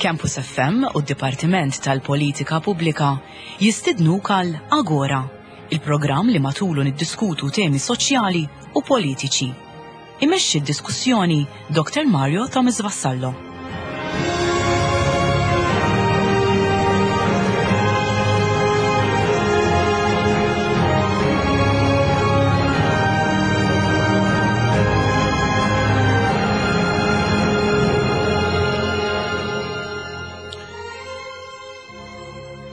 Campus FM u d-Dipartiment tal-Politika Pubblika jistidnuk għal Agora, il-programm li matulu niddiskutu temi soċjali u politiċi. Imexxi d-diskussjoni Dr. Mario Thomas Vassallo.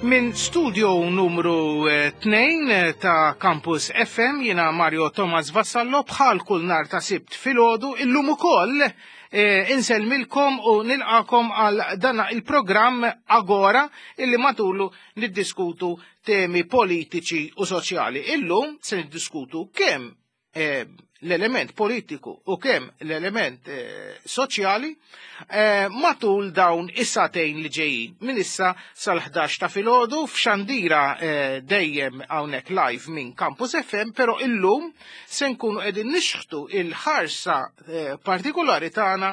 Minn studio numru 2 eh, ta' Campus FM jiena Mario Thomas Vassallo bħal kull nar ta' sibt filgħodu illum ukoll eh, insellmilkom u nilqakom għal dana il-programm Agora illi matulu niddiskutu temi politiċi u soċjali. Illum se niddiskutu kemm eh, l-element politiku u kemm l-element eh, soċjali eh, matul dawn is-satejn li ġejjin. Minn issa sal-11 ta' filgħodu f'xandira eh, dejjem hawnhekk live minn Campus FM, però illum se nkunu qegħdin nixħtu il-ħarsa partikolari tagħna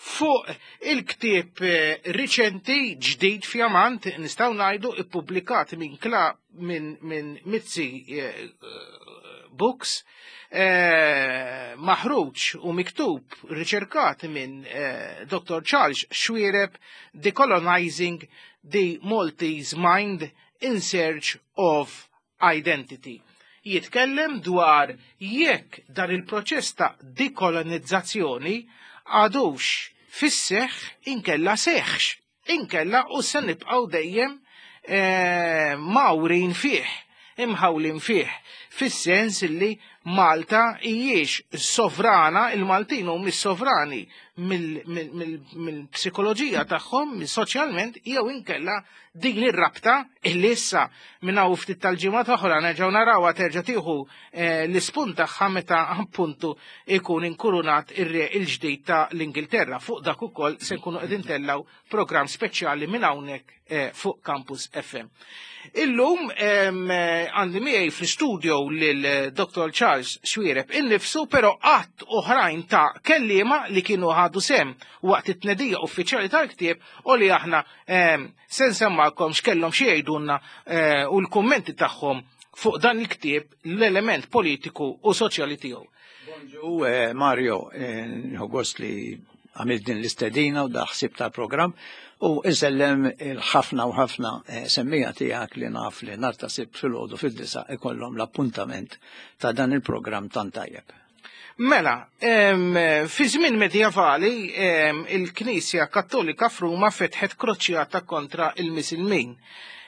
fuq il-ktieb riċenti ġdid fjamant nistgħu ngħidu ippubblikat minn kla minn min Mizzi Books eh, maħruġ u miktub riċerkat minn eh, Dr. Charles Xuereb Decolonizing the Maltese Mind in Search of Identity. Jitkellem dwar jekk dan il-proċess ta' dekolonizzazzjoni għadux fis-seħħ inkella seħħx Inkella u se nibqgħu dejjem eh, mawrin fih, imħawlin fih, fis-sens li Malta hijiex sovrana, il-Maltin hum sovrani mill-psikoloġija tagħhom, soċjalment, jew inkella din ir-rabta illi issa minn hawn ftit tal-ġimgħa oħra nerġgħu narawha terġa' tieħu eh, l-ispunt tagħha meta appuntu ikun inkurunat ir-re il-ġdid ta' l-Ingilterra. Fuq dak ukoll se nkunu qegħdin tellaw programm speċjali minn hawnhekk eh, fuq Campus FM. Illum għandi miegħi fl-studio lil Dr. Charles Xuereb innifsu, però qatt oħrajn ta' kelliema li kienu ħadu sem waqt it-tnedija uffiċjali tal-ktieb u li aħna se nsemmalkom x'kellhom xi jgħidulna eh, u l-kummenti tagħhom fuq dan il-ktieb l-element politiku u soċjali tiegħu. Bonġu, eh, Mario, eh, nħu gost li għamilt din l-istedina u daħsib tal-programm u insellem il-ħafna u ħafna eh, semmija tiegħek li naf li nar ta' sibt filgħodu fid-disa ikollhom l-appuntament ta' dan il-programm tant tajjeb. Mela, fi żmien medjevali il-Knisja Kattolika f'Ruma fetħet kroċjata kontra il-Misilmin.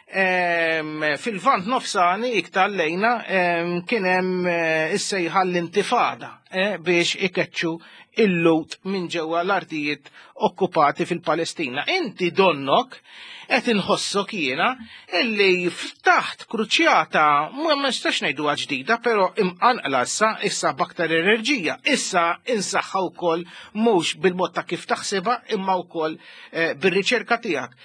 Fil-Lvant Nofsani iktar lejna kien hemm eh, is-sejħa l-intifada eh, biex ikeċċu il-Lut minn ġewwa l-artijiet okkupati fil-Palestina. Inti donnok qed inħossok jiena illi ftaħt kruċjata ma nistax ngħiduha ġdida, però imqanqla issa issa b'aktar enerġija, issa insaħħa wkoll mhux bil-mod ta' kif taħsibha imma wkoll eh, bir-riċerka tiegħek.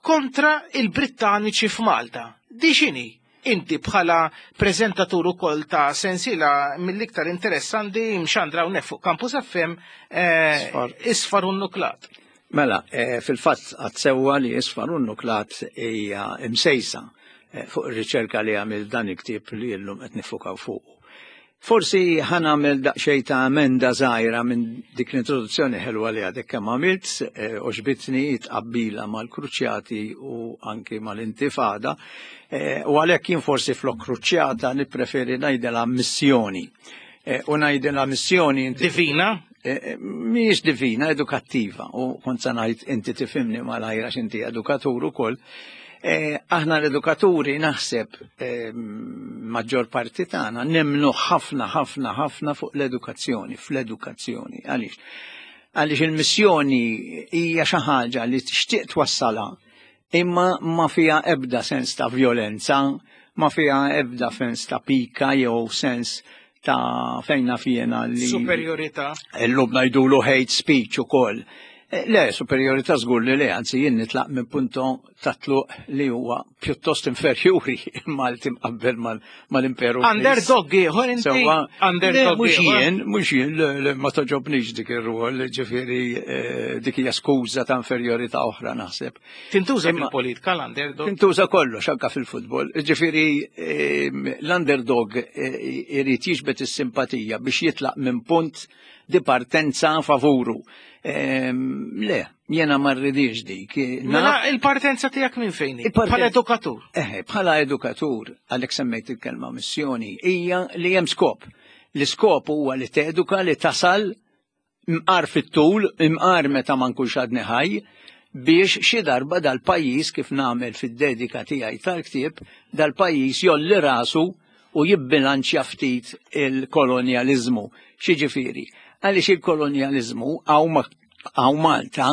Kontra il-Brittaniċi f'Malta. Di x'inhi? Inti bħala preżentatur ukoll ta' sensiela mill-iktar interessanti mxandra hawnhekk fuq Campus FM eh, Isfar u Nuklat. Mela, eh, fil-fatt għad sewwa li Isfar u Nuklat hija msejsa eh, fuq ir-riċerka li għamil dan il-ktieb li llum qed nifukaw fuq. Forsi ħa nagħmel daqsxejn ta' emenda żgħira minn dik l-introduzzjoni ħelwa li għadek kemm għamilt, eh, għoġbitni tqabbila mal-kruċjati u anki mal-intifada, eh, u għalhekk jien forsi flok kruċjata nippreferi ngħidilha missjoni. Eh, u ngħidilha missjoni divina? Mhijiex divina, edukattiva, u kont se ngħid inti tifhimni malajr għax inti edukatur ukoll. Eh, aħna l-edukaturi naħseb eh, maġġor parti tagħna nemmnu ħafna ħafna ħafna fuq l-edukazzjoni, fl-edukazzjoni. Għaliex? Għaliex il-missjoni hija xi ħaġa li tixtieq twassalha imma ma fiha ebda sens ta' violenza, ma fiha ebda sens ta' pika jew sens ta' fejn naf jiena li Superjorità. Illum ngħidulu hate speech ukoll. Eh, le, superjorità żgur li le, anzi jien nitlaq minn punto ta' tluq li huwa pjuttost inferjuri Malti mqabbel mal-imperu. Underdog ieħor inti. Underdog. Mhux jien, mhux jien, ma toġobnix dik ir-rwol, ġifieri eh, dik hija skuża ta' inferjorità oħra naħseb. Tintuża fil-politika l-underdog? Tintuża kollox anka fil-futbol. Ġifieri ehm, l-underdog eh, irid jiġbed is-simpatija biex jitlaq minn punt di partenza favuru. Ehm, le, jena ma rridix dik. Mela il-partenza tiegħek minn fejn? Bħala edukatur. Eh, bħala edukatur, għalhekk semmejt il-kelma missjoni, hija li hemm skop. L-iskop huwa li teduka li tasal mqar fit-tul, imqar meta ma nkunx għadni ħaj, biex xi darba dal-pajjiż kif nagħmel fid-dedika tiegħi tal-ktieb, dal-pajjiż jolli rasu u jibbilanċja ftit il-kolonjaliżmu. X'jiġifieri? Għaliex il-kolonjaliżmu hawn Malta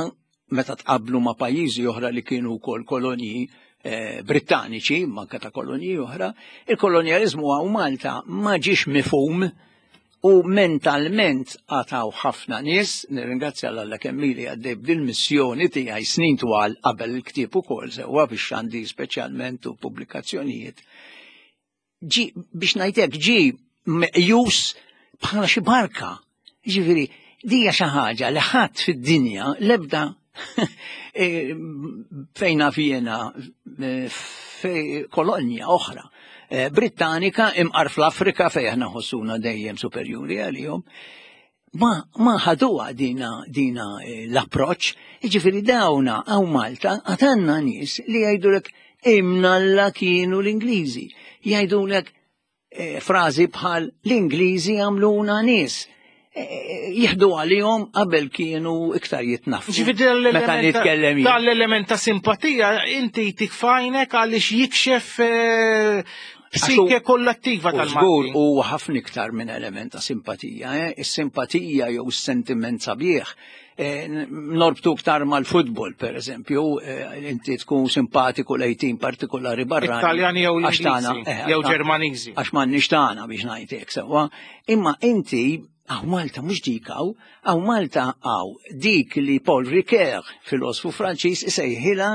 meta tqablu ma' pajjiżi oħra li kienu wkoll kolonji eh, Brittaniċi, manka ta' kolonji oħra, il-kolonjaliżmu hawn Malta ma ġiex mifhum u mentalment għataw ħafna nies, nirringrazzja l-Alla kemm ili għaddej b'dil-missjoni tiegħi snin twal qabel il-ktieb ukoll sewwa biex għandi speċjalment u pubblikazzjonijiet. Ġi biex ngħidlek ġi meqjus bħala xi barka. Ġifieri, dija xi ħaġa li ħadd fid-dinja l-ebda e, fejn naf jiena e, fej kolonja oħra e, Brittanika imqar fl-Afrika fejn aħna ħossuna dejjem superjuri għalihom. Ma, ma ħaduha dina, dina l-approċ, jiġifieri dawna hawn Malta għatanna nies li jgħidulek imnalla kienu l-Ingliżi. Jgħidulek Eh, frażi bħal l-Ingliżi għamluna nies. Eh, eh, jieħdu għalihom qabel kienu iktar jitnaffu. Meta nitkellem Dal-element ta' simpatija inti tikfajnek għaliex jikxef psike kollattiva tal-Żgur u ħafna iktar minn element ta' simpatija. Is-simpatija jew is-sentiment sabiħ Eh, norbtu ktar mal-futbol, per eżempju, eh, inti tkun simpatiku lej tim partikolari barra. Italjani jew l-Ingliżi, eh, jew Ġermaniżi. Għax m'għandniex tagħna biex ngħidlek sewwa. Imma inti għaw Malta mhux dik hawn, għaw Malta għaw dik li Paul Ricoeur, filosfu Franċiż, isejħilha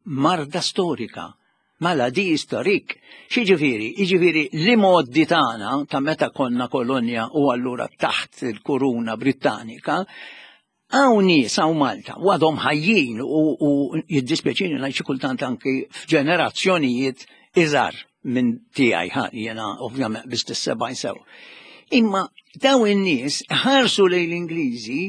marda storika. Maladie historique. X'jiġifieri? Jiġifieri l-imgħoddi tagħna ta' meta konna kolonja u allura taħt il-kuruna Brittanika, hawn nies hawn Malta u għadhom ħajjin u, u jiddispjaċini ngħid xi kultant anki f'ġenerazzjonijiet iżgħar minn tiegħi ħa jiena ovvjament biss tis-70 sew. Imma daw in-nies ħarsu lejn l-Ingliżi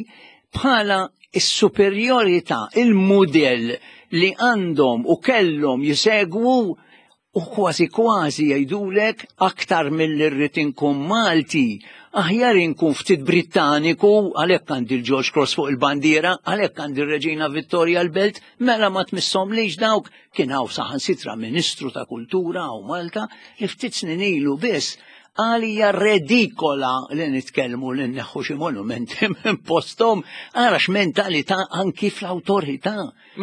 bħala is-superjorità, il-mudell li għandhom u kellhom jisegwu u kważi kważi jgħidulek aktar milli rrid inkun Malti, aħjar inkun ftit Brittaniku, għalhekk għandi l-George Cross fuq il-bandiera, għalhekk għandi r-Reġina Vittoria l-Belt, mela ma tmisshomlix dawk, kien hawn saħansitra Ministru ta' Kultura hawn Malta li ftit snin ilu biss Qal hija redikola li nitkellmu li nneħħu xi monumenti minn posthom, ara x'mentalità anki fl-awtorità.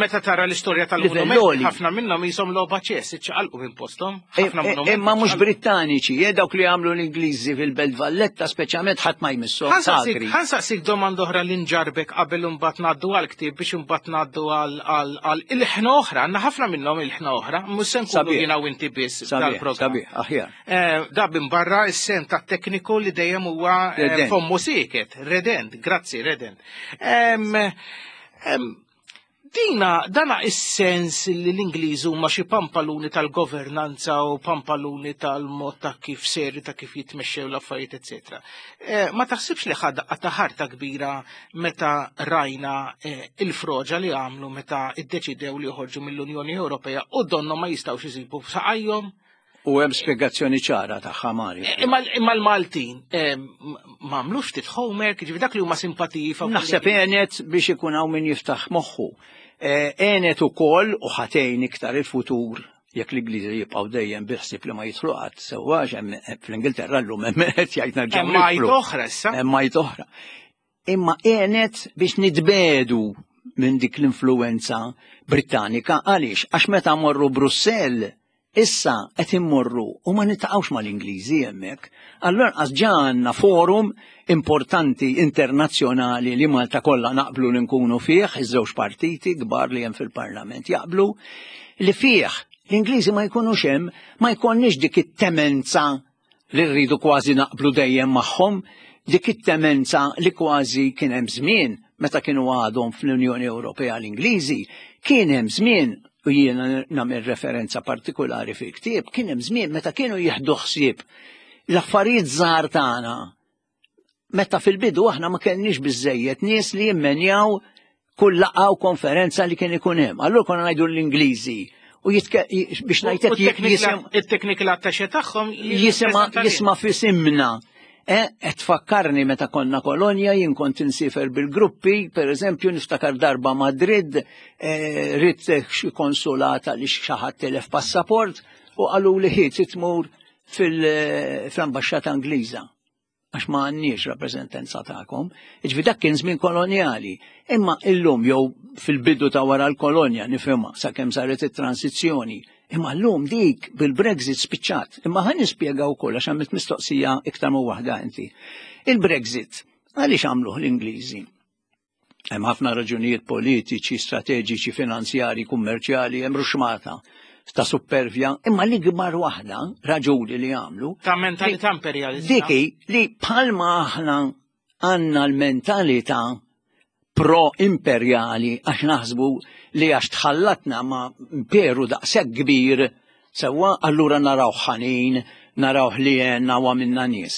Meta tara l-istorja tal-monumenti, ħafna minnhom jisom logħba ċess, iċċaqalqu minn posthom. E, e, imma mhux Brittaniċi, e dawk li għamlu l-Ingliżi fil-Belt Valletta speċjalment ħadd ma jmisshom. Ħansaqsik domanda oħra li nġarbek qabel imbagħad ngħaddu għall-ktieb biex imbagħad ngħaddu għal il-ħna oħra, għandna ħafna minnhom il-ħna oħra, mhux se nkunu jiena u inti biss dal-programm. Sabiħ, aħjar. Eh, da minn barra s-sem ta' tekniku li dejjem huwa eh, fommu sieket, redent, grazzi, redent. Dina, dana is-sens li l-Ingliżi huma xi pampaluni tal-governanza u pampaluni tal-mod ta' kif seri ta' kif jitmexxew l-affarijiet, eċetera. Eh, ma taħsibx li ħadha ta' ħarta kbira meta rajna il-froġa li għamlu meta iddeċidew li joħorġu mill-Unjoni Ewropea u donnu ma jistgħux isibu saqajhom? U hemm spjegazzjoni ċara tagħha Mario. Eh, imma l-Maltin eh, ma għamlux ftit homework, ġifi dak li huma simpatiji fa' Naħseb għenet biex ikun hawn min jiftaħ moħħu. Eh, għenet ukoll u ħatejn iktar il-futur jekk l-Ingliżi jibqgħu dejjem biħsib li ma jidħlu qatt sewwa fl-Ingilterra llum hemm qed jgħid nerġgħu. Hemm oħra issa. Hemm oħra. Imma għenet biex nitbedu minn dik l-influenza Brittanika għaliex għax meta morru Brussell. Issa qed immorru u ma niltaqgħux mal-Ingliżi hemmhekk. Allura anqas ġa għandna forum importanti internazzjonali li Malta kollha naqblu li nkunu fih, iż-żewġ partiti kbar li hemm fil-Parlament jaqblu li fih l-Ingliżi ma jkunux hemm, ma jkollniex dik it-temenza li rridu kważi naqblu dejjem magħhom, dik it-temenza li kważi kien hemm żmien meta kienu għadhom fl-Unjoni Ewropea l-Ingliżi, kien hemm żmien u jiena nagħmel referenza partikolari fil-ktieb, kien hemm żmien meta kienu jieħdu ħsieb l-affarijiet żgħar tagħna Meta fil-bidu aħna ma kellniex biżejjed nies li jimmenjaw kull laqgħa u konferenza li kien ikun hemm. Allura konna ngħidu l-Ingliżi u biex ngħidlek it-technical attaché tagħhom jisma' fisimna. E, qed tfakkarni meta konna kolonja jien kont insifer bil-gruppi, per eżempju niftakar darba Madrid, e, ridt xi konsulata li xi ħadd telef passaport u qalu li ħiet tmur fil-ambaxxata Ingliża għax ma għandniex rappreżentanza tagħkom. Iġvi dak kien żmien kolonjali. Imma illum jew fil-bidu ta' wara l-kolonja nifhimha sakemm saret it-transizzjoni. Imma llum dik bil-Brexit spiċċat. Imma ħa nispjega wkoll għax għamilt mistoqsija iktar ma waħda inti. Il-Brexit għaliex għamluh l-Ingliżi? Hemm ħafna raġunijiet politiċi, strateġiċi, finanzjari, kummerċjali, hemm ruxmata ta' supervja, imma l-ikbar waħda raġuni li għamlu. Ta' mentalità imperjalista. Diki li bħalma aħna għandna l-mentalità pro-imperjali għax naħsbu li għax tħallatna ma' imperu daqshekk kbir Sewwa, allura narawh ħanin, narawh li għenna u għamilna nies.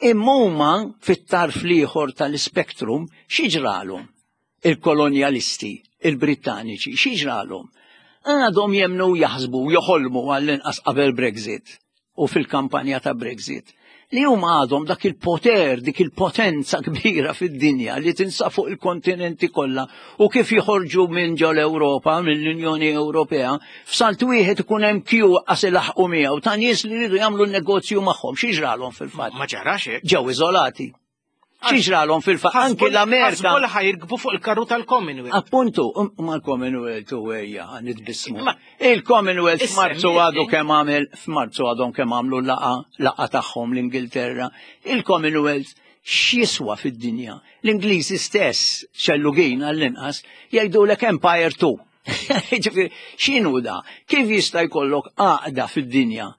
Imma huma fit-tarf l-ieħor tal-ispektrum xi ġralhom? Il-kolonjalisti, il-Brittaniċi, xi ġralhom? Għadhom jemmnu u jaħsbu u joħolmu għall-inqas qabel Brexit u fil-kampanja ta' Brexit li huma għadhom dak il-poter, dik il-potenza kbira fid-dinja li tinsa fuq il-kontinenti kollha u kif joħorġu minn ġol Ewropa, mill-Unjoni Ewropea, f'salt wieħed ikun hemm kju qas ilaħqu miegħu ta' nies li jridu jagħmlu negozju magħhom. Xi ġralhom fil-fatt? Ma ġarax hekk. Ġew iżolati. Xi ġralhom fil-fatt anki l-Amerika. Kollha ħajrkbu fuq il-karru tal-Commonwealth. Appuntu, um, ma l-Commonwealth u ejja nitbissmu. Il-Commonwealth f'Marzu għadu kemm għamel f'Marzu għadhom kemm għamlu laqa laqa tagħhom l-Ingilterra. Il-Commonwealth x'jiswa fid-dinja? L-Ingliżi stess, xellugin għall-inqas, jgħidulek Empire 2. Ġifieri, x'inhu da? Kif jista' jkollok għaqda fid-dinja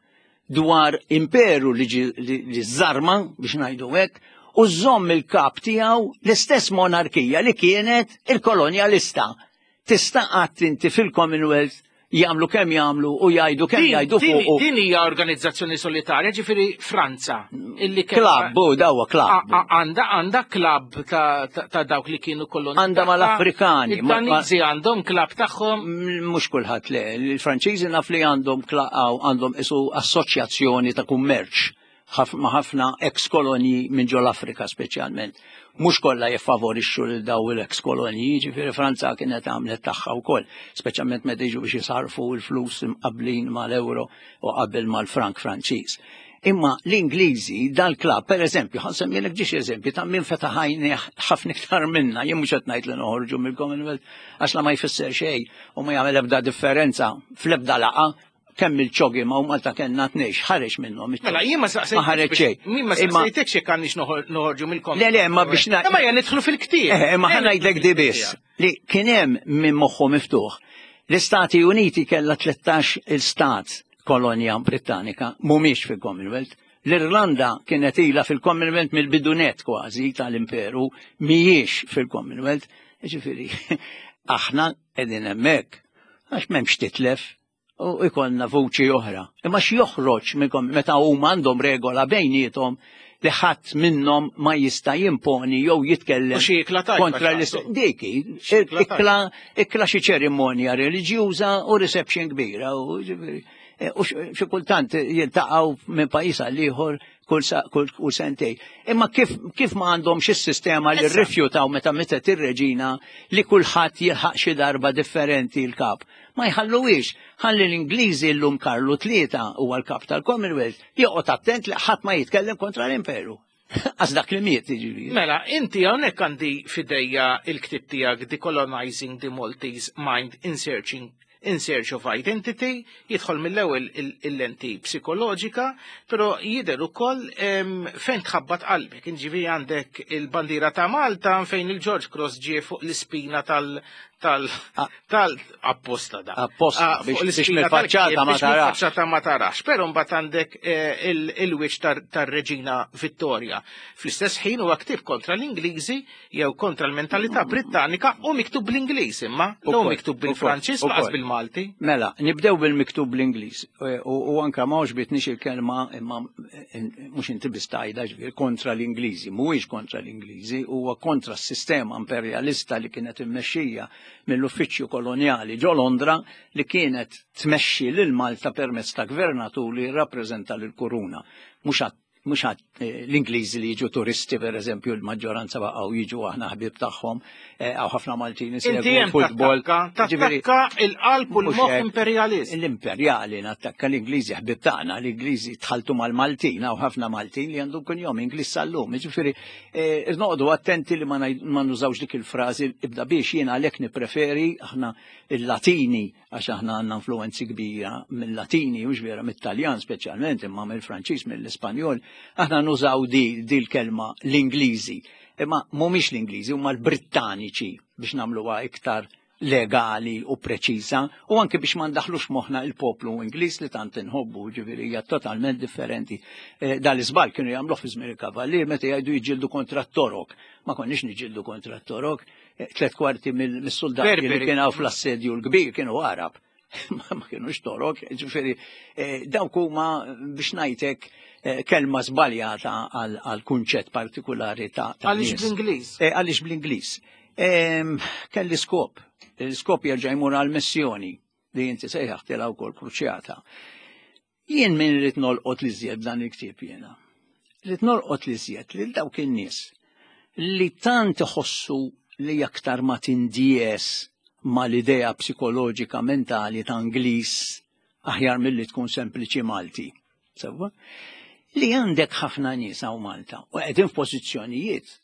dwar imperu li li żarma biex ngħidu hekk u żomm il-kap tiegħu l-istess monarkija li kienet il-kolonjalista. Tista' qatt inti fil-Commonwealth jagħmlu kemm jagħmlu u jgħidu kemm jgħidu fuq. Din hija organizzazzjoni solitarja, ġifieri Franza. Illi Klabb, u dawa klabb. Għanda għanda klabb ta' dawk li kienu koloni. Għanda mal-Afrikani. Id-Daniżi għandhom klabb tagħhom. Mhux kulħadd le, il-Franċiżi naf li għandhom għandhom isu assoċjazzjoni ta' kummerċ ma' ħafna ex kolonji minn ġol Afrika speċjalment. Mhux kollha jiffavorixxu lil daw il-ex kolonji, jiġifieri Franza kienet għamlet tagħha wkoll, speċjalment meta jiġu biex jisarfu l-flus imqabblin mal-euro u qabel mal-frank Franċiż. Imma l-Ingliżi dal-klabb, per eżempju, ħa nsemmilek ġiex eżempju ta' min fetaħ għajnejh ħafna iktar minna, jien mhux qed ngħid li noħorġu mill-Commonwealth għax la ma jfisser xejn u ma jagħmel ebda differenza fl-ebda laqgħa kemm il-ċogi ma' u Malta kellna tnejx ħareġ minnhom. Mela jien ma saqsejt. Ma ħareġ xejn. Min ma saqsejtekx jekk għandniex noħorġu mill-kom. Le le, ma biex na. Ma jien nidħlu fil-ktieb. Eh, ma ħa ngħidlek di biss li kien hemm minn moħħu miftuħ. L-Istati Uniti kellha 13 il-stat kolonja Brittanika mhumiex fil-Commonwealth. L-Irlanda kienet ilha fil-Commonwealth mill-bidunet kważi tal-imperu mhijiex fil-Commonwealth. Ġifieri, aħna qegħdin hemmhekk għax m'hemmx titlef u ikollna vuċi oħra. Imma x'joħroġ minnkom meta huma għandhom regola bejniethom li ħadd minnhom ma jista' jimponi jew jitkellem kontra l Diki, ikla ikla xi ċerimonja reliġjuża u reception kbira u e, u xi kultant jiltaqgħu minn pajjiż għal ieħor kull sentej. Imma kif, kif ma għandhomx is-sistema li rrifjutaw meta mitet ir-reġina li kulħadd jilħaq xi darba differenti l-kap. Ma jħalluhiex. Ħalli l-Ingliżi llum Karlu Tlieta huwa l-kap tal-Commonwealth joqgħod attent li ħadd ma jitkellem kontra l-Imperu. Għax dak li miet jiġifieri. Mela, inti hawnhekk għandi fidejja il-ktieb tiegħek Decolonizing the Maltese Mind in Searching In Search of Identity, jidħol mill-ewwel il-lenti psikoloġika, però jidher ukoll fejn tħabbat qalbek. Inġivi għandek il-bandiera ta' Malta fejn il-George Cross ġie fuq l-ispina tal tal ah. tal apposta da. Apposta ah, biex mill-faċċata ma tarax. Faċċata ma tarax, però mbagħad għandek eh, il-wiċċ tar-Reġina Vittoria. Fl-istess ħin huwa ktieb kontra l-Ingliżi jew kontra l-mentalità Brittanika u miktub bl-Ingliż imma, jew miktub bil-Franċiż laqas bil-Malti. Mela, nibdew bil-miktub bl-Ingliż u anka ma għoġbitnix il-kelma imma eh, mhux inti biss tgħidha ġifier kontra l-Ingliżi, mhuwiex kontra l-Ingliżi, huwa kontra s-sistema imperjalista li kienet immexxija mill-uffiċċju kolonjali ġo Londra li kienet tmexxi lil Malta permezz ta' gvernatur li jirrappreżenta lill-kuruna. Mhux mhux eh, l-Ingliżi li jiġu turisti per eżempju l-maġġoranza baqgħu jiġu aħna ħbieb tagħhom eh, hawn ħafna Maltin isegwu futbol. Tattakka il-qalb u l-moħħ imperjalist. L-imperjali nattakka l-Ingliżi ħbieb tagħna, l-Ingliżi tħaltu mal-Maltin, hawn ħafna Maltin li għandhom kuljom Ingliż sal-lum. Ġifieri eh, noqogħdu attenti li ma nużawx dik il-frażi ibda biex jiena għalhekk nippreferi aħna il-Latini għax aħna għandna influenzi kbira mill-Latini, mhux vera mit-Taljan speċjalment, imma mill-Franċiż, mill-Ispanjol, aħna nużaw di, di l-kelma l-Ingliżi. Imma mhumiex l-Ingliżi, huma l-Brittaniċi biex nagħmluha iktar legali u preċiża u anke biex ma ndaħlux moħħna il-poplu Ingliż li tant inħobbu, ġifieri hija totalment differenti. Eh, dal-iżbal kienu jagħmluh fi żmien il-kavallier meta jgħidu jiġġieldu kontra t-torok. Ma konniex niġġieldu kontra t-torok, tlet kwarti mill-soldati li kien hawn fl-assedju l-kbir kienu Arab. Ma kienux torok, ġifieri eh, dawk huma biex ngħidlek eh, kelma żbaljata għal kunċett partikulari ta' Għaliex bl-Ingliż? Eh, għaliex bl-Ingliż. Ehm, kelli skop, l-skop jerġa' jmur għal missjoni li inti sejħaħtilha wkoll kruċjata. Jien min rrid nolqot li żjed dan il-ktieb jiena. Rrid nolqot li żjed lil dawk in-nies li tant iħossu li aktar ma tindies mal-idea psikoloġika mentali ta' Ingliż aħjar milli tkun sempliċi Malti. Sewwa? Li għandek ħafna nies hawn Malta u qegħdin f'pożizzjonijiet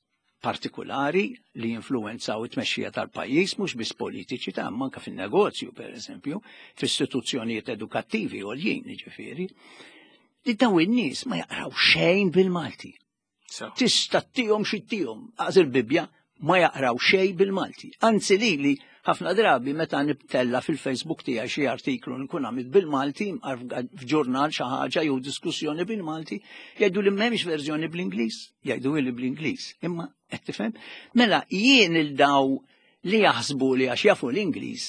partikulari li jinfluwenzaw it-tmexxija tal-pajjiż mhux biss politiċi ta' manka fin-negozju pereżempju, f'istituzzjonijiet edukattivi għoljin jiġifieri, li daw in-nies ma jaqraw xejn bil-Malti. Tista' tihom xi tihom, għaż il-Bibbja ma jaqraw xejn bil-Malti. Anzi lili ħafna drabi meta nibtella fil-Facebook tiegħi xi artiklu nkun għamilt bil-Malti f'ġurnal xi ħaġa jew diskussjoni bil-Malti, jgħidu li m'hemmx verżjoni bl-Ingliż. Jgħidu li bl-Ingliż, imma qed tifhem? Mela jien il daw li jaħsbu li għax jafu l-Ingliż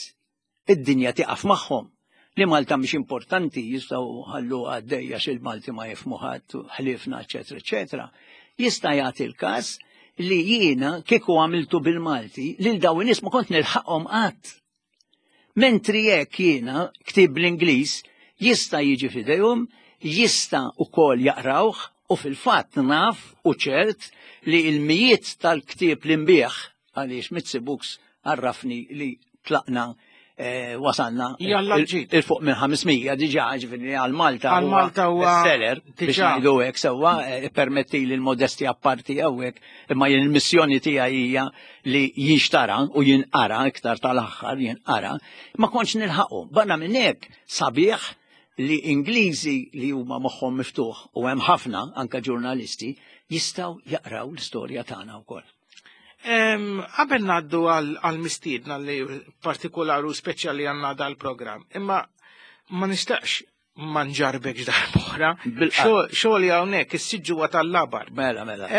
id-dinja tiqaf magħhom li Malta mhix importanti jistgħu ħallu għaddejja xi l-Malti ma jifhmu ħadd ħliefna eċetera eċetera. Jista' jagħti l-każ li jiena kieku għamiltu bil-Malti lil daw in-nies ma kont nilħaqhom qatt. Mentri jekk jiena ktieb bl-Ingliż jista' jiġi f'idejhom, jista' ukoll jaqrawh u fil-fatt naf u ċert li l-mijiet tal-ktieb li nbigħ għaliex Mizzi Books għarrafni li tlaqna eh, wasalna il fuq minn 500 diġà ġifieri għal Malta għal Malta huwa seller biex ngħidu hekk sewwa eh, permetti li l-modesti apparti hawnhekk imma jien il-missjoni tiegħi hija li jinxtara u jinqara iktar tal-aħħar jinqara, ma kontx nilħaqu. Barra minn hekk sabiħ li Ingliżi li huma moħħhom miftuħ u hemm ħafna anka ġurnalisti jistgħu jaqraw l-istorja tagħna wkoll. Qabel ngħaddu għal mistiedna li partikolari u speċjali għandna dal-programm, imma ma nistaqx ma nġarbekx darb'oħra. Xogħli hawnhekk is-siġġu tal-labar. Mela, mela.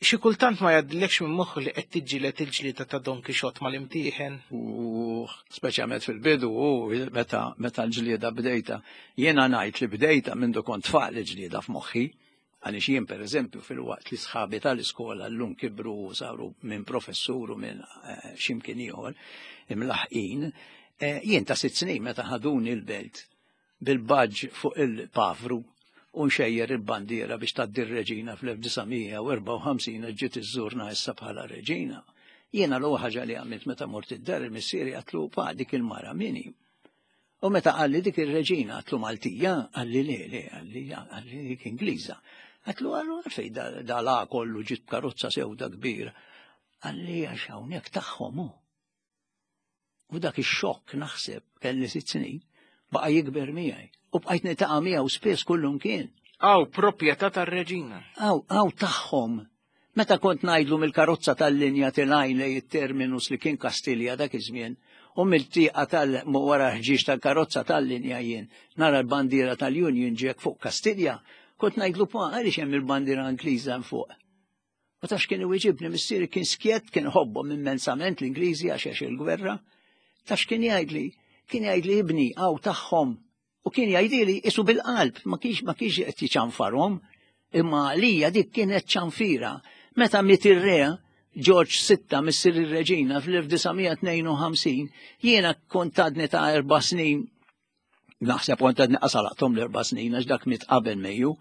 Xi kultant ma jgħaddilekx minn moħħu li qed tiġġieled il-ġlieda ta' Don Quixote mal-imtieħen. U speċjalment fil-bidu, u meta meta l-ġlieda bdejta. Jiena ngħid li bdejta mindu kont tfal il-ġlieda f'moħħi. Għaliex jien pereżempju fil-waqt li sħabi tal-iskola llum kibru u saru minn professur u minn eh, x'imkien ieħor imlaħqin, eh, jien ta' sitt snin meta ħaduni l-belt bil-badge fuq il-pavru u nxejjer il-bandiera biex tgħaddi r-reġina fl-1954 ġiet iżżurna issa bħala reġina. Jiena l ħaġa li għamilt meta mort id-dar il-missieri għatlu pa dik il-mara mini. U meta qalli dik ir-reġina għatlu Maltija, qalli le le, qalli qalli dik Ingliża. Għatlu għallu għalfej da la kollu ġiet karozza sewda kbira. Qalli għax hawnhekk tagħhom hu. U dak ix-xokk naħseb kelli sitt snin baqa' jikber miegħi. U bqajt niltaqa' miegħu spiss kullum kien. Aw proprjetà tar-reġina. Aw, aw tagħhom. Meta kont ngħidlu mill-karozza tal-linja tilgħin lejn it-terminus li kien Kastilja dak iż-żmien, u mill-tieqa tal wara ħġieġ tal-karozza tal-linja jien nara l-bandiera tal-Union Jack fuq Kastilja, kont ngħidlu pa għaliex hemm il-bandiera Ingliża hemm fuq. U taf x'kien iwiġibni missieri kien skjett, kien ħobbhom immensament l-Ingliżi għax għex il-gwerra. Taf x'kien jgħidli? Kien jgħidli ibni hawn tagħhom. U kien jgħidili isu bil-qalb, ma kienx ma kienx qed jiċanfarhom, imma għalija dik kienet ċanfira. Meta miet ir-re George VI missier ir-reġina fl-1952, jiena kont għadni ta' erba' snin naħseb kont għadni qasalaqthom l-erba' snin għax dak miet qabel Mejju,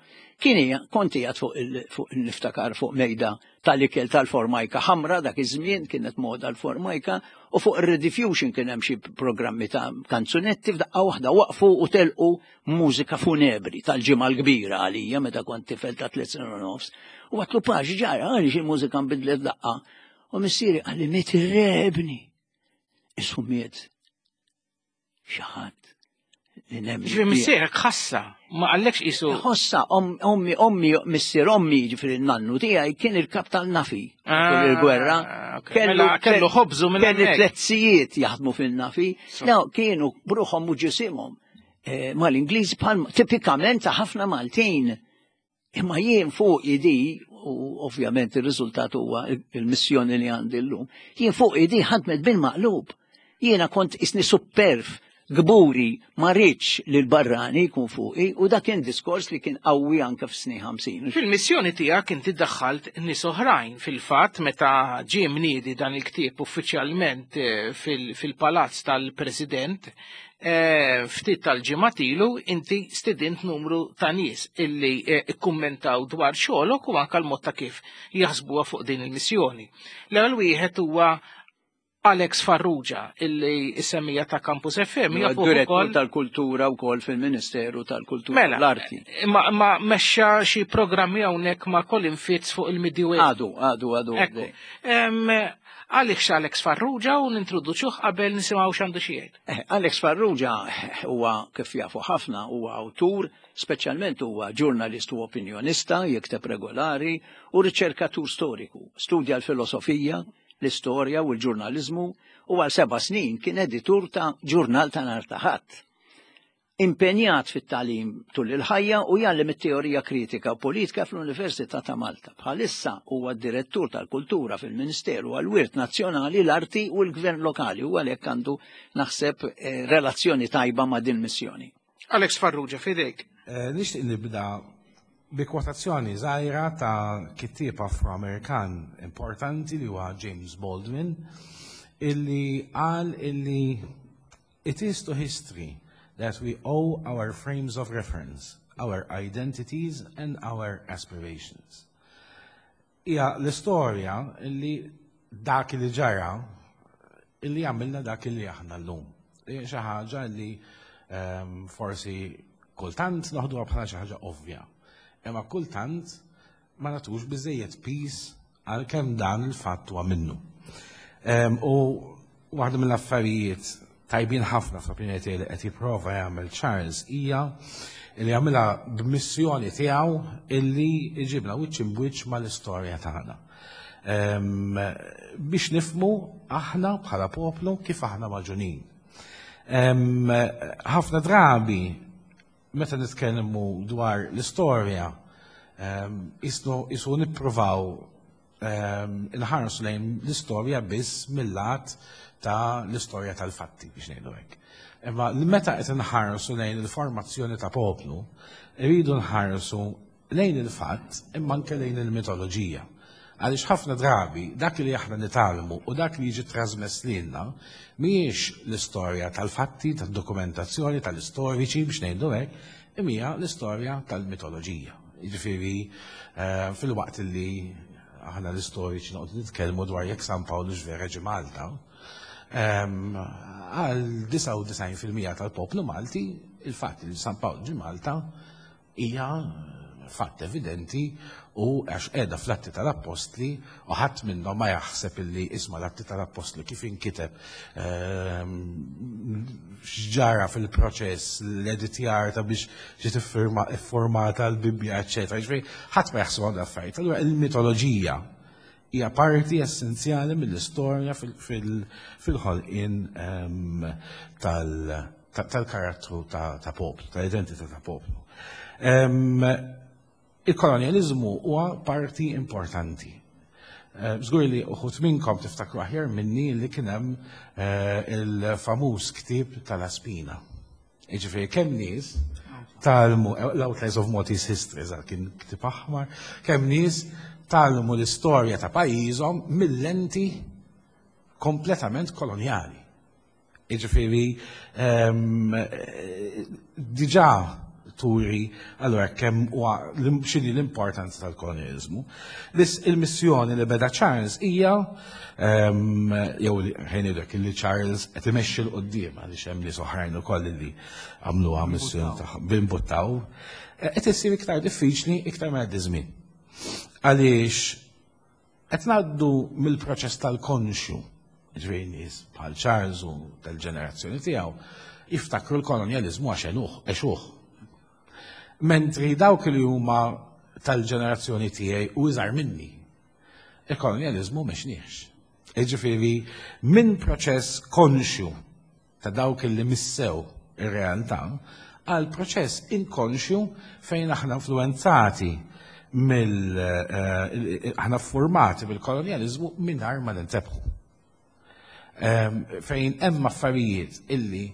kien hija kont qiegħed fuq fuq niftakar fuq mejda tal-ikel tal-formajka ħamra dak iż-żmien kienet moda l-formajka u fuq ir-rediffusion kien hemm xi programmi ta' kanzunetti f'daqqa waħda waqfu u telqu mużika funebri tal-ġimgħa l-kbira għalija meta kont tifel ta' tliet snin u nofs. U għatlu pax ġara għaliex il-mużika nbidlet daqqa. U missieri qalli miet ir-re ibni. Isu miet xi ħadd li nemmen. Ġifieri missierek ħassa, ma qallekx qisu. Ħossa, ommi, ommi, missier ommi, ġifieri n-nannu tiegħi kien il-kap tal-nafi tul ah, il-gwerra. Kellu mela, kellu ħobżu minn Kellu tletzijiet jaħdmu fil-nafi. No, kienu bruħhom u ġisimhom eh, mal-Ingliż bħal tipikament ta' ħafna Maltin. Imma jien fuq idi, u ovvjament ir-riżultat huwa il-missjoni li għandi llum, jien fuq idi ħadmet bil-maqlub. Jiena kont isni supperf, gburi, ma rridx li l-barrani jkun fuqi u dak kien diskors li kien qawwi anke fis-snin 50. Fil-missjoni tiegħek inti daħħalt nies oħrajn. Fil-fatt meta ġie mniedi dan il-ktieb uffiċjalment eh, fil-palazz tal-President, Eh, ftit tal-ġimgħat ilu inti stidint numru ta' nies illi eh, ikkummentaw dwar xogħolok u anke l-mod ta' kif jaħsbuha fuq din il-missjoni. L-ewwel wieħed huwa Alex Farrugia illi semmija ta' Campus FM hija direttur tal-kultura wkoll fil-Ministeru tal-Kultura mela, l-Arti. Ma, ma mexxa xi programmi hawnhekk ma' Colin Fitz fuq il-Midway. Għadu, għadu, għadu. Għaliex Alex Farrugia u nintroduċuh qabel nisimgħu x'għandu xi jgħid. Eh, Alex Farrugia eh, huwa kif jafu ħafna huwa awtur, speċjalment huwa ġurnalist u opinjonista, jikteb regolari u riċerkatur storiku. Studja l-filosofija, l-istorja u l-ġurnaliżmu u għal seba' snin kien editur ta' ġurnal ta' nhar ta' ħadd. Impenjat fit-tagħlim tul il-ħajja u jgħallem it-teorija kritika u politika fl-Università ta' Malta. Bħalissa huwa d-Direttur tal-Kultura fil-Ministeru għall-Wirt Nazzjonali, l-Arti u l-Gvern Lokali u għalhekk għandu naħseb eh, relazzjoni tajba ma' din missjoni. Alex Farrugia, fidejk. Eh, nixtieq nibda bi kwotazzjoni żgħira ta' kittieb Afro-Amerikan importanti li huwa James Baldwin illi qal illi It is to history that we owe our frames of reference, our identities and our aspirations. Hija l-istorja li dak li ġara illi għamilna dak li aħna llum. Xi ħaġa li ehm, forsi kultant noħduha bħala xi ħaġa ovvja. Imma kultant ma nagħtux biżejjed piż għal kemm dan il-fatt huwa minnu. Ehm, u waħda mill-affarijiet tajbin ħafna fl-opinjoni tiegħi li qed jipprova jagħmel Charles hija li jagħmilha b'missjoni tiegħu illi jġibna wiċċ imbwiċċ mal-istorja tagħna. Ehm, biex nifmu aħna bħala poplu kif aħna maġunin. Ehm, ħafna drabi Meta nitkellmu dwar l-istorja, ehm, isu nippruvaw ehm, inħarsu lejn l-istorja biss mill-lat ta' l-istorja tal-fatti biex ngħidu hekk. Imma meta qed inħarsu lejn il-formazzjoni ta' poplu, irridu nħarsu lejn il-fatt imma anke lejn il-mitoloġija. Għaliex ħafna drabi dak li aħna nitgħallmu u dak li jiġi trasmess lilna mhijiex l-istorja tal-fatti, tad-dokumentazzjoni, tal-istoriċi biex ngħidu hekk, imma hija l-istorja tal-mitoloġija. Jiġifieri eh, fil-waqt li aħna l-istoriċi noqgħdu nitkellmu dwar jekk San Pawlu x'vera ġie Malta, ehm, għal 99% tal-poplu Malti, il-fatt li San Pawl ġie Malta hija fatt evidenti u għax qiegħda fl-Atti tal-Appostli u ħadd minnhom ma jaħseb illi isma' l-Atti tal-Appostli kif inkiteb ehm, x'ġara fil-proċess, l-editjar ta' biex ġiet iffurmata l-Bibbja, eċċetera. Ġifieri ħadd ma jaħseb għal affarijiet. Allura il-mitoloġija hija parti essenzjali mill-istorja fil-ħolqien ehm, tal-karattru ta' poplu, tal-identità ta' poplu. Ehm, il-kolonjaliżmu huwa parti importanti. Ehm, żgur li uħut minnkom tiftakru aħjar minni li kien hemm eh, il-famuż ktieb tal-Aspina. Jiġifieri kemm nies talmu l-Outlines of Maltese History, eżatt kien ktieb aħmar, kemm nies talmu l-istorja ta' pajjiżhom mill-lenti kompletament kolonjali. Jiġifieri ehm, diġà turi allura kemm huwa x'inhi l-importanza tal-kolonjaliżmu. Biss il-missjoni li beda Charles hija ehm, jew ħejnidek li Charles qed imexxi l qudiem għaliex hemm nies oħrajn ukoll li għamluha missjoni tagħhom bimbuttaw, eh, qed issir iktar diffiċli iktar ma jgħaddi żmien. Għaliex Qed ngħaddu mill-proċess tal-konxju, ġifieri nies bħal Charles u tal-ġenerazzjoni tiegħu jiftakru l-kolonjaliżmu għax għenuh, għexuh. Mentri dawk li huma tal-ġenerazzjoni tiegħi u iżgħar minni, il-kolonjaliżmu m'għexniex. Jiġifieri minn proċess konxju ta' dawk li missew ir-realtà għal proċess inkonxju fejn aħna influenzati mill eh, aħna formati bil-kolonjaliżmu mingħajr ma nintebħu. Ehm, fejn hemm affarijiet illi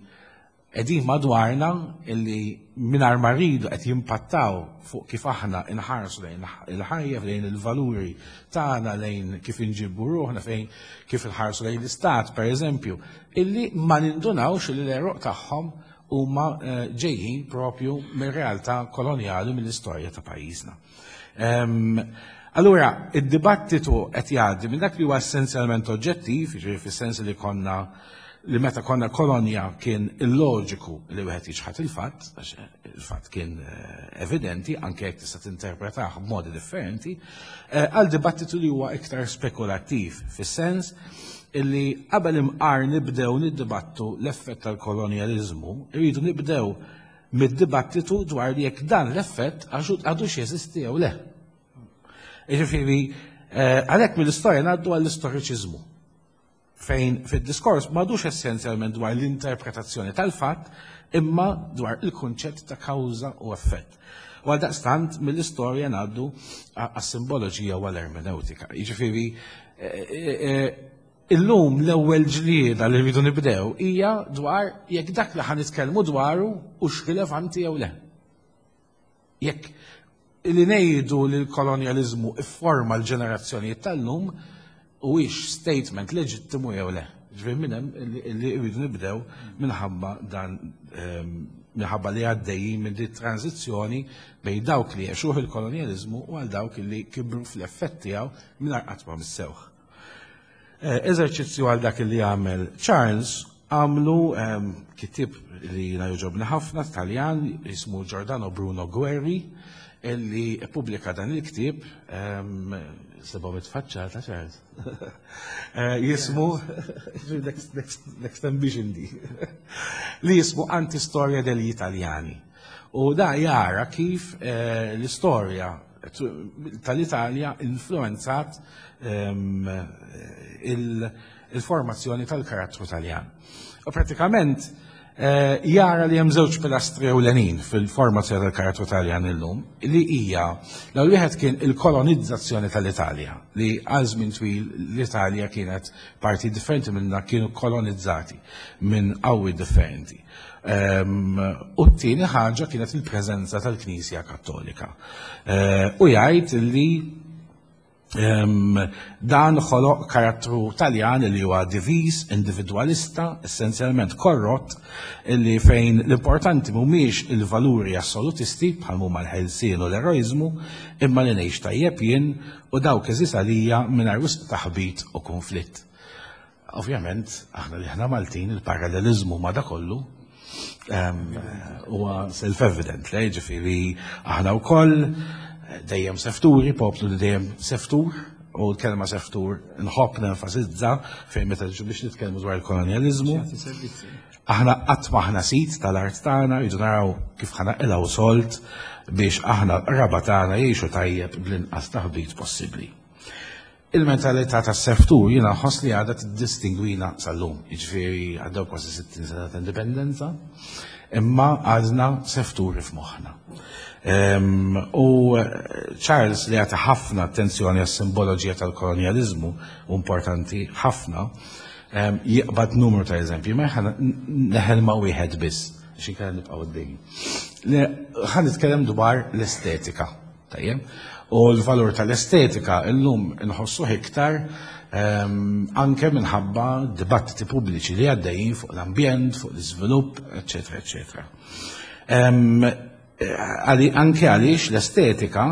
qegħdin madwarna illi mingħajr ma rridu qed jimpattaw fuq kif aħna inħarsu lejn il-ħajja, lejn il-valuri tagħna, lejn kif inġibu ruħna, fejn kif inħarsu lejn l-istat, per eżempju, illi ma nindunawx li l-għeruq tagħhom huma eh, ġejjin propju mir-realtà kolonjali mill-istorja ta' pajjiżna. Ehm, allura, id-dibattitu qed jgħaddi minn dak li huwa essenzjalment oġġettiv, jiġifieri fis-sens li konna li meta konna kolonja kien illoġiku li wieħed jiċħad il-fatt, għax il-fatt kien eh, evidenti, anke jekk tista' tinterpretah b'modi differenti, eh, għal dibattitu li huwa iktar spekulattiv, fis-sens illi qabel imqar nibdew niddibattu l-effett tal-kolonjaliżmu, irridu nibdew mid-dibattitu dwar jekk dan l-effett għadux jeżisti jew le. Jiġifieri, eh, għalhekk mill-istorja ngħaddu għall-istoriċiżmu fejn fid-diskors m'għadux essenzjalment dwar l-interpretazzjoni tal-fatt imma dwar il-kunċett ta' kawża u effett. U għaldaqstant mill-istorja ngħaddu għas-simboloġija u għall-ermeneutika. Jiġifieri eh, eh, eh, illum l-ewwel ġlieda li rridu nibdew hija dwar jekk dak li ħa nitkellmu dwaru hux rilevanti jew le. Jekk li ngħidu li l-kolonjaliżmu ifforma l-ġenerazzjonijiet tal-lum huwiex statement leġittimu jew le. Ġifieri minn hemm li rridu nibdew minħabba dan ehm, minħabba li għaddejjin minn din tranzizzjoni bejn dawk li għexuh il-kolonjaliżmu u għal dawk li kibru fl-effett tiegħu mingħajr qatt ma missewh. Eh, eżerċizzju għal dak li għamel Charles għamlu ehm, kitib li jina joġobni ħafna Taljan jismu Giordano Bruno Guerri illi pubblika dan il-ktib ehm, seba' mitfaċċata Charles. Eh, jismu next ambition di li jismu Antistoria degli Italiani. U da jara kif eh, l-istorja tal-Italja influenzat ehm, il-formazzjoni tal-karattru Taljan. U pratikament eh, jara li hemm żewġ pilastri ewlenin fil-formazzjoni tal-karattru Taljan illum, li hija l wieħed kien il-kolonizzazzjoni tal-Italja, li għal żmien twil l-Italja kienet parti differenti minna kienu kolonizzati minn qawwi differenti. Ehm, u t-tieni ħaġa kienet il-preżenza tal-Knisja Kattolika. Eh, u jgħid li ehm, dan ħoloq karattru Taljan li huwa diviż, individwalista, essenzjalment korrott, li fejn l-importanti mhumiex il-valuri assolutisti bħal huma l-ħelsien u l-eroiżmu, imma li ngħix tajjeb jien u dawk eżis għalija mingħajr wisq taħbit u konflitt. Ovvjament, aħna li aħna Maltin, il-paralleliżmu ma' da kollu Huwa self-evident, le ġifieri aħna wkoll dejjem sefturi, poplu li dejjem seftur, u l-kelma seftur nħobb nenfasizza fejn meta biex nitkellmu dwar il-kolonjaliżmu. Aħna qatt m'aħna sid tal-art tagħna, rridu naraw kif ħa naqilgħu sold biex aħna l-qraba tagħna jgħixu tajjeb bl-inqas taħbit possibbli. Il-mentalità tas-seftur jiena nħoss li għadha tiddistingwina sal-lum, jiġifieri għaddew kważi 60 sena ta' indipendenza, imma għadna sefturi f'moħħna. U Charles li għata ħafna attenzjoni għas-simboloġija tal-kolonjaliżmu, u importanti ħafna, jiqbad numru ta' eżempji, ma neħel ma' wieħed biss, xi inkella nibqgħu għaddejjin. Ħa nitkellem dwar l-estetika. Tajjeb? U l-valur tal-estetika illum inħossuh iktar anke minħabba dibattiti pubbliċi li għaddejjin fuq l-ambjent, fuq l-iżvilupp, eċetera, eċetera. Anke għaliex l-estetika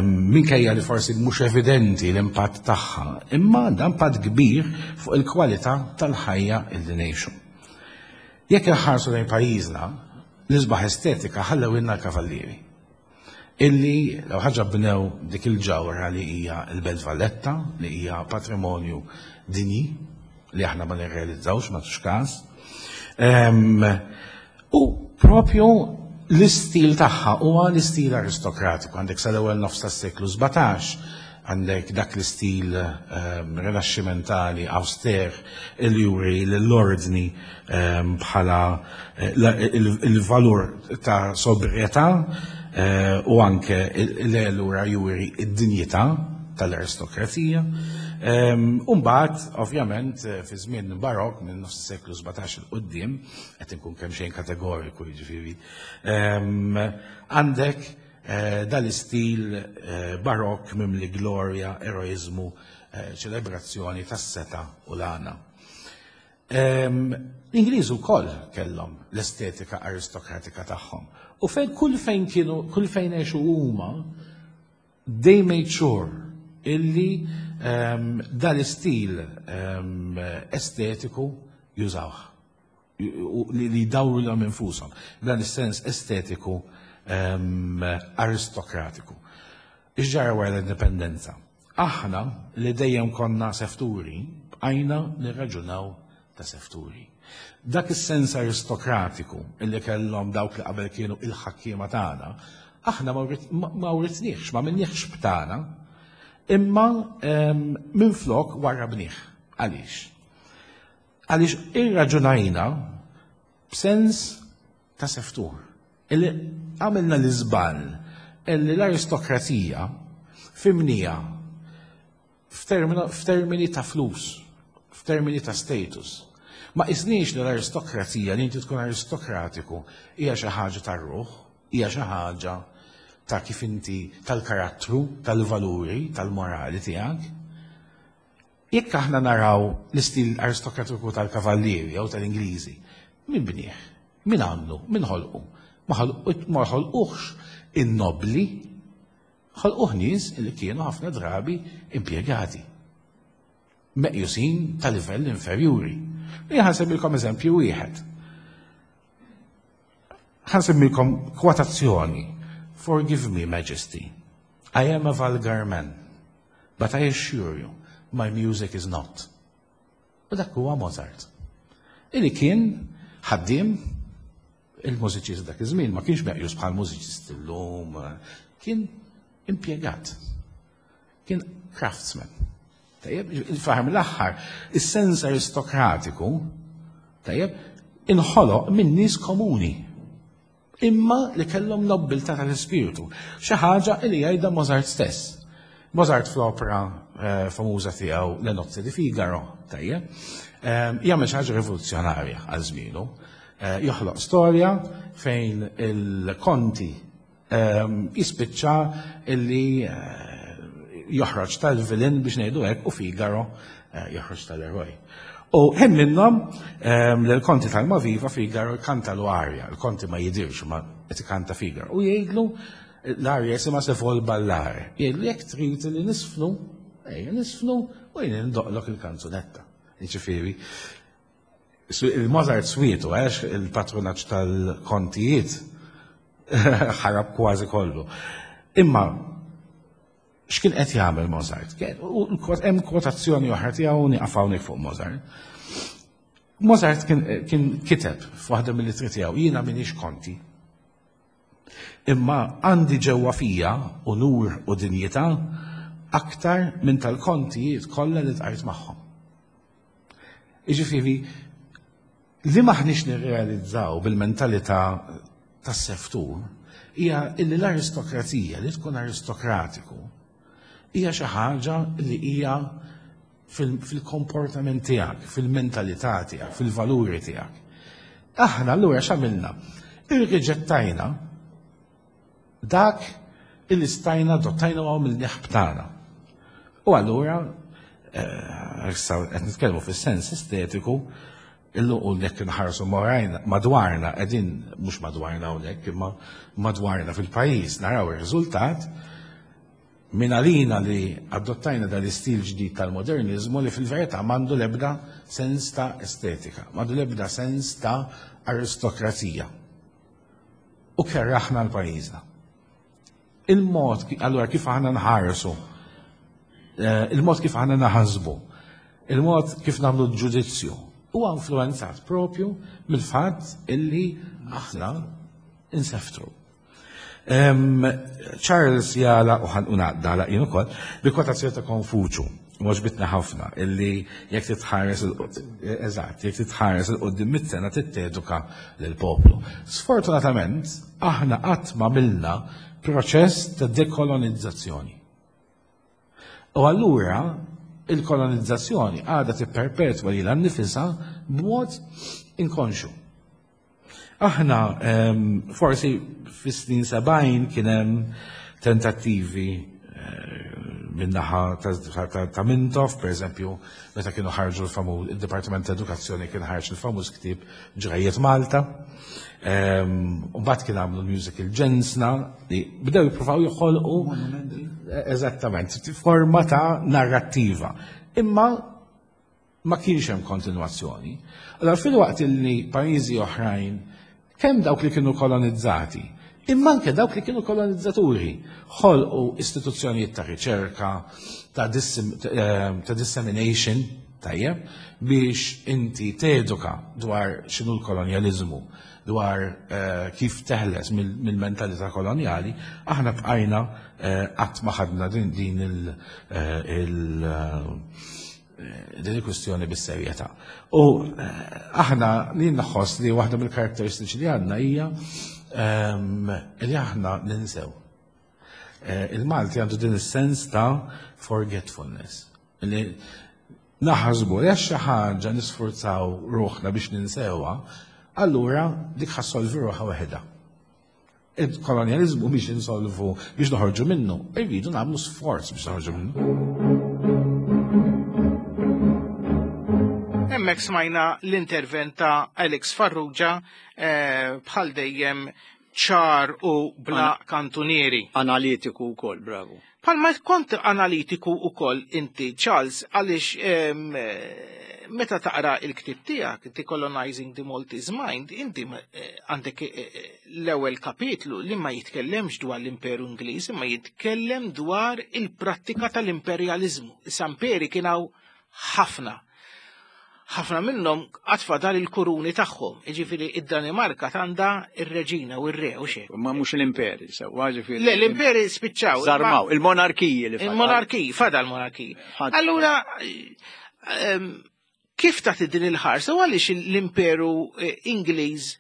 minkejja li forsi mhux evidenti l-impatt tagħha, imma għandha impatt kbir fuq il-kwalità tal-ħajja illi ngħixu. Jekk inħarsu lejn pajjiżna, l-isbaħ estetika ħallewilna l-kavallieri. Illi l ħaġa bnew dik il-ġawra li hija l-Belt Valletta, li hija patrimonju dinji li aħna ma nirrealizzawx ma tux każ. U propju l-istil tagħha huwa l-istil aristokratiku, għandek sal-ewwel nofs tas-seklu 17, għandek dak l-istil rinaxximentali auster il juri l-ordni bħala il-valur ta' sobrietà u anke l-lura juri id-dinjità tal-aristokrazija. U mbagħad, ovvjament, fi żmien barok minn nofs is-seklu 17 il quddiem, qed inkun kemm xejn kategoriku jiġifieri, għandek dal-istil barok mimli glorja, eroiżmu, ċelebrazzjoni tas-setgħa u l-għana. L-Ingliżi wkoll kellhom l-estetika aristokratika tagħhom. U fejn kull fejn kienu, kull fejn għexu huma, they made sure illi dal-istil estetiku jużawh. Li jdawru lilhom infushom. Dan is-sens estetiku aristokratiku. Ix-ġara wara l-indipendenza? Aħna li dejjem konna sefturi, bqajna nirraġunaw ta' sefturi. Dak is-sens aristokratiku illi kellhom dawk li qabel kienu il-ħakkiema tagħna, aħna ma writniex, ma minniex b'tagħna, imma minflok warrabnih. Għaliex? Għaliex irraġunajna b'sens ta' seftur. Illi għamilna l-iżball illi l-aristokrazija fimnija f'termini ta' flus, f'termini ta' status. Ma qisniex li l-aristokrazija li inti tkun aristokratiku hija xi ħaġa tar-ruħ, hija xi ħaġa ta' kif inti tal-karattru, tal-valuri, tal-morali tiegħek. Jekk aħna naraw l-istil aristokratiku tal-Kavallieri jew tal-Ingliżi, min bnieh? Min għamlu? Min ħolqu? Ma ħolquhx in-nobbli, ħolquh nies li kienu ħafna drabi impjegati, meqjusin ta' livell inferjuri. Jien ħa nsemmilkom eżempju wieħed. Ħa nsemmilkom kwotazzjoni. Forgive me, Majesty. I am a vulgar man. But I assure you, my music is not. U dak huwa Mozart. Illi kien ħaddiem il-mużiċist dak iż-żmien ma kienx meqjus bħal mużiċist illum, kien impjegat. Kien craftsman. Tajjeb, il-faħar mill-aħħar, is-sens aristokratiku, tajjeb, inħoloq minn nies komuni imma li kellhom nobbiltà tal-ispirtu. Xi ħaġa li jgħidha Mozart stess. Mozart fl-opera eh, famuża tiegħu Le Nozze di Figaro, tajjeb, eh, jagħmel xi ħaġa rivoluzzjonarja għal żmienu. Eh, joħloq storja fejn il-konti jispiċċa illi joħroġ tal-vilin biex ngħidu hekk u Figaro joħroġ tal-eroj. U hemm minnhom li l-konti tal-Maviva Figaro jkanta l arja, il-konti ma jidirx ma qed ikanta Figaro u jgħidlu l-arja jisimha se vol ballare. Jgħidlu jekk trid li nisfnu, ejja nisfnu u jien ndoqlok il-kanzunetta. Jiġifieri. Il-Mozart swietu, għax il-patronaġġ tal-kontijiet ħarab kważi kollu. Imma x'kien qed jagħmel Mozart? Hemm kwotazzjoni oħra tiegħu nieqaf hawnhekk fuq Mozart. Mozart kien kiteb f'waħda mill-ittri tiegħu, jiena m'iniex konti. Imma għandi ġewwa fija unur u dinjità aktar minn tal-kontijiet kollha li tqajt magħhom. Jiġifieri li m'aħniex nirrealizzaw bil-mentalità tas-seftur hija illi l-aristokrazija li tkun aristokratiku hija xi ħaġa li hija fil-komportament tiegħek, fil-mentalità tiegħek, fil-valuri tiegħek. Aħna allura x'għamilna? Irriġettajna dak illi stajna adottajna u għamilnieh b'tagħna. U allura, eh, issa qed nitkellmu fis-sens estetiku, illu u jekk inħarsu madwarna qegħdin mhux madwarna hawnhekk imma madwarna fil-pajjiż naraw ir-riżultat minn għalina li adottajna dal-istil ġdid tal-moderniżmu li fil-verità m'għandu l-ebda sens ta' estetika, m'għandu l-ebda sens ta' aristokrazija. U kerraħna l-pajjiżna. Il-mod, allura kif aħna nħarsu, eh, il-mod kif aħna naħasbu, il-mod kif nagħmlu ġudizzju, huwa influenzat propju mill-fatt illi aħna inseftru. Charles jala u ħan unaqda jien ukoll bi kwotazzjoni ta' Konfuċju. Għoġbitna ħafna illi jekk titħares eżatt, jekk titħares il-qudiem mit-sena titteduka lill-poplu. Sfortunatament, aħna qatt ma milna proċess ta' dekolonizzazzjoni. U allura il-kolonizzazzjoni għadha tipperpetwa lilha nnifisha b'mod inkonxu. Aħna forsi fis-snin 70 kien hemm tentattivi eh, min-naħa ta' Mintoff, per eżempju, meta kienu ħarġu l-famuż, il-Dipartiment ta' Edukazzjoni kien ħarġ il-famuż ktieb Ġrajiet Malta. U mbagħad kien għamlu l-musical Ġensna li bdew jippruvaw joħolqu eżattament forma ta' narrattiva. Imma ma kienx hemm kontinwazzjoni. Allora filwaqt illi pajjiżi oħrajn kemm dawk li kienu kolonizzati, imma anke dawk li kienu kolonizzaturi ħolqu istituzzjonijiet ta' riċerka, ta', dissim, eh, ta dissemination, tajjeb, biex inti teduka dwar x'inhu l-kolonjaliżmu, dwar eh, kif teħles mill-mentalità kolonjali, aħna bqajna eh, qatt ma ħadna din din il, il din il-kwistjoni bis-serjetà. U eh, aħna li nħoss li waħda mill-karatteristiċi li għandna hija ehm, li aħna ninsew. Eh, Il-Malti għandu din is-sens ta' forgetfulness. Li naħasbu li għax xi ħaġa nisfurzaw ruħna biex ninsewha, allura dik ħassolvi ruħha waħedha. Il-kolonjaliżmu biex insolvu, biex noħorġu minnu, irridu nagħmlu sforz biex noħorġu minnu. Hemmhekk smajna l-intervent ta' Alex Farrugia eh, bħal dejjem ċar u bla kantunieri. Analitiku wkoll, bravo. Palma kont analitiku ukoll inti, Charles, għaliex meta taqra il-ktib tiegħek, Decolonizing the Maltese Mind, inti eh, għandek eh, eh, l-ewwel kapitlu li ma jitkellemx dwar l-Imperu Ingliż, imma jitkellem dwar il-prattika tal-imperjaliżmu. Issa imperi kien hawn ħafna. Ħafna minnhom qatt fadal il-kuruni tagħhom, jiġifieri id-Danimarka għandha ir-reġina u r-re u xejn. Ma mhux l-imperi, sewwa ġifieri. Le, l-imperi spiċċaw. Żarmaw, il-monarkiji li fadal. Il-monarkiji, fadal monarkiji. Allura, ehm, kif tagħti din il-ħarsa u għaliex l-imperu eh, Ingliż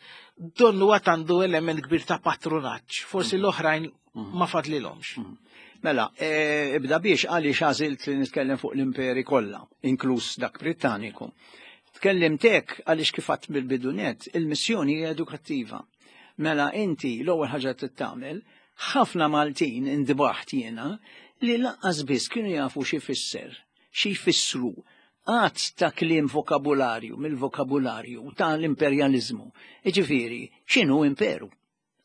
donnu għad għandu element kbir ta' patrunaġġ, forsi mhm. l-oħrajn mhm. ma fadlilhomx. Mhm. Mela, e, ibda biex għaliex għażilt li nitkellem fuq l-imperi kollha, inkluż dak Brittaniku. Tkellimt hekk għaliex kif għadt mill-bidunet, il-missjoni hija edukattiva. Mela inti l-ewwel ħaġa trid tagħmel, ħafna Maltin indbaħt jiena li lanqas biss kienu jafu xi fisser, xi jfissru għadd ta' kliem vokabularju mill-vokabularju ta' l-imperjaliżmu. Jiġifieri, x'inhu imperu?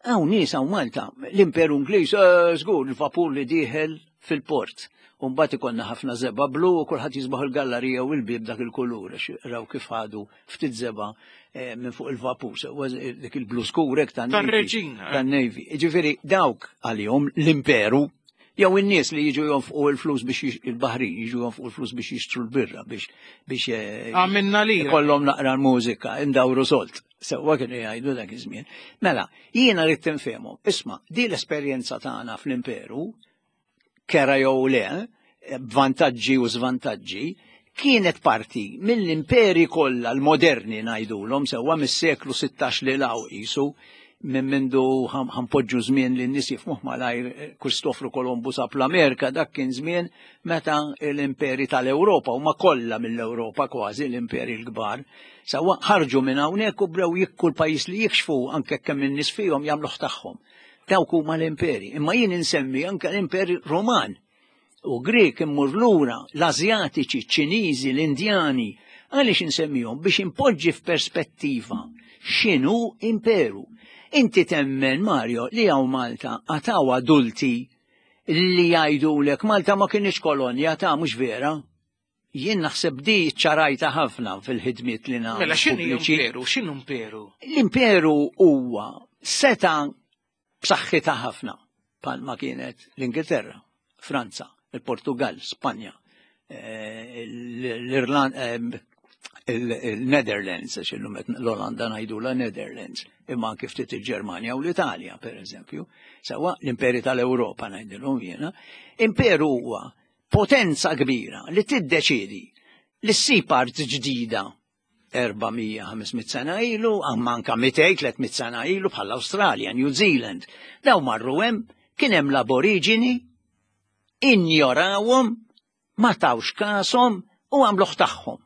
Hawn nies hawn Malta, l-Imperu Ingliż, eh, żgur il-vapur li dieħel fil-port. U mbagħad ikollna ħafna żebgħa blu u kulħadd jisbaħ il-gallarija u l-bieb dak il-kulur għax raw kif ħadu ftit żebgħa eh, minn fuq il-vapur, dik il-blu skurek tan-Reġina. Tan-Navy. Ġifieri dawk għalihom l-imperu jew in-nies li jiġu jonfqu l-flus biex il-baħrin jiġu jonfqu l-flus biex jixtru l-birra biex biex eh, għamilna li kollhom naqra l-mużika indawru solt. Sewwa kienu jgħidu dak iż-żmien. Mela, jiena rrid tinfehmhom. Isma' di l-esperjenza tagħna fl-imperu kera jew le, b'vantaġġi u żvantaġġi, kienet parti mill-imperi kollha l-moderni ngħidulhom sewwa mis-seklu 16 li law qisu minn mindu ħanpoġġu żmien li n-nies jifmuh malajr eh, Kristofru Kolombu sab l-Amerika dak kien żmien meta l-imperi tal-Ewropa huma kollha mill-Ewropa kważi l-imperi l-kbar sewwa ħarġu minn hawnhekk u bdew jikku l-pajjiż li jikxfu anke kemm in-nies fihom jagħmluh tagħhom. Dawk huma l-imperi. Imma jien insemmi anke l-imperi Roman u Grek immur lura, l-Azjatiċi, ċ-Ċiniżi, l-Indjani. Għaliex insemmihom? Biex impoġġi f'perspettiva x'inhu imperu. Inti temmen, Mario, li hawn Malta għataw adulti li jgħidulek Malta ma kienx kolonja ta' mhux vera. Jien naħseb di ċarajta ħafna fil-ħidmiet li nagħmel. Mela x'inhu imperu? X'inhu imperu? L-imperu huwa seta b'saħħitha ħafna bħalma kienet l-Ingilterra, Franza, il-Portugal, Spanja, eh, l-Irlanda, eh, il-Netherlands, għax illum l-Olanda ngħidu la Netherlands, imma anke ftit il-Ġermanja u l-Italja, per eżempju. Sawa l-imperi tal-Ewropa ngħidilhom jiena. Imperu huwa potenza kbira li tiddeċiedi li ssib art ġdida 400-500 sena ilu, amma anka 200-300 sena ilu bħal Awstralja, New Zealand. Daw marru hemm, kien hemm l-aboriġini, injorawhom, ma tawx kasom u għamluh tagħhom.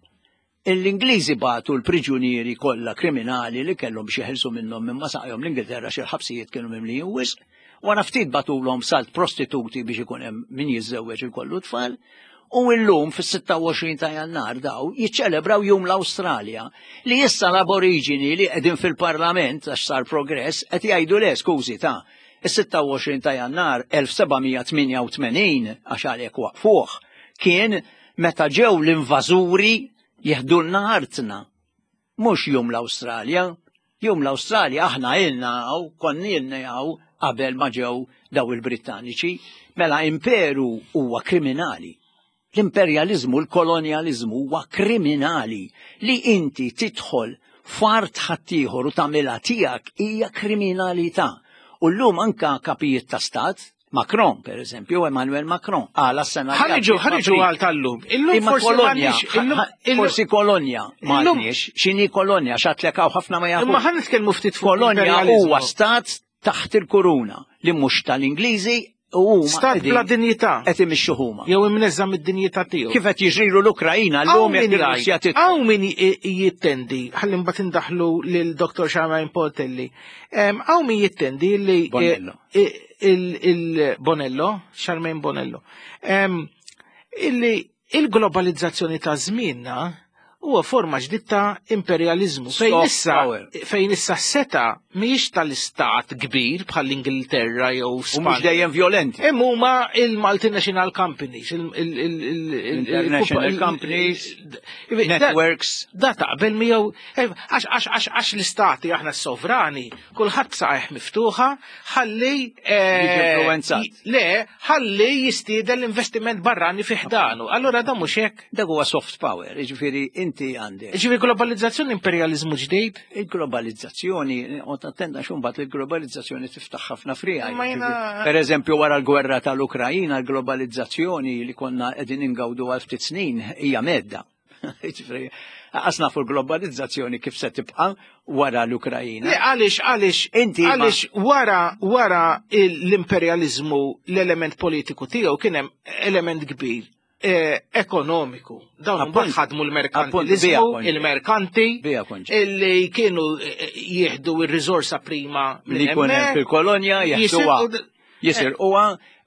L-Ingliżi bagħtu l-priġunieri kollha kriminali li kellhom biex jeħilsu minnhom minn ma saqajhom l-Ingilterra xi l-ħabsijiet kienu mimlijin wisq. Wara ftit bagħtulhom salt prostituti biex ikun hemm min jiżżewweġ ikollu tfal. U illum fis-26 ta' Jannar daw jiċċelebraw Jum l-Awstralja li issa l-aboriġini li qegħdin fil-Parlament għax sar progress qed jgħidu le skużi ta' is-26 ta' Jannar 1788 għax għalhekk waqfuh kien meta ġew l-invażuri jeħdulna artna. Mhux jum l-Awstralja. Jum l-Awstralja aħna ilna hawn, konna ilna hawn qabel ma ġew daw il-Brittaniċi. Mela imperu huwa kriminali. L-imperjaliżmu, l-kolonjaliżmu huwa kriminali li inti tidħol f'art ħaddieħor u tagħmilha tiegħek hija kriminalità. U llum anka kapijiet ta' stat Macron, per eżempju, Emmanuel Macron, għala s-sena. Ħarġu, ħarġu għal tal-lum. Illum forsi kolonja, forsi kolonja, ma xini kolonja, xatlek għaw ħafna ma jafu. Imma ħan nitkellmu ftit fuq kolonja huwa stat taħt il-kuruna li mhux tal-Ingliżi u stat bla dinjità. Qed imixxu huma. Jew imneżża mid-dinjità tiegħu. Kif qed jiġrilu l-Ukrajina llum jekk ir-Russja titħol. Hawn min jittendi, ħalli mbagħad indaħlu lil Dr. Charmaine Portelli. Hawn min jittendi li Bonello. Il-Bonello, Charmaine Bonello. Illi il-globalizzazzjoni ta' żmienna huwa forma ġdid ta' imperjaliżmu fejn issa fejn issa seta mhijiex tal-istat kbir bħall-Ingilterra jew Spanja. Mhux dejjem violenti. Hemm huma il-multinational companies, il-international companies, networks. Da taqbel miegħu għax għax għax l-istati aħna s-sovrani Kulħadd saqajh miftuħa ħalli eh, le ħalli jistieden l-investiment barrani fi ħdanu. Allura da mhux hekk. Dak huwa soft power, jiġifieri inti għandek. Jiġifieri globalizzazzjoni imperjaliżmu ġdid? Il-globalizzazzjoni, u attenda xumbat il-globalizzazzjoni tiftaħ ħafna frija. Per eżempju wara l-gwerra tal-Ukrajina, l-globalizzazzjoni li konna qegħdin ingawdu għal ftit snin hija medda. Jiġifieri, Għas nafu l-globalizzazzjoni kif se tibqa' wara l-Ukrajina. Le għaliex għaliex inti għaliex wara wara l-imperjaliżmu l-element politiku tiegħu kien hemm element kbir eh, ekonomiku. Dawn mbagħad ħadmu l-merkantilizmu, il-merkanti illi kienu eh, jieħdu r-riżorsa prima li jkun hemm fil-kolonja jeħduha jisirquha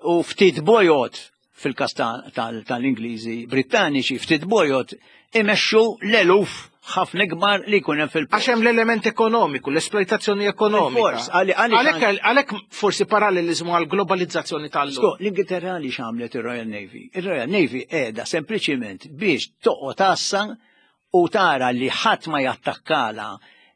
u ftit bojot fil-każ tal-Ingliżi Brittaniċi ftit bojod imexxu l-eluf ħafna ikbar li jkun hemm fil-port. Għax hemm l-element ekonomiku, l-esploitazzjoni ekonomika. Fors, għalhekk għalhekk forsi paralleliżmu għal globalizzazzjoni tal-lum. Sko, l-Ingilterra li x'għamlet ir-Royal Navy? Ir-Royal Navy qiegħda sempliċiment biex toqgħod għassa u tara li ħadd ma jattakkala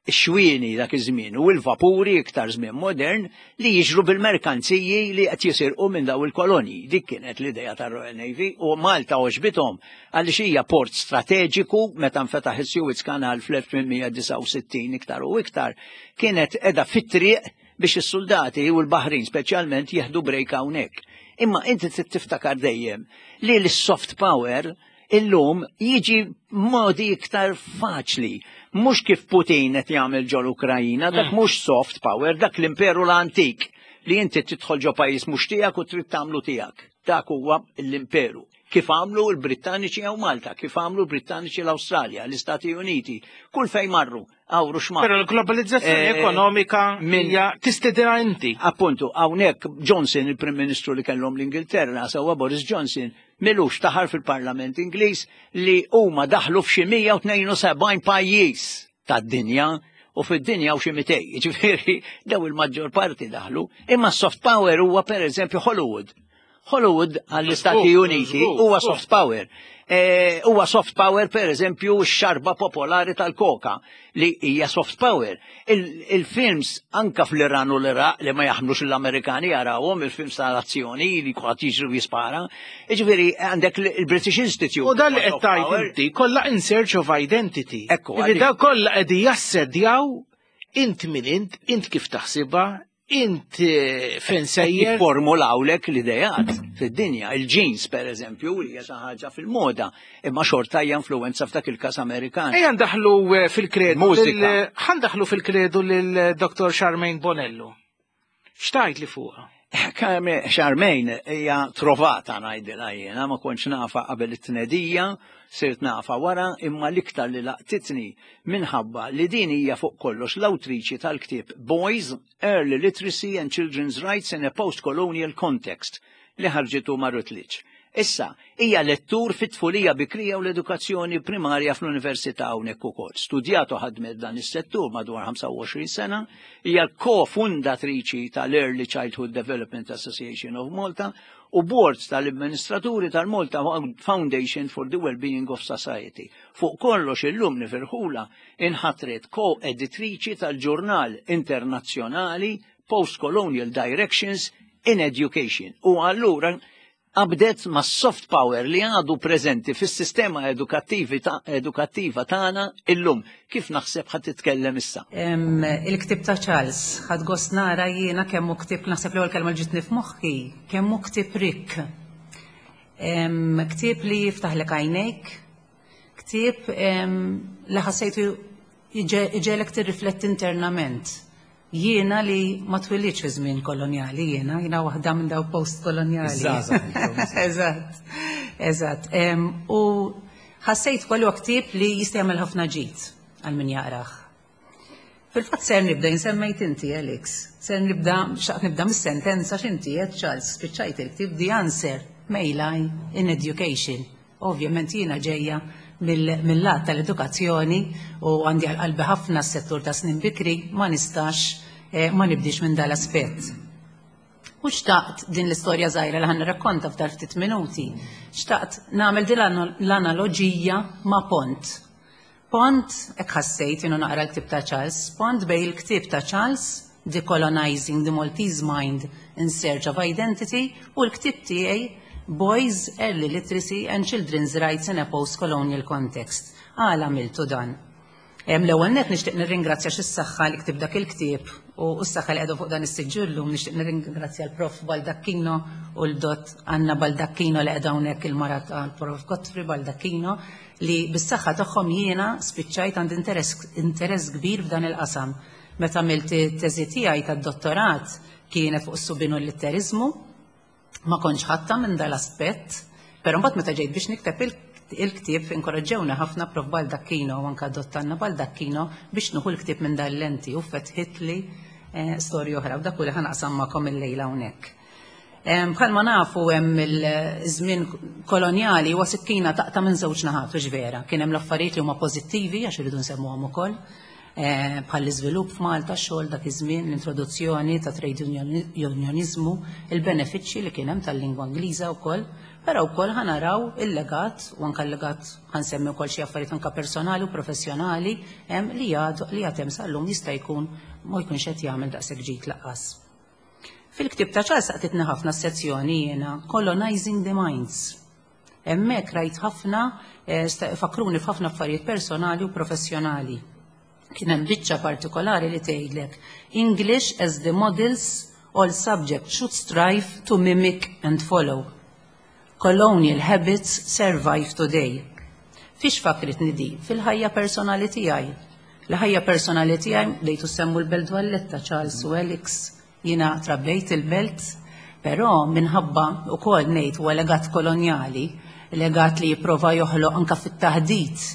x-xwieni dak iż-żmien u l-vapuri iktar żmien modern li jiġru bil-merkanziji li qed jisirqu minn daw il-kolonji. Dik kienet l-idea tar-Royal Navy u Malta għoġbithom għaliex hija port strateġiku meta nfetaħ is-Suez Canal fl-1869 iktar u iktar kienet qiegħda fit-triq biex is-suldati u l-baħrin speċjalment jieħdu break hawnhekk. Imma inti trid tiftakar dejjem li l-soft power illum jiġi modi iktar faċli. Mhux kif Putin qed jagħmel ġol Ukrajina, dak mhux soft power, dak l-imperu l-antik li inti tidħol ġo pajjiż mhux tiegħek u trid tagħmlu tiegħek. Dak huwa l-imperu. Kif għamlu l-Brittaniċi hawn Malta, kif għamlu l-Brittaniċi l-Awstralja, l-Istati Uniti, kull fejn marru, għawru x'ma. Però l-globalizzazzjoni ekonomika hija tistedina inti. Appuntu, hawnhekk Johnson, il-Prim Ministru li kellhom l-Ingilterra, sewwa Boris Johnson, m'ilux taħar fil-Parlament Ingliż li huma daħlu f'xi 172 pajjiż tad-dinja u fid-dinja u xi 200. Jiġifieri daw il-maġġor parti daħlu, imma soft power huwa pereżempju Hollywood. Hollywood għall-Istati Uniti huwa soft power. Huwa soft power per eżempju x-xarba popolari tal-koka li hija soft power. Il-films anka fl-Iran u l-Iraq li ma jaħmlux l-Amerikani jarawhom il-films tal-azzjoni li kulħadd jiġri u jispara. Jiġifieri għandek il-British Institute. U dan li qed tgħid inti kollha in search of identity. Ekku, Jiġifieri daw kollha qegħdin jassedjaw int min int, int kif taħsibha, int fejn sejjer. Jifformulawlek l-idejat fid-dinja, il-jeans per eżempju, li hija xi ħaġa fil-moda, imma xorta hija influenza f'dak il-każ Amerikan. Ejja ndaħlu fil-kredu. Mużika. Ħa ndaħlu fil-kredu lil Dr. Charmaine Bonello. X'tgħid li fuqha? Charmaine hija trovata ngħidilha jiena, ma kontx nafa qabel it-tnedija, sirt nafa wara, imma l-iktar li laqtitni minħabba li din hija fuq kollox l-awtriċi tal-ktieb Boys, Early Literacy and Children's Rights in a Post-Colonial Context li ħarġitu ma' Routledge. Issa, hija lettur fit-tfulija bikrija u l-edukazzjoni primarja fl-Università hawnhekk ukoll. Studjat u ħadmet dan is-settur madwar 25 sena, hija l-kofundatriċi tal-Early Childhood Development Association of Malta u board tal-amministraturi tal-Malta Foundation for the Wellbeing of Society. Fuq kollox illum nifirħula inħatret ko-editriċi tal-ġurnal internazzjonali Postcolonial Directions in Education. U allura qabdet ma' soft power li għadu preżenti fis-sistema edukattiva tagħna illum. Kif naħseb ħad titkellem issa? Il-ktieb ta' Charles, ħadt gost nara jiena kemm hu ktieb, naħseb l-ewwel kelma li ġitni f'moħħi, kemm hu ktieb rikk. Ktieb li jiftaħlek għajnejk, ktieb li ħassejtu iġegħlek tirrifletti internament. Jiena li ma twilidtx fi żmien kolonjali, jiena waħda minn daw post-kolonjali. Eżatt, eżatt. U ħassejt kollu ktieb li jista' jagħmel ħafna ġid għal min jaqrah. Fil-fatt ser nibda, insemmejt inti, Alex, ser nibda, xtaqt nibda mis-sentenza x'inti qed Charles, spiċċajt il-ktieb The Answer May Lie in Education. Ovvjament jiena ġejja mill-lat tal-edukazzjoni u għandi għal qalbi ħafna s-settur ta' snin bikri, ma nistax ma nibdix minn dal-aspett. U xtaqt din l-istorja żgħira li ħa nirrakkonta f'dal ftit minuti, xtaqt nagħmel din l-analoġija ma' pont. Pont, hekk ħassejt jiena naqra l-ktieb ta' Charles, pont bejn il-ktieb ta' Charles, Decolonizing the Maltese Mind in Search of Identity, u l-ktieb tiegħi Boys, Early Literacy and Children's Rights in a Post-Colonial Context. Għala għamiltu dan? L-ewwel net nixtieq nirringrazzja xis-saħħa li ktib dak il-ktieb u s-saħħa li qiegħdu fuq dan is-siġġu llum, nixtieq nirringrazzja l-Prof Baldacchino u l-Dott Anna Baldacchino li qiegħda hawnhekk, il-mara tal-Prof Godfrey Baldacchino, li bis-saħħa tagħhom jiena spiċċajt għandi interess kbir f'dan il-qasam. Meta għamilt it-teżi tiegħi tad-dottorat kienet fuq is-subien u l-litteriżmu, ma kontx ħatta minn dal-aspett, però mbagħad meta ġejt biex nikteb il-ktieb inkoraġġewna ħafna Prof Baldacchino u anka Dott Anna Baldacchino biex nieħu l-ktieb minn dal-lenti u fetħitli storja oħra u dak li ħa naqsam magħkom illejla hawnhekk. Bħalma nafu hemm il-żmien kolonjali huwa sikkina taqta' minn żewġ naħat u vera. Kien hemm l-affarijiet li huma pożittivi għax irridu nsemmuhom ukoll. Bħal l-iżvilupp f'Malta, xogħol dak iż-żmien, l-introduzzjoni ta' trade unionizmu, il-benefiċċji li kien hemm tal-lingwa Ingliża wkoll, però wkoll ħa naraw il-legat u anke l-legat ħa nsemmi wkoll xi affarijiet anke personali u professjonali hemm li għad li għad hemm sal-lum jista' jkun ma jkunx qed jagħmel daqshekk ġid lanqas. Fil-ktieb ta' Charles laqtitni ħafna s-sezzjoni jiena Colonizing the Minds. Hemmhekk rajt ħafna fakruni f'ħafna affarijiet personali u professjonali. Kien hemm biċċa partikolari li tgħidlek English as the models all subjects should strive to mimic and follow. Colonial habits survive today. Fiex fakritni di? Fil-ħajja personali tiegħi. L-ħajja personali tiegħi bdejtu semmu l-Belt Valletta, Charles u Alex, jiena trabbejt il-Belt, però minħabba ukoll ngħid huwa legat kolonjali, legat li jipprova joħloq anka fit-taħdit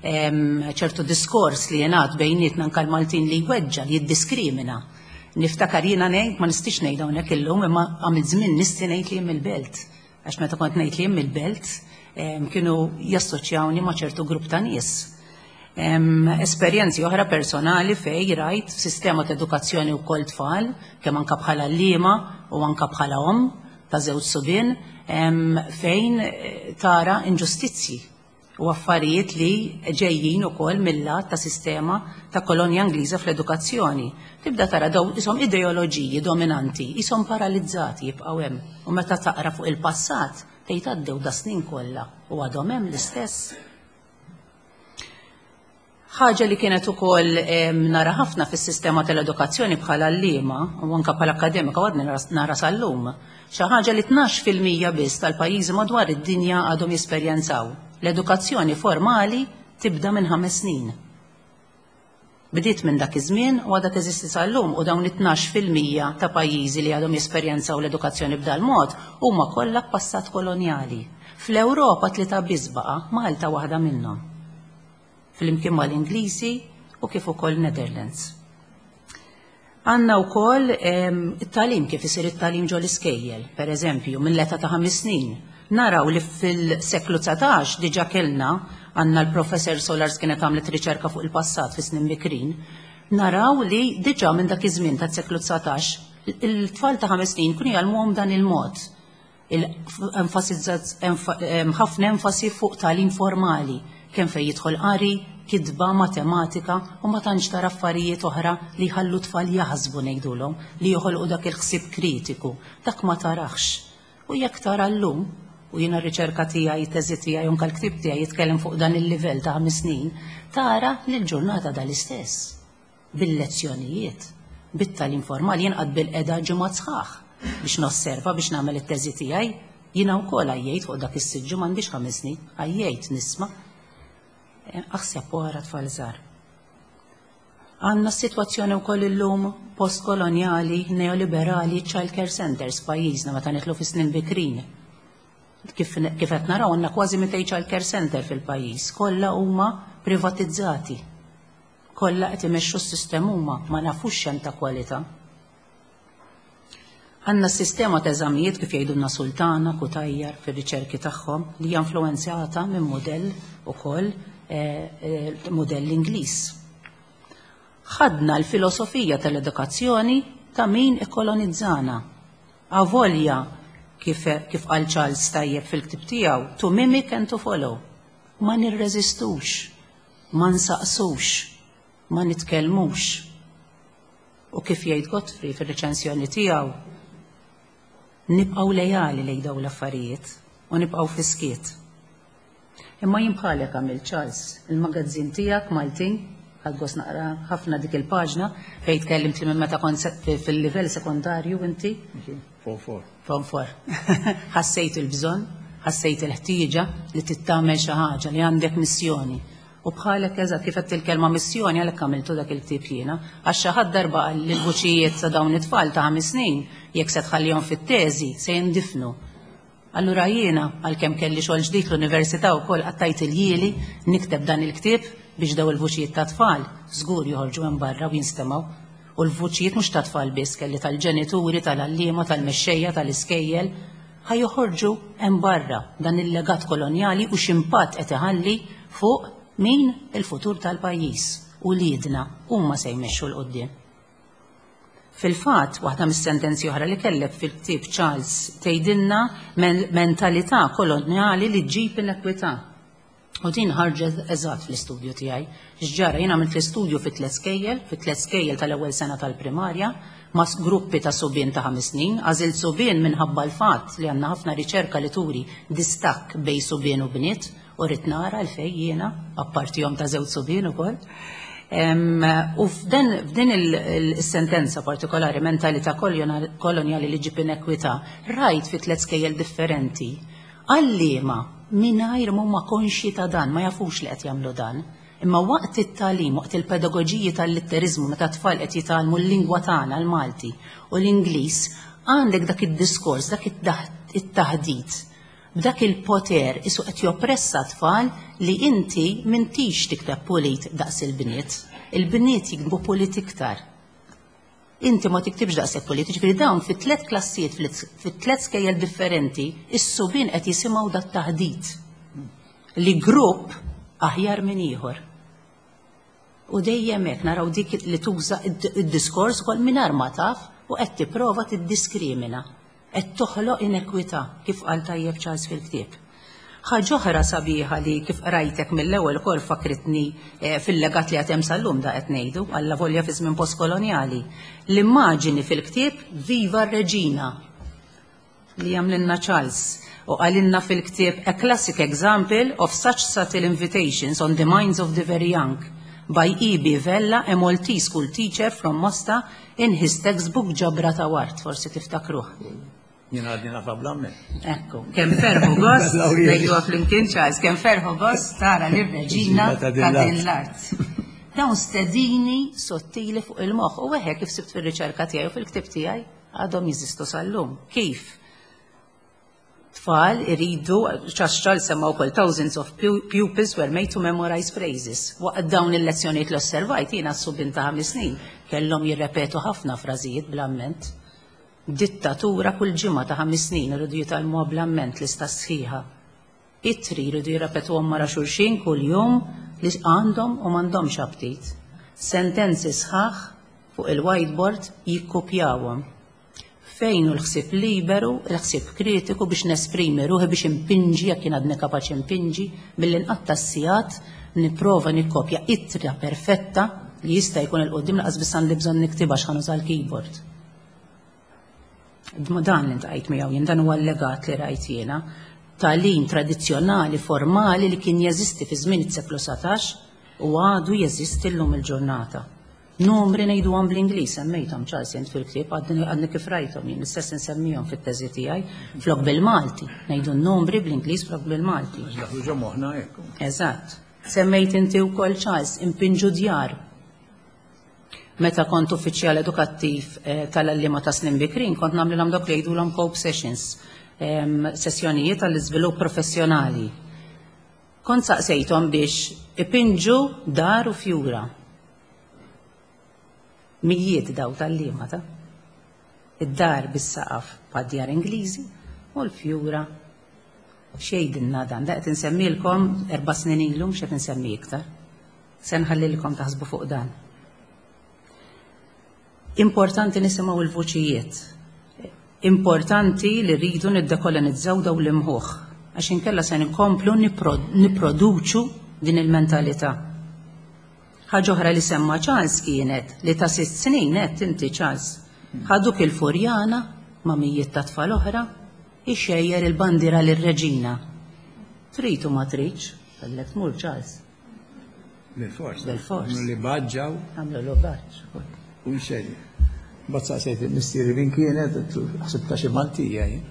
ċertu diskors li jingħad bejnietna anka l-Maltin li jweġġa, li jiddiskrimina. Niftakar jiena ngħid, ma nistix ngħid hawnhekk illum, imma għamilt żmien nisti ngħid li jien mill-Belt. Għax meta kont ngħid li jien mill-Belt, kienu jassoċjawni ma' ċertu grupp ta' nies. Esperjenzi oħra personali fej rajt sistema ta' edukazzjoni u kol tfal, kemm anka bħala għalliema u anka bħala om ta' żewġ subien, fejn tara inġustizzji u affarijiet li ġejjin ukoll mill-lat ta' sistema ta' kolonja Ingliża fl-edukazzjoni. Tibda tara daw isom ideoloġiji dominanti, isom paralizzati jibqgħu hemm. U meta taqra fuq il-passat, tgħid għaddew da snin kollha u għadhom hemm l-istess. Ħaġa li kienet ukoll nara ħafna fis-sistema tal-edukazzjoni bħala għalliema u anka bħala akademika għadni nara sal-lum. Xi ħaġa li 12% biss tal-pajjiżi madwar id-dinja għadhom jesperjenzaw. L-edukazzjoni formali tibda minn 5 snin. Bdiet minn dak iż-żmien u għadha teżisti sal-lum u dawn it-12% ta' pajjiżi li għadhom jesperjenzaw l-edukazzjoni b'dal mod huma kollha passat kolonjali. Fl-Ewropa tlieta biss baqa', Malta waħda minnhom. Flimkien mal-Ingliżi u kif ukoll Netherlands. Għandna wkoll it-tagħlim, kif isir it-tagħlim ġo l-iskejjel, per eżempju, mill-età ta' 5 snin. Naraw li fil-seklu 19 diġa kellna, għandna l-professor Solars kienet għamlet riċerka fuq il-passat fi snin bikrin, naraw li diġa minn dak iż-żmien tas-seklu 19 il-tfal ta' 5 snin kienu jgħallmuhom dan il-mod ħafna enfasi fuq tagħlim formali, kemm fejn jidħol qari, kitba, matematika u ma tantx tara affarijiet oħra li jħallu tfal jaħsbu ngħidulhom, li joħolqu dak il-ħsieb kritiku. Dak ma tarax. U jekk tara llum, u jiena r-riċerka tiegħi, teżi tiegħi, anke l-ktieb tiegħi jitkellem fuq dan il-livell ta' 5 snin, tara li l-ġurnata dal-istess bil-lezzjonijiet, bit-tagħlim formali jien qgħadt bilqiegħda ġimgħat sħaħ biex nosserva biex nagħmel it-teżi tiegħi. Jiena wkoll għajjejt fuq dak is-siġġu, m'għandix 5 snin, għajjejt nisma'. Aħseb wara tfal żgħar. Għandna s-sitwazzjoni wkoll illum postkolonjali, neoliberali, child care centers pajjiżna meta nidħlu fi snin bikrin. Kif qed naraw għandna kważi 200 child care center fil-pajjiż, kollha huma privatizzati. Kollha qed imexxu s-sistema huma, ma nafux x'hemm ta' kwalità. Għandna s-sistema ta' eżamijiet kif jgħidulna Sultana, Cutajar fir-riċerki tagħhom li hija influenzata minn modell ukoll modell Ingliż. Ħadna l-filosofija tal-edukazzjoni ta' min ikkolonizzana. Avolja kif qal Charles tajjeb fil-ktib tiegħu, to mimic and to follow. Ma nirreżistux, ma nsaqsux, ma nitkellmux. U kif jgħid Godfrey fir-reċensjoni tiegħu, nibqgħu lejali lejn dawn l-affarijiet u nibqgħu fis-skiet. Imma jien bħalek għamil Charles, il-magazzin tiegħek Maltin, ħadt gost naqra ħafna dik il-paġna fejn tkellimt li minn meta kont fil-livell sekondarju inti. Form four. Form four. Ħassejt il-bżonn, ħassejt il-ħtieġa li tittamel xi ħaġa, li għandek missjoni. U bħalek eżatt kif qed il-kelma missjoni għalhekk għamiltu dak il-ktieb jiena. Għax xi ħadd darba qal li l-vuċijiet ta' dawn it-tfal ta' 5 snin jekk se tħallihom fit-teżi se jindifnu. Allura jiena, għalkemm kelli xogħol ġdid l-università wkoll, qattajt iljieli nikteb dan il-ktieb biex daw il-vuċijiet ta' tfal żgur joħorġu hemm barra u jinstemgħu. U l-vuċijiet mhux ta' tfal biss kelli tal-ġenituri, tal-għalliema, tal-mexxejja, tal-iskejjel, ħa joħorġu hemm barra dan il-legat kolonjali u x'impatt qed iħalli fuq min il-futur tal-pajjiż. Uliedna huma se jmexxu 'l quddiem. Fil-fatt, waħda mis-sentenzi oħra li kellek fil-ktieb Charles tgħidilna mentalità kolonjali li ġġib inekwità. U din ħarġet eżatt fl-istudju tiegħi. X'ġara jien għamilt l-istudju fi tliet skejjel, fi tliet skejjel tal-ewwel sena tal-primarja, ma' gruppi ta' subien ta' 5 snin, għażilt subien minħabba l-fatt li għandna ħafna riċerka li turi distakk bejn subien u bniet, u rrid nara għalfejn jiena, apparti omm ta' żewġ subien ukoll. U f'din il-sentenza partikolari, mentalità kolonjali li ġib inekwità, rajt fi tliet skejjel differenti għalliema mingħajr m'huma konxji ta' dan, ma jafux li qed jagħmlu dan. Imma waqt it-tagħlim, waqt il-pedagoġiji tal-litteriżmu, meta t-tfal qed jitgħallmu l-lingwa tagħna, l-Malti u l-Ingliż, għandek dak id-diskors, dak it-taħdit, b'dak il-poter isu qed joppressa t-tfal li inti m'intix tikteb pulit daqs il-bniet. Il-bniet jiktbu pulit iktar. Inti ma tiktibx daqshekk pulit, jiġifieri dawn fi tliet klassijiet, fi tliet skejjel differenti, is-subien qed jisimgħu dat-taħdit li grupp aħjar minn ieħor. U dejjem hekk naraw dik li tuża id-diskors ukoll mingħajr ma taf u qed tipprova tiddiskrimina. Qed toħloq inekwità, kif qal tajjeb Charles fil-ktieb. Ħaġa oħra sabiħa li kif qrajtek mill-ewwel ukoll fakkritni fil-legat li għad hemm sal-lum da qed ngħidu, allavolja fi żmien postkolonjali. L-immaġini fil-ktieb Viva r-Reġina li għamlilna Charles u qalilna fil-ktieb A classic example of such subtle invitations on the minds of the very young by E.B. Vella, a Maltese school teacher from Mosta in his textbook Ġabra ta' Ward, forsi tiftakruh. Jien għadni nafha bl-amment. Ekku, kemm ferħu gost, ngħiduha flimkien Charles, kemm ferħu gost tara lir-reġina ta' din l-art. Dawn stedini sottili fuq il-moħħ u eħe kif sibt fir-riċerka tiegħi u fil-ktieb tiegħi għadhom jeżistu sal-lum. Kif? Tfal iridu, Charles Charles semma wkoll thousands of pupils were made to memorize phrases. Waqt dawn il-lezzjonijiet li osservajt jiena s-subien ta' 5 snin kellhom jirrepetu ħafna frażijiet bl-amment. Dittatura kull ġimgħa ta' 5 snin iridu jitgħallmuha bl-amment lista sħiħa. Ittri jridu jirrepetuhom wara xulxin kuljum li għandhom u m'għandhomx aptit. Sentenzi sħaħ fuq il-whiteboard jikkupjawhom. Fejn hu l-ħsieb liberu, il-ħsieb kritiku biex nesprimi ruħi biex inpinġi jekk jien għadni kapaċi npinġi milli nqatta' s-sigħat nipprova nikkopja ittra perfetta li jista' jkun 'il quddiem lanqas biss għandi bżonn niktibha għax ħa nuża l-keyboard. Dan li ntqajt miegħu jien, dan huwa l-legat li rajt jiena. Tagħlim tradizzjonali formali li kien jeżisti fi żmien is-seklu 19 u għadu jeżisti llum il-ġurnata. Numri ngħiduhom bl-Ingliż, semmejthom Charles int fil-ktieb, għadni kif rajthom jien, l-istess insemmihom fit-teżi tiegħi, flok bil-Malti, ngħidu n-numri bl-Ingliż flok bil-Malti. Daħlu ġo moħħna hekk. Eżatt. Semmejt inti wkoll Charles, impinġu djar. Meta kont uffiċjal edukattiv tal-għalliema ta' snin bikrin, kont nagħmlilhom dawk li jgħidulhom cope sessions, sessjonijiet għall-iżvilupp professjonali. Kont saqsejthom biex ipinġu dar u fjura. Mijiet daw tal-liema ta' id-dar bis-saqaf bħad-djar Ingliżi u l-fjura x'jgħidilna dan? Da qed insemmilkom 4 snin ilu mhux qed insemmi iktar. Se nħallilkom taħsbu fuq dan. Importanti nisimgħu l-vuċijiet. Importanti li rridu niddekolonizzaw daw l-imħuħ, għax inkella se nkomplu nipproduċu din il-mentalità. Ħaġa oħra li semma Charles kienet li ta' 6 snin għedt inti Charles, ħaduk il-Furjana ma' mijiet ta' tfal oħra, ixejjer il-bandiera lir-reġina. Trid u ma tridx, kellek tmur Charles. Bil-fors. Bil-fors. Għamlu li baġġaw. Għamlu li baġġ. U nxejn. Mbagħad saqsejt il-missieri min kienet, ħsibta xi Maltija jien.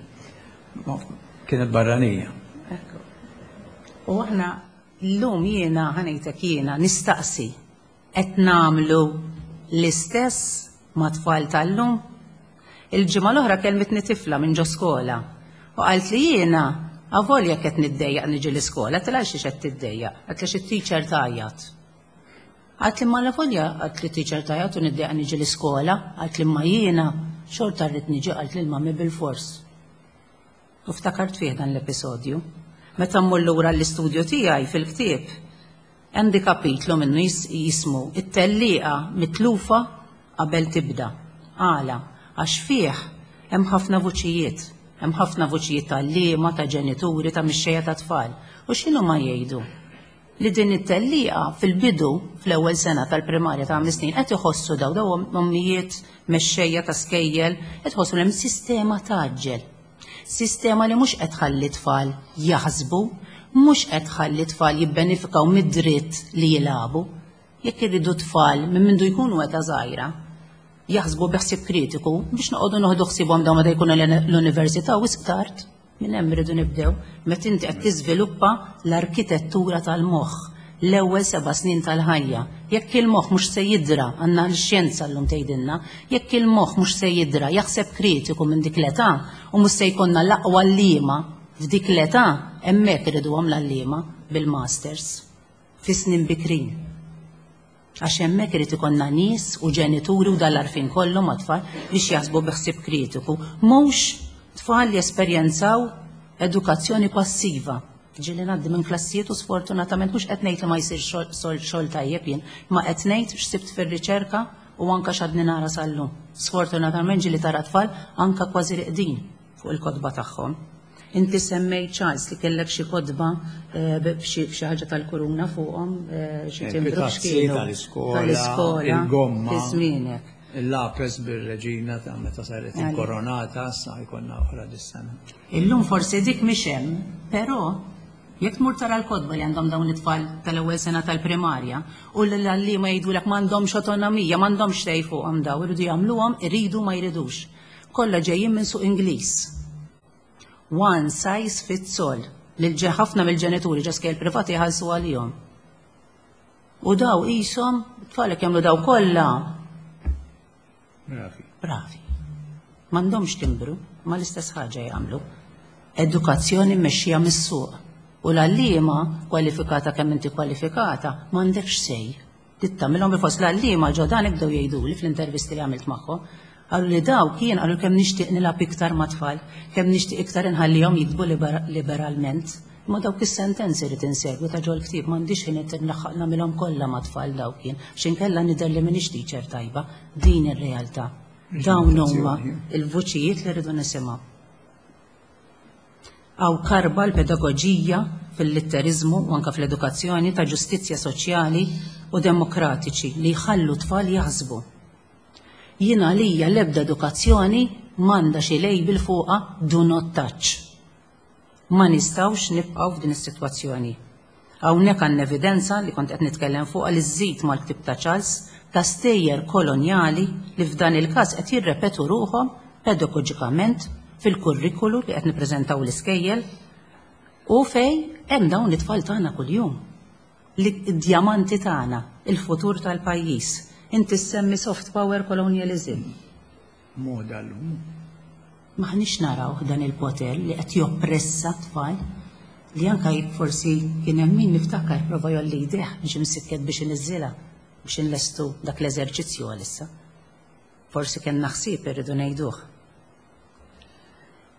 Kienet barranija. Ekku. U aħna llum jiena ħanejtek jiena nistaqsi qed nagħmlu l-istess ma' tfal tal-lum? Il-ġimgħa l-oħra kellmitni tifla minn ġo skola u qalt li jiena avolja qed niddejjaq niġi l-iskola, għedtilha għalxiex qed tiddejjaq? Għedtli għax it-teacher tgħajjat. Qaltli imma allavolja qaltli teacher tgħajjat u niddejjaq niġi l-iskola, qaltli imma jiena xorta rrid niġi qaltli l-mummy bilfors. U ftakart fih dan l-episodju. Meta mmur lura l-istudju tiegħi fil-ktieb, għandi kapitlu minnu jismu It-tellieqa mitlufa qabel tibda. Għala? Għax fih hemm ħafna vuċijiet. Hemm ħafna vuċijiet ta' għalliema, ta' ġenituri, ta' mixxejja ta' tfal. U x'inhuma jgħidu? Li din it-tellieqa fil-bidu, fl-ewwel sena tal-primarja ta' ħames snin, qed iħossu daw daw ommijiet mexxejja ta' skejjel, qed iħossu li hemm sistema tgħaġġel. Sistema li mhux qed tħalli tfal jaħsbu, mhux qed tħalli tfal jibbenefikaw mid-dritt li jilagħbu. Jekk irridu tfal minn mindu jkunu età żgħira jaħsbu bi ħsieb kritiku biex noqogħdu noħdu ħsiebhom dawn meta jkunu l-università wisq tard. Minn hemm irridu nibdew, meta inti qed tiżviluppa l-arkitettura tal-moħħ, l-ewwel seba' snin tal-ħajja. Jekk il-moħħ mhux se jidra, għandna l-xjenza llum tgħidilna, jekk il-moħħ mhux se jidra jaħseb kritiku minn dik l-età u mhux se jkollna l-aqwa għalliema f'dik l-età, hemmhekk irriduhom l-għalliema bil-masters fi snin bikrin. Għax hemmhekk irid ikollna nies u ġenituri u dan l-għarfien kollu mat-tfal biex jaħsbu bi ħsieb kritiku, mhux tfal li jesperjenzaw edukazzjoni passiva. Ġieli ngħaddi minn klassijiet u sfortunatament mhux qed ngħid li ma jsirx xogħol tajjeb jien, ma qed ngħid x'sibt fir-riċerka u anke x'għadni nara sal-lum. Sfortunatament ġieli tara tfal anke kważi riqdin fuq il-kotba tagħhom. Inti semmejt Charles li kellek xi kotba eh, b'xi ħaġa tal-kuruna fuqhom, eh, xi eh, timbru x'kienu. Tal-iskola, il-gomma. Fi żmienek. Il-lapes bir-reġina ta' meta saret inkoronata, sa jkollna oħra dis-sena. Illum forsi dik mhix hemm, però jekk tmur tara l-kotba li għandhom dawn it-tfal tal-ewwel sena tal-primarja u l-għalliema jgħidulek m'għandhomx autonomija, m'għandhomx say fuqhom daw, iridu jagħmluhom, iridu ma jridux. Kollha ġejjin minn suq Ingliż. One size fits all. Lil ħafna mill-ġenituri ġo skejjel privati jħallsu għalihom. U daw qishom, tfalek jagħmlu daw kollha. Bravi. Bravi. M'għandhomx timbru, ma l-istess ħaġa jagħmlu. Edukazzjoni mmexxija mis-suq. U l-għalliema kwalifikata kemm inti kwalifikata, m'għandekx sej. Trid tagħmilhom bil-fors. L-għalliema ġo dan bdew jgħiduli fl-intervisti li għamilt magħhom. Qalu li dawk jien qalu kemm nixtieq nilgħab iktar mat-tfal, kemm nixtieq iktar inħallihom jiktbu liberalment. Imma dawk is-sentenzi rrid insegwi ta' ġol-ktieb m'għandix ħin qed nlaħħaq nagħmilhom kollha mat-tfal dawk jien, għax inkella nidher li m'iniex teacher tajba. Din ir-realtà. Dawn huma l-vuċijiet li rridu nisimgħu. Hawn karba l-pedagoġija fil-litteriżmu u anke fl-edukazzjoni ta' ġustizzja soċjali u demokratiċi li jħallu t-tfal jaħsbu. Jien għalija l-ebda edukazzjoni m'għandha xi label fuqha do not touch. Ma nistgħux nibqgħu f'din is-sitwazzjoni. Hawnhekk għandna evidenza li kont qed nitkellem fuqha li żżid mal-ktieb ta' Charles ta' stejjer kolonjali li f'dan il-każ qed jirrepetu ruħhom pedagoġikament fil-kurrikulu li qed nippreżentaw l-iskejjel u fejn hemm dawn it-tfal tagħna kuljum. Id-djamanti tagħna, il-futur tal-pajjiż. Inti ssemmi soft power colonialism. Moda llum. M'aħniex narawh dan il-poter li qed joppressa t-tfal li anke jekk forsi kien hemm min niftakar prova jgħolli jdejh biex imsikket biex iniżżilha biex inlestu dak l-eżerċizzju għalissa. Forsi kellna ħsieb irridu ngħiduh.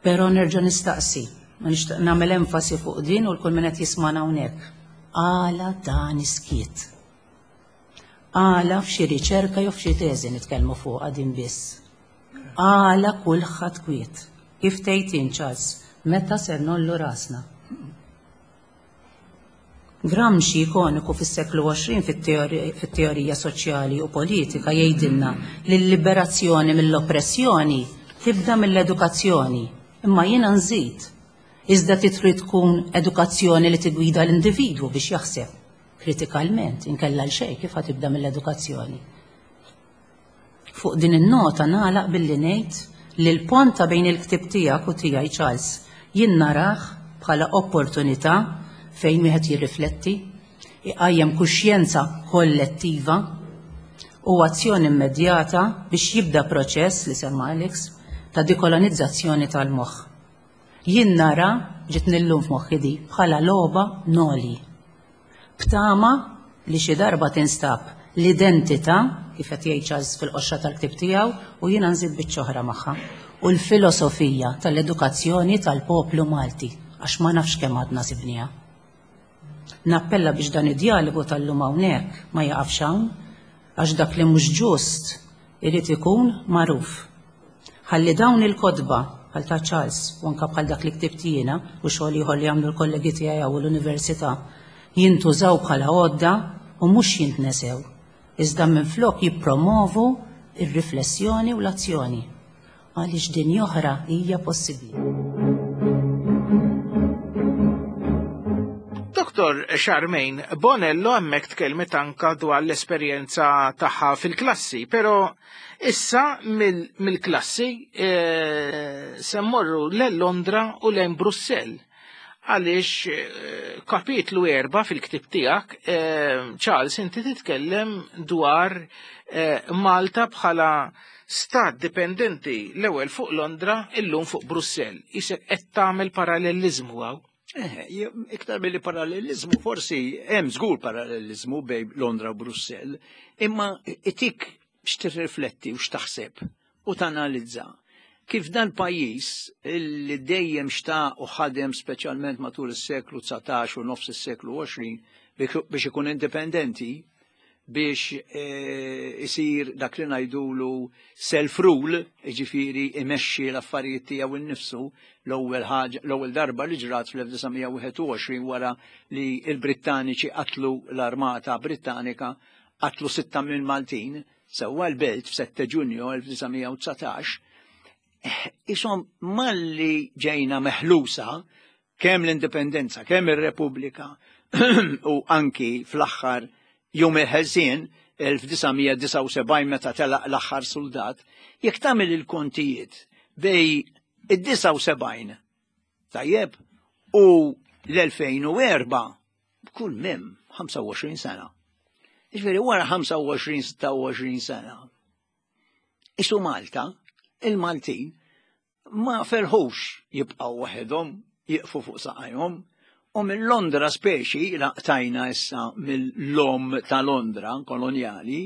Però nerġa' nistaqsi, u nixtieq nagħmel enfasi fuq din u l-kull min qed jismagħna hawnhekk. Għala dan is-skiet? Għala f'xi riċerka jew f'xi teżi nitkellmu fuqha din biss? Għala kulħadd kwiet? Kif tgħid int, Charles, meta ser ngħollu rasna? Gramsci, ikoniku fis-seklu 20 fit-teorija soċjali u politika, jgħidilna li l-liberazzjoni mill-oppressjoni tibda mill-edukazzjoni. Imma jiena nżid, iżda trid tkun edukazzjoni li tigwida l-individwu biex jaħseb kritikalment, inkella għal xejn kif ħa tibda mill-edukazzjoni. Fuq din in-nota nagħlaq billi ngħid li l-pont ta' bejn il-ktieb tiegħek u tiegħi Charles jien narah bħala opportunità fejn wieħed jirrifletti, iqajjem kuxjenza kollettiva u azzjoni immedjata biex jibda proċess li semma Alex ta' dekolonizzazzjoni tal-moħħ. Jien nara, ġietni llum f'moħħi di, bħala logħba noli. B'tama li xi darba tinstab l-identità, kif qed jgħid Charles fil-qoxra tal-ktieb tiegħu, u jiena nżid biċċa oħra magħha, u l-filosofija tal-edukazzjoni tal-poplu Malti, għax ma nafx kemm għadna sibniha. Nappella biex dan id-djalogu tal-lum hawnhekk ma jaqafx hawn, għax dak li mhux ġust irid ikun magħruf. Ħalli dawn il-kotba, bħal ta' Charles u anke bħal dak li ktibt jiena u xogħol ieħor li għamlu l-kollegi tiegħi hawn l-università, jintużaw bħala għodda u mhux jintnesew, iżda minflok jippromovu r-riflessjoni u l-azzjoni. Għaliex dinja oħra hija possibbli. Dr. Charmaine Bonello hemmhekk tkellmet anka dwar l-esperjenza tagħha fil-klassi, però issa mill-klassi eh, se mmorru lejn Londra u lejn Brussell għaliex eh, kapitlu erba fil-ktib tiegħek, eh, Charles, inti titkellem dwar Malta bħala stat dipendenti l-ewwel fuq Londra, illum fuq Brussell. Isek qed tagħmel parallelizmu hawn. Eh, iktar mill parallelizmu, forsi hemm żgur parallelizmu bej Londra u Brussell, imma itik x'tirrifletti u x'taħseb u tanalizza kif dan pajjiż li dejjem xtaq u ħadem speċjalment matul is-seklu 19 u nofs is-seklu 20 biex ikun indipendenti, biex eh, isir dak li ngħidulu self-rule, jiġifieri imexxi l-affarijiet tiegħu innifsu l-ewwel ħaġa l-ewwel darba li ġrat fl-1921 wara li l-Brittaniċi qatlu l-Armata Brittanika qatlu sitta minn Maltin sewwa l-belt f'7 Ġunju 1919 eh, isom malli ġejna meħlusa kemm l-indipendenza, kemm ir-Repubblika u anki fl-aħħar jum il-ħelsien 1979 meta telaq l-aħħar soldat, jekk tagħmel il-kontijiet bej id-79 tajjeb u l-2004 b'kull mem 25 sena. Ġifieri wara 25-26 sena. Isu Malta, il-Maltin, ma ferħux jibqgħu waħedhom, jieqfu fuq saqajhom, u minn Londra speċi laqtajna issa mill-lom ta' Londra kolonjali,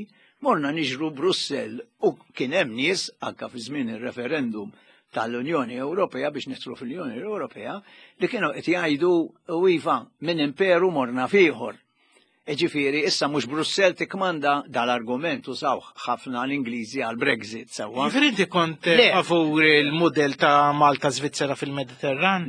morna niġru Brussell u kien hemm nies anka fi żmien ir-referendum tal-Unjoni Ewropea biex nidħlu fl-Unjoni Ewropea li kienu qed jgħidu u iva minn imperu morna f'ieħor. Ġifieri, issa mhux Brussell tikkmanda dal-argument użaw ħafna l-Ingliżi għal Brexit sewwa. Ġifieri inti kont eh, favur il-mudell ta' Malta Svizzera fil-Mediterran?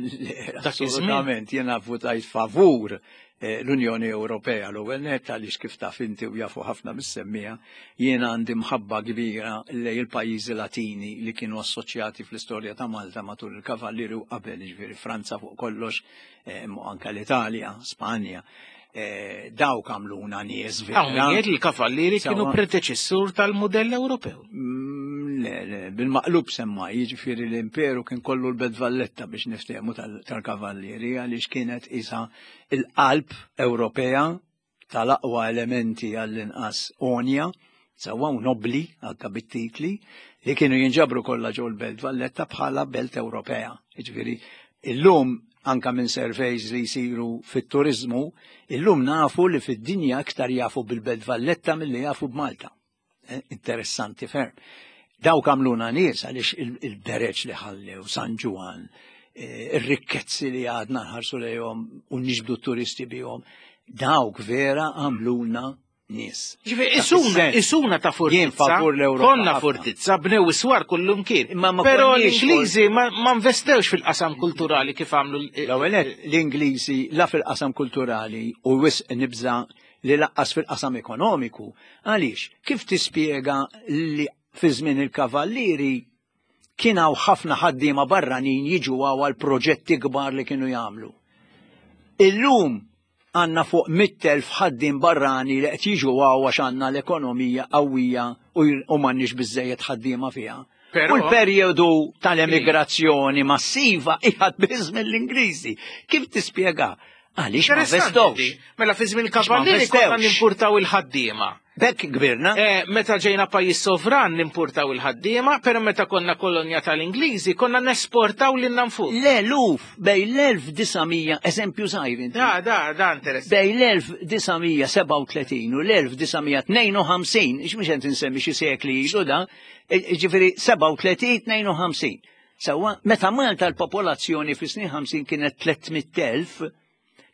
Assolutament, jiena votajt favur eh, l-Unjoni Ewropea l-ewwel nett għaliex kif taf inti u jafu ħafna mis-semmija, jiena għandi mħabba kbira lej il-pajjiżi Latini li kienu assoċjati fl-istorja ta' Malta matul il-Kavallieri u qabel, ġifieri Franza fuq kollox, eh, anka l-Italja, Spanja. Eh, dawk għamluna nies vera. Hawn li l-kavallieri kienu predeċessur tal-mudell Ewropew. Mm, le, le, bil-maqlub semma, jiġifieri l-imperu kien kollu l-Belt Valletta biex niftehmu tal-kavallieri għaliex kienet isa il-qalb Ewropea tal-aqwa elementi għall-inqas onja, sewwa u nobli anka bit-titli, li kienu jinġabru kollha ġol Belt Valletta bħala Belt Ewropea. Jiġifieri illum anka minn surveys li jsiru fit-turizmu, illum nafu li fid-dinja iktar jafu bil-Belt Valletta milli jafu b'Malta. Eh, interessanti ferm. Dawk għamluna nies għaliex il-bereġ li ħallew San Ġwan, eh, ir-rikkezzi li għadna nħarsu lejhom u niġbdu turisti bihom, dawk vera għamluna nies. Ġifieri isuna, isuna ta' fortizza. Jien favur l-Ewropa. Konna fortizza, bnew iswar kullum kien. Però l-Ingliżi ma investewx fil-qasam kulturali kif għamlu. L-ewwel l-Ingliżi la fil-qasam kulturali u wisq nibża li laqqas fil-qasam ekonomiku. Għaliex, kif tispjega li fi żmien il-kavallieri kien hawn ħafna ħaddiema barranin jiġu hawn għal proġetti kbar li kienu jagħmlu. Illum għandna fuq 100,000 ħaddiem barrani li qed jiġu hawn għax għandna l-ekonomija qawwija u m'għandniex biżejjed ħaddiema fiha. U l-perjodu tal-emigrazzjoni massiva qiegħed biss mill-Ingliżi. Kif tispjega? Għaliex ma investowx. Mela fi żmien kavallieri konna nimpurtaw il-ħaddiema. Bekk kbirna. Eh, meta ġejna pajjiż sovran nimpurtaw il-ħaddiema, però meta konna kolonja tal-Ingliżi konna nesportaw lil nfus. L-eluf bej l-1900, eżempju żgħir inti. Da, da, da interessanti. Bej l-1937 u l-1952, ix mhux qed insemmi xi sekli ilu da, e, ġifieri 37 52. Sewwa, meta Malta l-popolazzjoni fis-snin 50 kienet 300,000,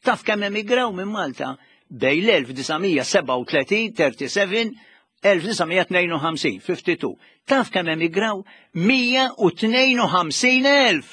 taf kemm emigraw minn Malta bej l-1937, 37, 1952, 52. Taf kemm emigraw 152,000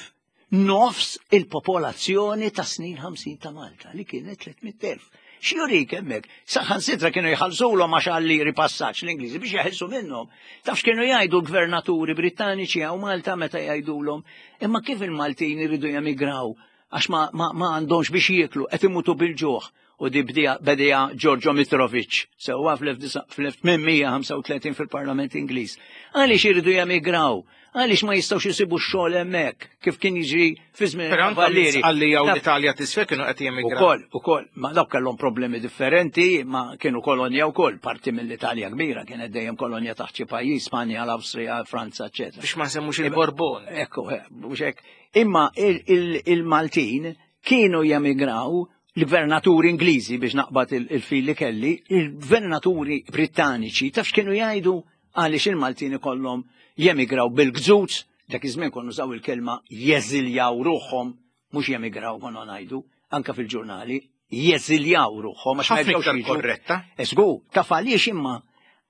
nofs il-popolazzjoni ta' snin 50 ta' Malta li kienet 300,000. X'jurik hemmhekk? Saħansitra kienu jħallsulhom għax għal-liri passaġġ l-Ingliżi biex jeħilsu minnhom. Taf x'kienu jgħidu l-gvernaturi Brittaniċi hawn Malta meta jgħidulhom imma kif il-Maltin iridu jemigraw għax ma, ma, ma għandhomx biex jieklu qed imutu bil-ġuħ u di bdija bedija Giorgio Mitrovic sewwa fl-1835 fil-Parlament Ingliż. Għaliex iridu jemigraw? Għaliex ma jistgħux isibu x-xogħol hemmhekk kif kien jiġri fi żmien il-Kavallieri. Għalli jew l-Italja tisfel kienu qed jemigraw. Ukoll, ukoll, ma dawk kellhom problemi differenti, ma kienu kolonja wkoll, parti mill-Italja kbira kienet dejjem kolonja taħt xi pajjiż, Spanja, l-Awstrija, Franza, eċetera. Biex ma nsemmux il-Borbon. Ekku, eh, mhux hekk. Imma il-Maltin kienu jemigraw l-gvernaturi Ingliżi biex naqbad il-fil li kelli, il-gvernaturi Brittaniċi taf x'kienu jgħidu Għaliex il-Maltin ikollhom jemigraw bil-gżuz, dak iż-żmien konna nużaw il-kelma jeżiljaw ruħhom, mhux jemigraw konna ngħidu, anka fil-ġurnali, jeżiljaw ruħhom għax ma jerġgħux jiġu. Korretta. Esgu, taf għaliex imma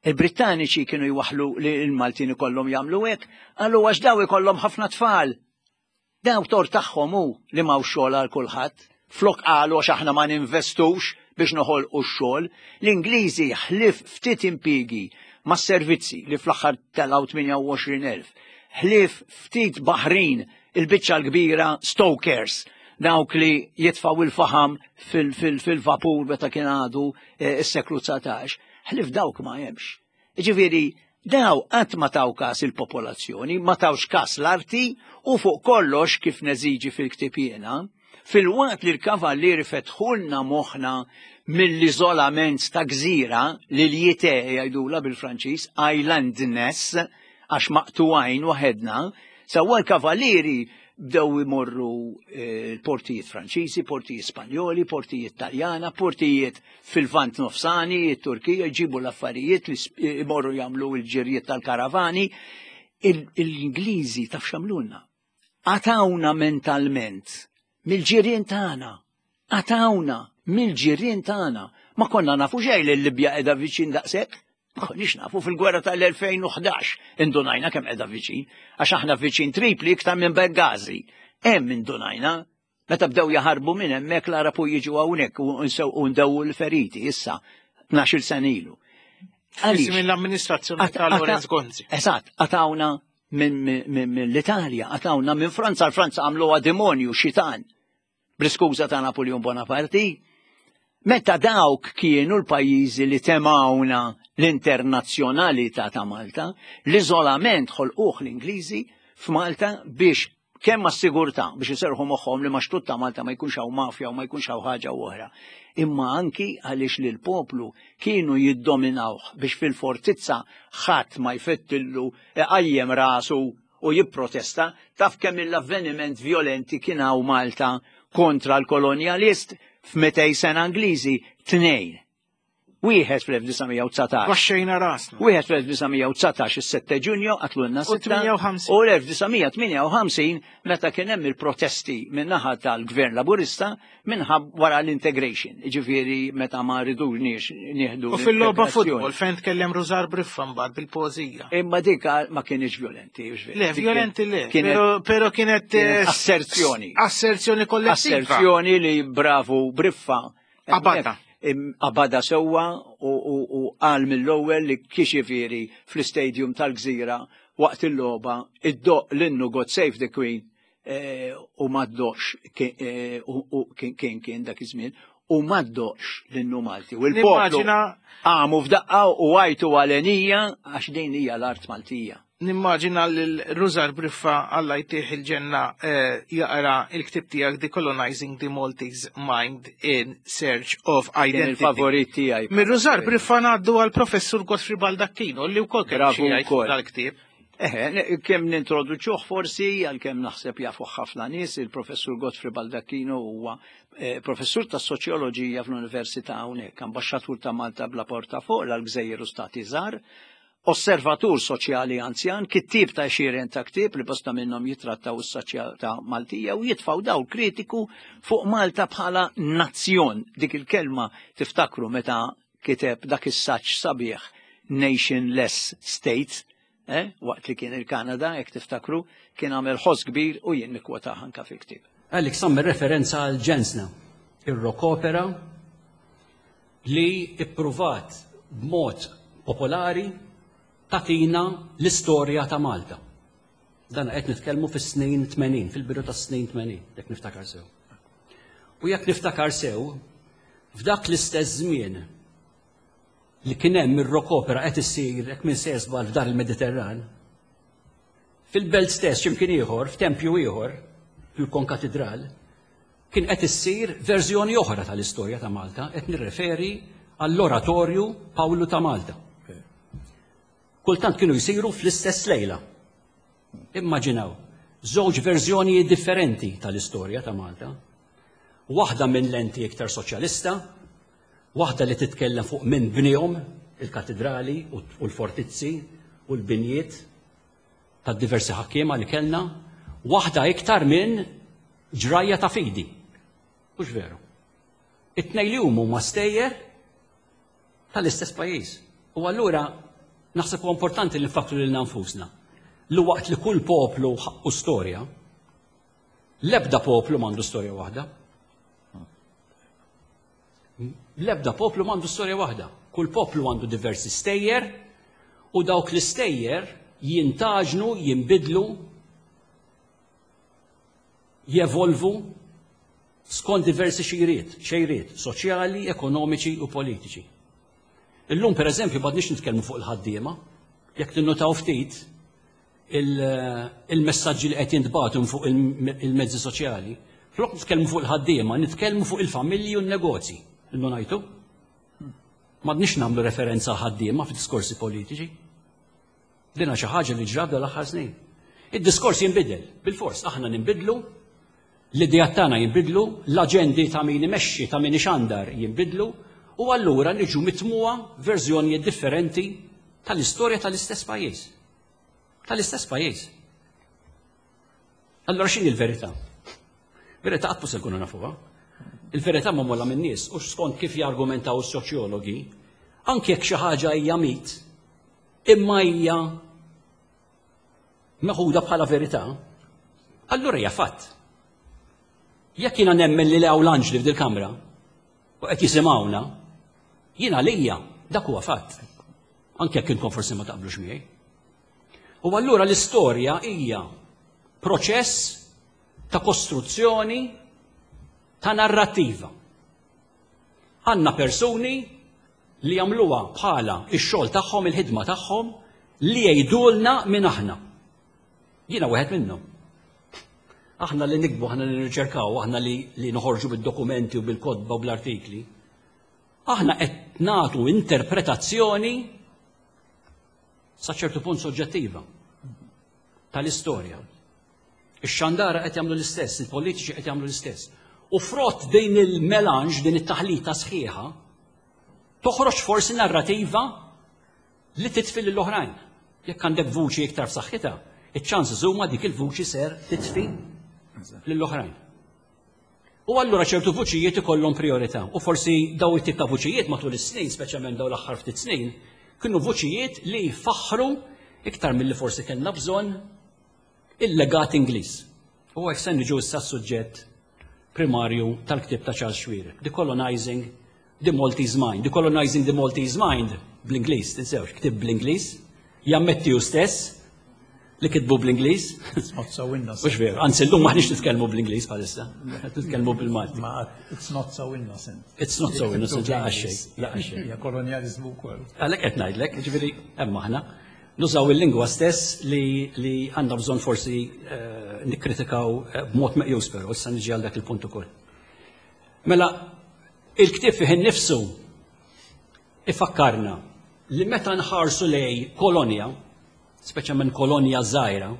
il-Brittaniċi kienu jwaħħlu li l-Maltin ikollhom jagħmlu hekk, qalu għax daw ikollhom ħafna tfal. Daw tort tagħhom hu li m'hawnx xogħol għal kulħadd. Flok qalu għax aħna ma ninvestux biex noħolqu x-xogħol, l-Ingliżi ħlief ftit impiegi mas-servizzi li fl-aħħar telgħu 28,000, ħlief ftit baħrin il-biċċa l-kbira stokers, dawk li jitfgħu il-faħam fil-vapur meta kien għadu eh, s-seklu 19, ħlief dawk ma hemmx. Ġifieri, daw qatt ma taw kas il-popolazzjoni, ma tawx kas l-arti u fuq kollox kif neżiġi fil-ktieb jiena, filwaqt li l-kavallieri fetħulna moħħna mill-iżolament ta' gżira li l-jite jgħidula bil-Franċiż, islandness, għax maqtugħin waħedna, sewwa l-kavallieri bdew imorru eh, l-portijiet Franċiżi, portijiet Spanjoli, portijiet Taljana, portijiet fil-Lvant Nofsani, it-Turkija, jġibu l-affarijiet li imorru jagħmlu l-ġirjiet tal-karavani. Il-Ingliżi taf x'għamlulna? Qatawna mentalment mill-ġirien tagħna. Qatawna mill-ġirien tagħna. Ma konna nafu xejn li l-Libja qiegħda viċin daqshekk. Ma konniex nafu fil-gwerra tal-2011 indunajna kemm qiegħda viċin, għax aħna viċin Tripli iktar minn Benghazi. Hemm indunajna Meta bdew jaħarbu minn hemmhekk l-Għarab u jiġu hawnhekk u nsewqu ndewwu l-feriti issa 12-il sena ilu. Għaliex? Mill-amministrazzjoni ta' Lorenz Gonzi. Eżatt, qatawna mill-Italja, qatawna minn Franza, l-Franza għamluha demonju xitan. Bl-iskuża ta' Napoleon Bonaparte. Meta dawk kienu l-pajjiżi li temawna l-internazzjonalità ta' Malta, l-iżolament ħolquh l-Ingliżi f'Malta biex kemm għas-sigurtà biex iserrħu moħħhom li max-xtut ta' Malta ma jkunx hawn mafja u ma jkunx hawn ħaġa u oħra, imma anki għaliex lill-poplu kienu jiddominawh biex fil-fortizza ħadd ma jfettillu iqajjem rasu u jipprotesta, taf kemm il-avveniment vjolenti kien hawn Malta kontra l-kolonjalist f'mitej sena Ingliżi? Tnejn. Wieħed fl-1919. Baxxejna rasna. Wieħed fl-1919 is-7 Ġunju qatlulna sitta. U l-1958 meta kien hemm il-protesti min-naħa tal-Gvern Laburista minħab wara l-integration, ġifieri meta ma ridux nieħdu. U fil-logħba futbol fejn tkellem Rużar Briffa mbagħad bil-poeżija. Imma dik ma kienx violenti. Le, violenti le, pero kienet eh, asserzjoni. Asserzjoni kollettiva. Asserzjoni li bravu Briffa Qabadha. Qabadha sewwa u qal mill-ewwel li kixifieri fl-istadium tal-Gżira waqt il-logħba iddoqq l-innu God Save the Queen eh, u ma ddoqx eh, u kien kien dak iż-żmien u ma ddoqx l-innu Malti. U l-poplu għamu f'daqqa u għajtu għalenija għax din hija l-art Maltija. Nimmaġina lil Rużar Briffa Alla jtih il-ġenna eh, jaqra il-ktib tiegħek Decolonizing the Maltese Mind in Search of Identity. Il-favorit tiegħi. Mir Rużar Briffa ngħaddu għal Professur Godfrey Baldacchino li wkoll kellu xi jgħid dal-ktieb. Eħe, kemm nintroduċuh forsi, għalkemm naħseb jafuh ħafna nies, il-professur Godfrey Baldacchino huwa eh, professur ta' soċjoloġija fl-Università hawnhekk, ambaxxatur ta' Malta bla portafoll għal gżejjer u stati żgħar, osservatur soċjali anzjan, kittieb ta' għexieren ta' ktieb li bosta minnhom jitrattaw is-soċjetà Maltija u jitfgħu dawl kritiku fuq Malta bħala nazzjon. Dik il-kelma tiftakru meta kiteb dak is-saġġ sabiħ Nationless State, eh, waqt li kien il-Kanada, jekk tiftakru, kien għamel ħoss kbir u jien nikkwotah anka fil-ktieb. Alex għamel referenza għal ġensna, ir-rock opera li ippruvat b'mod popolari tagħtina l-istorja ta' Malta. Dan qed nitkellmu fis-snin 80, fil-bidu tas-snin 80, jekk niftakar sew. U jekk niftakar sew, f'dak l-istess żmien li kien hemm ir-rock opera qed issir hekk minn se żball f'dar il-Mediterran, fil-belt stess x'imkien ieħor, f'tempju ieħor, fil-Konkatidral, kien qed issir verżjoni oħra tal-istorja ta' Malta, qed nirreferi għall-Oratorju Pawlu ta' Malta. Kultant kienu jsiru fl-istess lejla. Immaġinaw, żewġ verżjonijiet differenti tal-istorja ta' Malta. Waħda minn lenti iktar soċjalista, waħda li titkellem fuq minn bnihom il-katidrali u l-fortizzi u l-binjiet tad-diversi ħakkiema li kellna, waħda iktar minn ġrajja ta' fidi. Hux veru. It-tnejn li huma huma stejjer tal-istess pajjiż. U allura naħseb huwa importanti li nfakkru lilna nfusna li waqt li kull poplu ħaqqu storja, l-ebda poplu m'għandu storja waħda. L-ebda poplu m'għandu storja waħda. Kull poplu għandu diversi stejjer u dawk l-istejjer jintaġnu, jinbidlu, jevolvu skont diversi xejriet, xejriet soċjali, ekonomiċi u politiċi. Illum per eżempju m'għadniex nitkellmu fuq il-ħaddiema, jekk tinnutaw ftit il-messaġġi li qed jintbagħtu fuq il-mezzi soċjali, flok nitkellmu fuq il-ħaddiema, nitkellmu fuq il-familji u n-negozji. Innu ngħidu? M'għadniex nagħmlu referenza għal ħaddiema fid-diskorsi politiċi. Dina xi ħaġa li ġrat l-aħħar snin. Id-diskors jinbidel, bil-fors aħna ninbidlu, l-idejat tagħna jinbidlu, l-aġendi ta' min imexxi, ta' min ixandar jinbidlu, u allura niġu mitmuha verżjonijiet differenti tal-istorja tal-istess pajjiż. Tal-istess pajjiż. Allura x'inhi l-verità? Verità qatt se nkunu nafuha. Il-verità magħmula min-nies u skont kif jargumentaw is-soċjologi, anke jekk xi ħaġa hija mit, imma hija meħuda bħala verità, allura hija fatt. Jekk jiena nemmen li hawn l-anġli f'dil kamra u qed jisimgħuna, jiena lija dak huwa fatt. Anke jekk intom forsi ma taqblux miegħi. U allura l-istorja hija proċess ta' kostruzzjoni ta' narrattiva. Għandna persuni li jagħmluha bħala x-xogħol tagħhom, il-ħidma tagħhom li jgħidulna min aħna. Jiena wieħed minnhom. Aħna li nikbu, aħna li nirriċerkaw, aħna li, li noħorġu bid-dokumenti u bil-kotba u bl-artikli. Aħna qed nagħtu interpretazzjoni sa ċertu punt soġġettiva tal-istorja. Ix-xandara qed jagħmlu l-istess, il-politiċi qed jagħmlu l-istess. U frott din il-melanġ, din it-taħlita sħiħa, toħroġ forsi narrativa li titfi lill-oħrajn. Jekk għandek vuċi iktar f'saħħitha, iċ-ċansi huma dik il-vuċi ser titfi lill-oħrajn. U allura ċertu vuċijiet ikollhom priorità. U forsi daw it-tip ta' vuċijiet matul is-snin, speċjalment daw l-aħħar ftit snin, kienu vuċijiet li faħħru iktar milli forsi kellna bżonn il-legat Ingliż. U hekk se niġu issa s-suġġett primarju tal-ktieb ta' Charles Xuereb, Decolonizing the Maltese Mind. Decolonizing the Maltese Mind bl-Ingliż, tinsewx, ktieb bl-Ingliż, jammetti hu stess li kitbu bl-Ingliż. It's not so innocent. Mhux veru, anzi llum maħniex nitkellmu bl-Ingliż bħalissa, qed nitkellmu bil-Malti. Ma it's not so innocent. It's not so innocent, laqgħa xejn, laqgħa xejn. Hija kolonjaliżmu wkoll. Għalhekk qed ngħidlek, jiġifieri hemm aħna. Nużaw il-lingwa stess li, li għandna bżonn forsi eh, nikkritikaw eh, b'mod meqjus però, issa niġi għal dak il-punt ukoll. Mela, il-ktieb fih innifsu ifakkarna li meta nħarsu lej kolonja, speċjalment kolonja żgħira,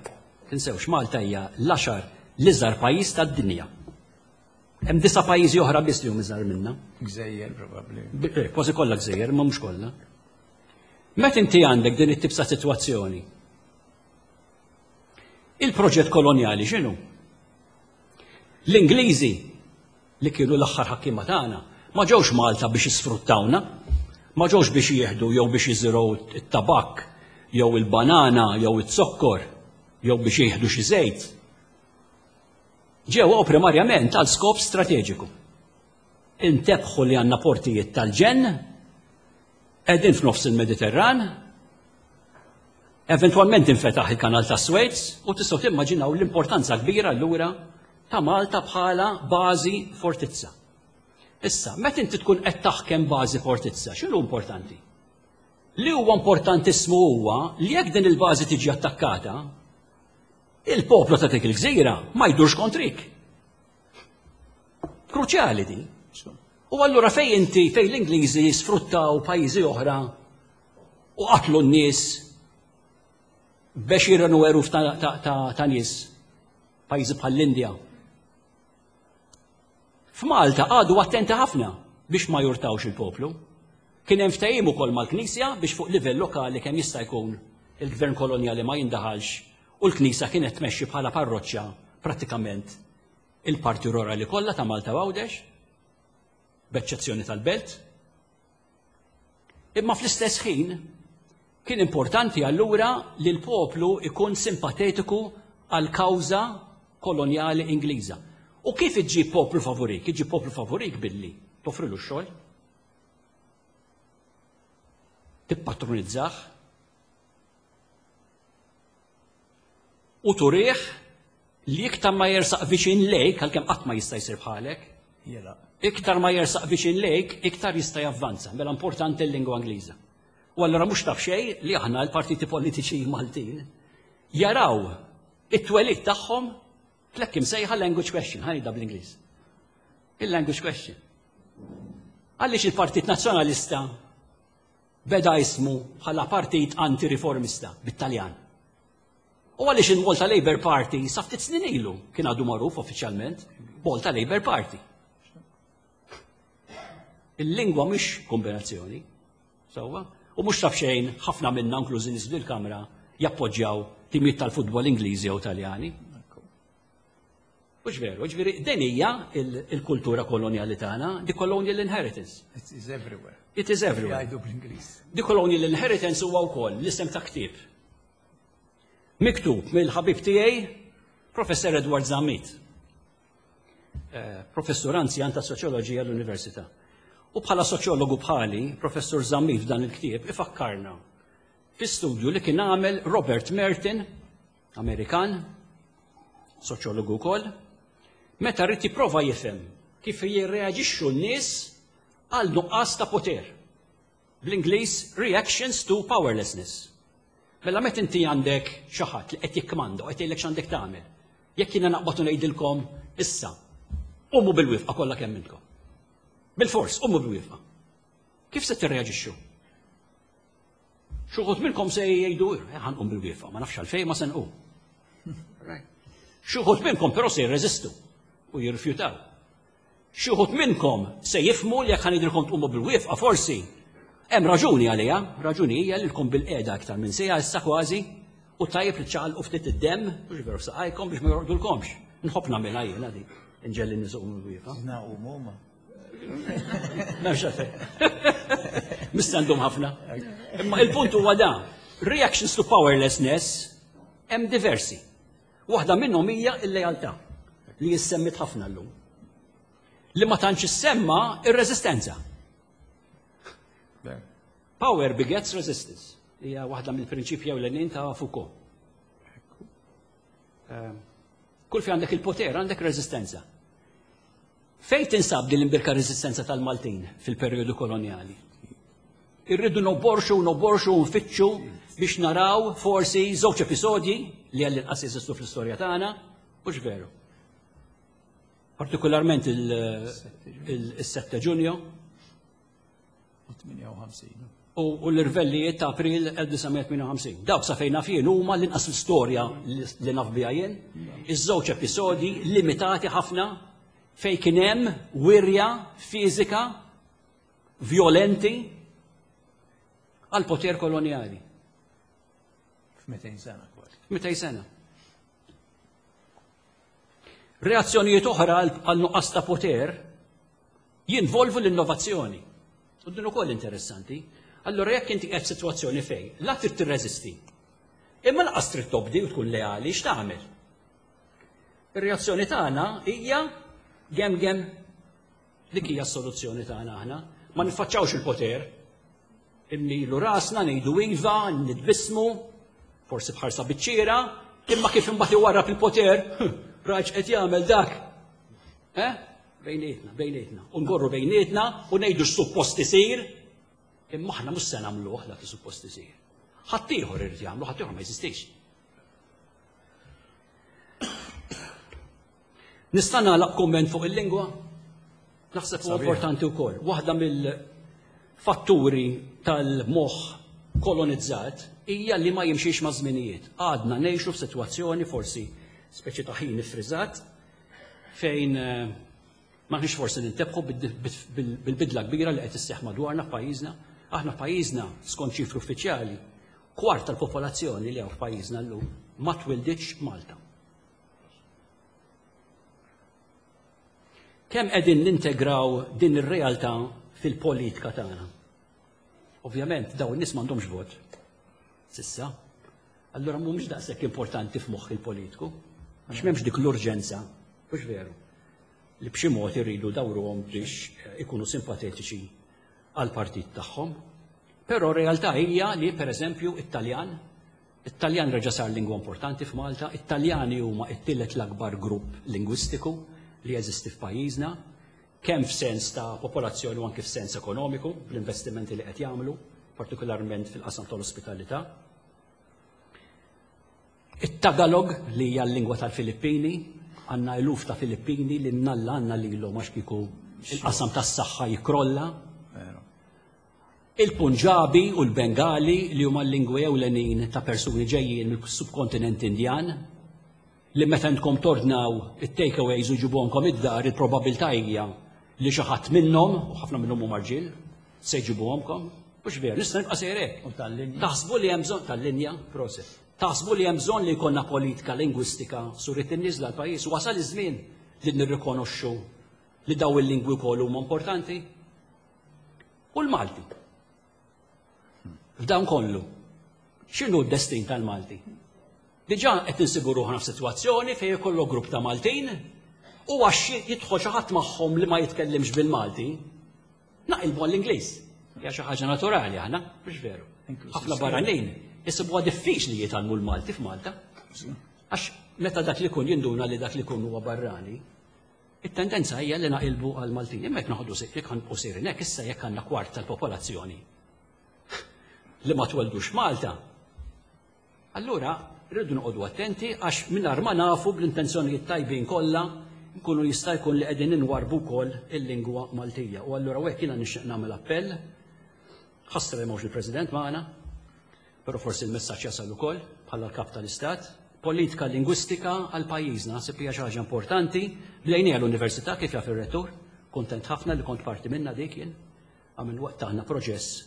tinsewx Malta hija l-għaxar l-iżgħar pajjiż tad-dinja. Hemm disa' pajjiżi oħra biss li huma iżgħar minna. Gżejjer probabbli. Eh, kważi kollha gżejjer, ma mhux kollha. Meta inti għandek din it-tip ta' sitwazzjoni, il-proġett kolonjali x'inhu? L-Ingliżi li kienu l-aħħar ħakkiema tagħna ma ġewx Malta biex jisfruttawna, ma ġewx biex jieħdu jew biex jiżirgħu t-tabakk jew il-banana jew it-zokkor jew biex jieħdu xi żejt. Ġew hawn primarjament għal skop strateġiku. Intebħu li għandna portijiet tal-ġenn, qegħdin f'nofs il-Mediterran, eventwalment infetaħ il-kanal ta' Suez u tistgħu timmaġinaw l-importanza kbira allura ta' Malta bħala bażi fortizza. Issa, meta inti tkun qed taħkem bażi fortizza, x'inhu importanti? Li huwa importantissimu huwa li jekk din il-bażi tiġi attakkata, il-poplu ta' dik il-gżira ma jdurx kontrik. Kruċjali din. U allura fej inti, fej l-Ingliżi sfruttaw pajjiżi oħra u qatlu n-nies b'għexieren u eluf ta', ta, ta, ta nies pajjiżi bħall-Indja. F'Malta qagħdu attenti ħafna biex ma jurtawx il-poplu. Kien hemm ftehim ukoll mal-Knisja biex fuq livell lokali kemm jista' jkun il-gvern kolonjali ma jindaħalx u l-Knisja kienet tmexxi bħala parroċċa prattikament il-parti rurali kollha ta' Malta u Għawdex, b'eċċezzjoni tal-belt. Imma fl-istess ħin kien importanti allura li l-poplu ikun simpatetiku għal kawża kolonjali Ingliża. U kif iġġib poplu favorik? Iġġib poplu favorik billi toffrilu x-xogħol, tippatronizzah u turih li iktar ma jersaq viċin lejk, għalkemm qatt ma jista' jsir bħalek, iktar ma jersaq viċin lejk, iktar jista' javvanza. Mela importanti l-lingwa Ingliża. U allura mhux taf xejn li aħna l-partiti politiċi Maltin jaraw it-twelid tagħhom tlekk imsejħa language question, ħajda bl-Ingliż. Il-language question. Għaliex il-Partit Nazzjonalista beda ismu bħala partit anti-riformista bit-Taljan. U għaliex il-Malta Labour Party sa ftit snin ilu kien għadu magħruf uffiċjalment Malta Labour Party. Il-lingwa mhix kombinazzjoni. Sewwa? U mhux taf xejn ħafna minna inklużi nies fil-kamra jappoġġjaw timijiet tal-futbol Ingliżi jew Taljani. Mhux veru, ġifieri din hija il-kultura kolonjali tagħna, the colonial inheritance. It is everywhere. It is everywhere. Jgħidu bl-Ingliż. The colonial inheritance huwa wkoll l-isem ta' ktieb. Miktub mill-ħabib tiegħi Professor Edward Zammit. Eh, professur anzjan ta' soċjoloġija l-Università. U bħala soċjologu bħali, Professur Zammit f'dan il-ktieb ifakkarna fi studju li kien għamel Robert Merton Amerikan, soċjologu wkoll, meta rrid jipprova jifhem kif jirreaġixxu n-nies għal nuqqas ta' poter. Bl-Ingliż reactions to powerlessness. Mela meta inti għandek xi ħadd li qed jikkmanda u qed jgħidlek x'għandek tagħmel. Jekk jiena naqbad u ngħidilkom issa, qumu bil-wifqa kollha kemm intkom. Bil-fors, qumu bil-wifqa. Kif se tirreaġixxu? Xuħut minnkom se jgħidu, eh, ħanqum bil-wiefa, ma nafx għalfej ma se nqum. Xuħut minnkom però se jirreżistu u jirrifjutaw. Xuħut minnkom se jifmu li jekk ħanidilkom tqumu bil-wiefa forsi hemm raġuni għaliha, raġuni hija li lkom bil-qiegħda aktar minn sejha issa kważi u tajjeb li ċaqalqu ftit id-demm u veru saqajkom biex ma jorqdulkomx. Nħobb nagħmilha jiena di, inġelli nies iqumu bil-wiefa. Naqum huma. M'hemmx għalfejn. Mistandum ħafna. Imma il-punt huwa da. Reactions to powerlessness hemm diversi. Waħda minnhom hija l-lealtà li jissemmit ħafna llum. Li ma tantx issemma ir-reżistenza. Power begets resistance. Hija waħda mill-prinċipji ewlenin ta' Foucault. Ehm, kull fi għandek il-poter, għandek reżistenza. Fejn tinsab din l-imbirka reżistenza tal-Maltin fil-perjodu kolonjali? Irridu noborxu, noborxu u nfittxu biex naraw forsi żewġ episodji li għall-inqas jeżistu fl-istorja tagħna, mhux veru. Partikolarment il-7 Ġunju. 58. U l-irvellijiet ta' April 1958. Dawk sa fejn naf jien huma l-inqas l-istorja li naf biha jien. Iż-żewġ episodji limitati ħafna fejn kien hemm wirja fiżika vjolenti għal poter kolonjali. F'200 sena kważi. 200 sena. Reazzjonijiet oħra għal nuqqas ta' poter jinvolvu l-innovazzjoni. U din ukoll interessanti. Allora jekk inti qed sitwazzjoni fejn la trid tirreżisti, imma lanqas trid tobdi u tkun leali, x'tagħmel? Ir-reazzjoni tagħna hija gem gem. Dik hija s-soluzzjoni tagħna aħna. Ma niffaċċawx il-poter. Immilu rasna, ngħidu iva, nitbissmu, forsi bħarsa biċċiera, imma kif imbagħad iwarrab il-poter, rajt qed jagħmel dak. Eh? Bejnietna, bejnietna. U ngorru bejnietna u ngħidu x'suppost isir, imma aħna mhux se nagħmluh dak li suppost isir. Ħaddieħor irid jagħmlu, ħaddieħor ma jeżistix. Nista' nagħlaq kumment fuq il-lingwa? Naħseb huwa importanti wkoll. Waħda mill-fatturi tal-moħħ kolonizzat hija li ma jimxix ma' żminijiet. Għadna ngħixu f'sitwazzjoni forsi speċi ta' ħin iffriżat fejn eh, m'aħniex forsi nintebħu bil-bidla kbira li qed isseħħ madwarna f'pajjiżna. Aħna pajjiżna skont ċifri uffiċjali kwart tal-popolazzjoni li hawn f'pajjiżna llum ma twilditx Malta. Kemm qegħdin nintegraw din ir-realtà fil-politika tagħna? Ovvjament dawn in-nies m'għandhomx vot. Sissa. Allura mhumiex daqshekk importanti f'moħħ il-politiku. Għax m'hemmx dik l-urġenza, mhux veru, li b'xi mod irridu dawruhom biex ikunu simpatetiċi għall-partit tagħhom. Però r-realtà hija li pereżempju it-Taljan It-Taljan reġa' sar lingwa importanti f'Malta, it-Taljani huma t-tielet l-akbar grupp lingwistiku li jeżisti f'pajjiżna, kemm f'sens ta' popolazzjoni u anki f'sens ekonomiku, bl-investimenti li qed jagħmlu, partikolarment fil-qasam tal-ospitalità. It-Tagalog li hija l-lingwa tal-Filippini, għandna eluf ta' Filippini li mnalla għandna lilhom għax kieku il-qasam tas-saħħa jikkrolla. Il-Punġabi u l-Bengali li huma l-lingwi ewlenin ta' persuni ġejjin mill-subkontinent Indjan, li meta intkom tordnaw it-takeaways u jġibuhomkom id-dar il-probabbiltà hija li xi ħadd minnhom, u ħafna minnhom huma rġiel, se jġibuhomkom. Mhux veru, nista' nibqa' sejjer hekk. Taħsbu li hemm bżonn tal-linja, proset. Taħsbu li hemm bżonn li jkollna politika lingwistika suret in-niżla l-pajjiż wasal iż-żmien li nirrikonoxxu li daw il-lingwi wkoll huma importanti? U l-Malti. F'dan kollu, x'inhu d-destin tal-Malti? Diġà qed insibu ruħna f'sitwazzjoni fejn ikollok grupp ta' Maltin u għax jidħol xi ħadd magħhom li ma jitkellimx bil-Malti, naqilbu għall-Ingliż. Hija xi ħaġa naturali aħna, mhux veru. Ħafna barranin isibuha diffiċli jitgħallmu l-Malti f'Malta. Għax meta dak li kun jinduna li dak li kun huwa barrani, It-tendenza hija li naqilbu għal Maltin. Imma jekk noħdu jekk ħanbqu sejrin hekk issa jekk għandna kwart tal-popolazzjoni li ma tweldux Malta, allura rridu noqogħdu attenti għax mingħajr ma nafu bl-intenzjonijiet tajbin kollha nkunu jista' jkun li qegħdin inwarbu wkoll il-lingwa Maltija. U allura hekk jiena nixtieq nagħmel appell, ħassra li m'hawnx il-President magħna, Però forsi l-messaġġ jasal ukoll bħala l-Kap tal-Istat. Politika lingwistika għal pajjiżna naħseb hija xi ħaġa importanti. Bdejniha l-Università kif jaf ir-Rettur. Kuntent ħafna li kont parti minnha dik jien. Għamil wettaqna proċess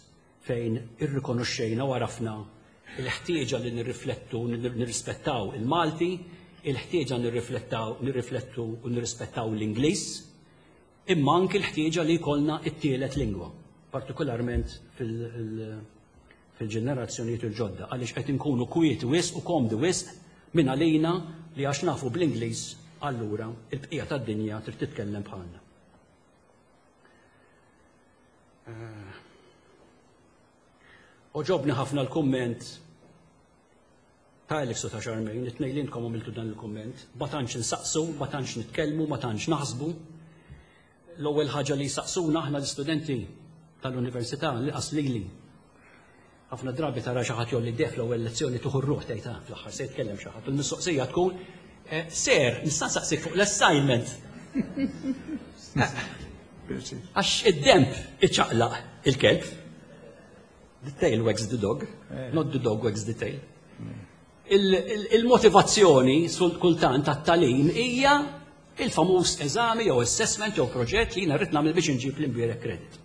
fejn irrikonoxxejna u għarafna il-ħtieġa li nirriflettu, nirrispettaw il-Malti, il-ħtieġa nirriflettaw, nirriflettu u nirrispettaw l-Ingliż, imma anki l-ħtieġa li jkollna t-tielet lingwa, partikolarment fil-ġenerazzjonijiet il-ġodda, għaliex qed inkunu kwieti wisq u komdi wisq minn għalina li għax nafu bl-Ingliż allura il-bqija tad-dinja trid titkellem bħalna. Eh, oġobni ħafna l-kumment Ta' Alex u ta' Charmaine, it-tnejn li intkom għamiltu dan il-kumment, ma tantx insaqsu, ma tantx nitkellmu, ma tantx naħsbu. L-ewwel ħaġa li jsaqsuna aħna l-istudenti tal-università, li lili. Ħafna drabi tara xi ħadd jolli def l-ewwel lezzjoni tuħu r-ruħ tgħid ah, fl-aħħar se jitkellem xi ħadd. U l-mistoqsija tkun eh, ser, nista' nsaqsik fuq l-assignment. Għax id-demp iċaqlaq il-kelb. The tail wags the dog, eh. not the dog wags the tail. Il-motivazzjoni kultant tat-talim hija il-famuż eżami jew assessment jew proġett li jiena rrid nagħmel biex inġib l-imbierek credit.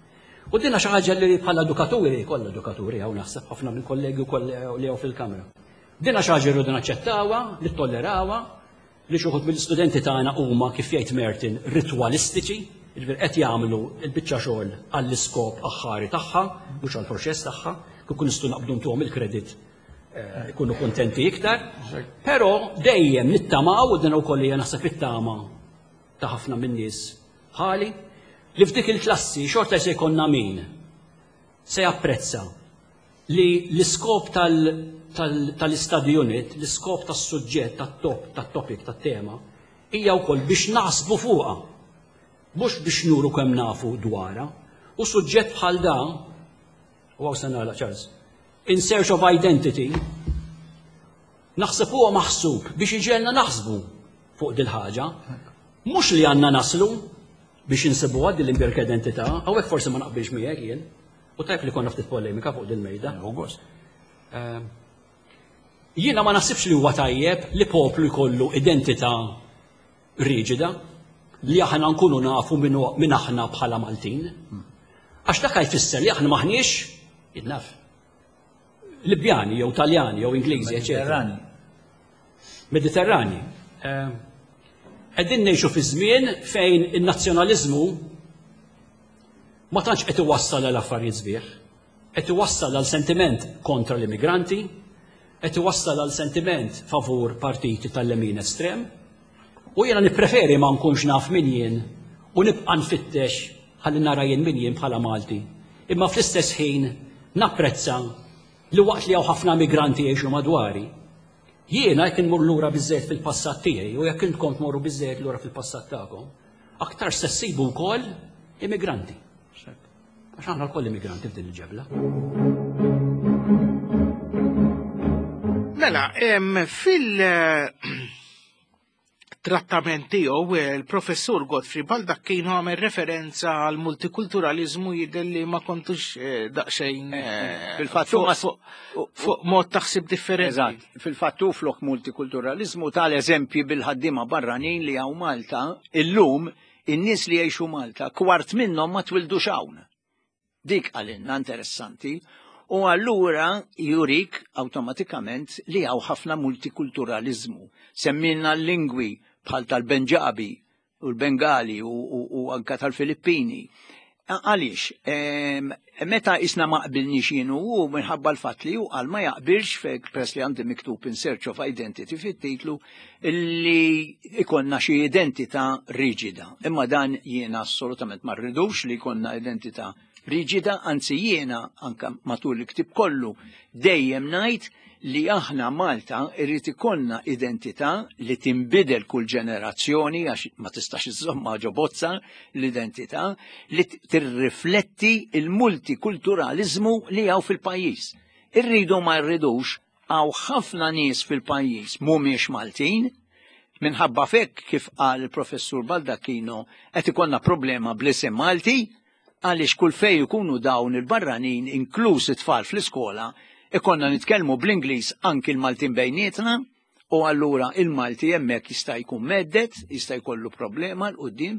U dinha xi ħaġa li bħala edukaturi, kollha edukaturi hawn naħseb ħafna minn kollegi wkoll li hawn fil-kamra. Dinha xi ħaġa rridu naċċettawha, nittollerawha, li xi wħud mill-istudenti tagħna huma kif jgħid Merton ritwalistiċi, jiġifieri qed jagħmlu l-biċċa xogħol għall-iskop aħħari tagħha, mhux għall-proċess tagħha, kieku nistgħu naqbdu ntuhom il-kredit eh, ikunu kuntenti iktar. Però dejjem nittamaw u din ukoll hija naħseb it-tama ta' ħafna min-nies bħali, li f'dik il-klassi xorta se jkollna min se japprezza li l-iskop tal-study unit, l-iskop tas-suġġett, tat-top, tat-topic, tat-tema, hija wkoll biex naħsbu fuqha, mhux biex nuru kemm nafu dwarha. U suġġett bħal da, u hawn se nagħlaq Charles, in search of identity, naħseb huwa maħsub biex iġegħelna naħsbu fuq dil-ħaġa. Mhux li għandna naslu biex insibuha din l-imbierka identità, hawnhekk forsi ma naqbilx miegħek jien. U tajb li konna ftit polemika fuq dil-mejda. Ehm, jiena ma naħsibx li huwa tajjeb li poplu jkollu identità riġida li aħna nkunu nafu minn aħna bħala Maltin. Għax dak jfisser li aħna maħniex, jidnaf, Libjani jew Taljani jew Ingliżi, eċetera. Mediterrani. Ehm, qegħdin ngħixu fi żmien fejn in-nazzjonaliżmu ma tantx qed iwassal għal affarijiet sbieħ, qed iwassal għal sentiment kontra l-immigranti, qed iwassal għal sentiment favur partiti tal-lemin estrem, u jiena nippreferi ma nkunx naf min jien u nibqa' nfittex ħalli nara jien min jien bħala Malti. Imma fl-istess ħin napprezza li waqt li hawn ħafna migranti jgħixu madwari, jiena jekk inmur lura biżżejjed fil-passat tiegħi u jekk intkom tmorru biżżejjed lura fil-passat tagħkom, aktar se ssibu wkoll immigranti. Għax aħna lkoll immigranti f'din il-ġebla. Mela, fil- trattament tiegħu il-professur Godfrey Baldacchino għamel referenza għal multikulturalizmu jidher li ma kontux eh, daqsxejn eh, eh, fil-fatt fuq mod taħsib differenti. Eżatt, fil-fatt flok multikulturalizmu tal-eżempji bil-ħaddiema barranin li hawn Malta illum in-nies li jgħixu Malta kwart minnhom ma twildux hawn. Dik qalilna interessanti. U allura jurik awtomatikament li hawn ħafna multikulturaliżmu. Semmilna l-lingwi bħal tal-Benġabi u l-Bengali u, u, u anka tal-Filippini. Għaliex, meta isna ma qbilniex jien u minħabba l-fatt li hu qal ma jaqbilx fek press li għandi miktub in search of identity fit-titlu li ikonna xi identità riġida. Imma dan jiena assolutament ma rridux li jkollna identità riġida, anzi jiena anka matul il-ktib kollu dejjem ngħid li aħna Malta irrid ikollna identità li tinbidel kull ġenerazzjoni għax ma tistax iżomma ġo bozza l-identità li tirrifletti il-multikulturalizmu li hawn fil-pajjiż. Irridu ma rridux Hawn ħafna nies fil-pajjiż mhumiex Maltin, minħabba f'hekk kif qal il-Professur Baldacchino qed ikollna problema bl-isem Malti għaliex kull fejn ikunu dawn il-barranin inkluż it-tfal fl-iskola ikollna nitkellmu bl-Ingliż anki l-Maltin bejnietna u allura il-Malti hemmhekk jista' jkun medded, jista' jkollu problema 'l quddiem,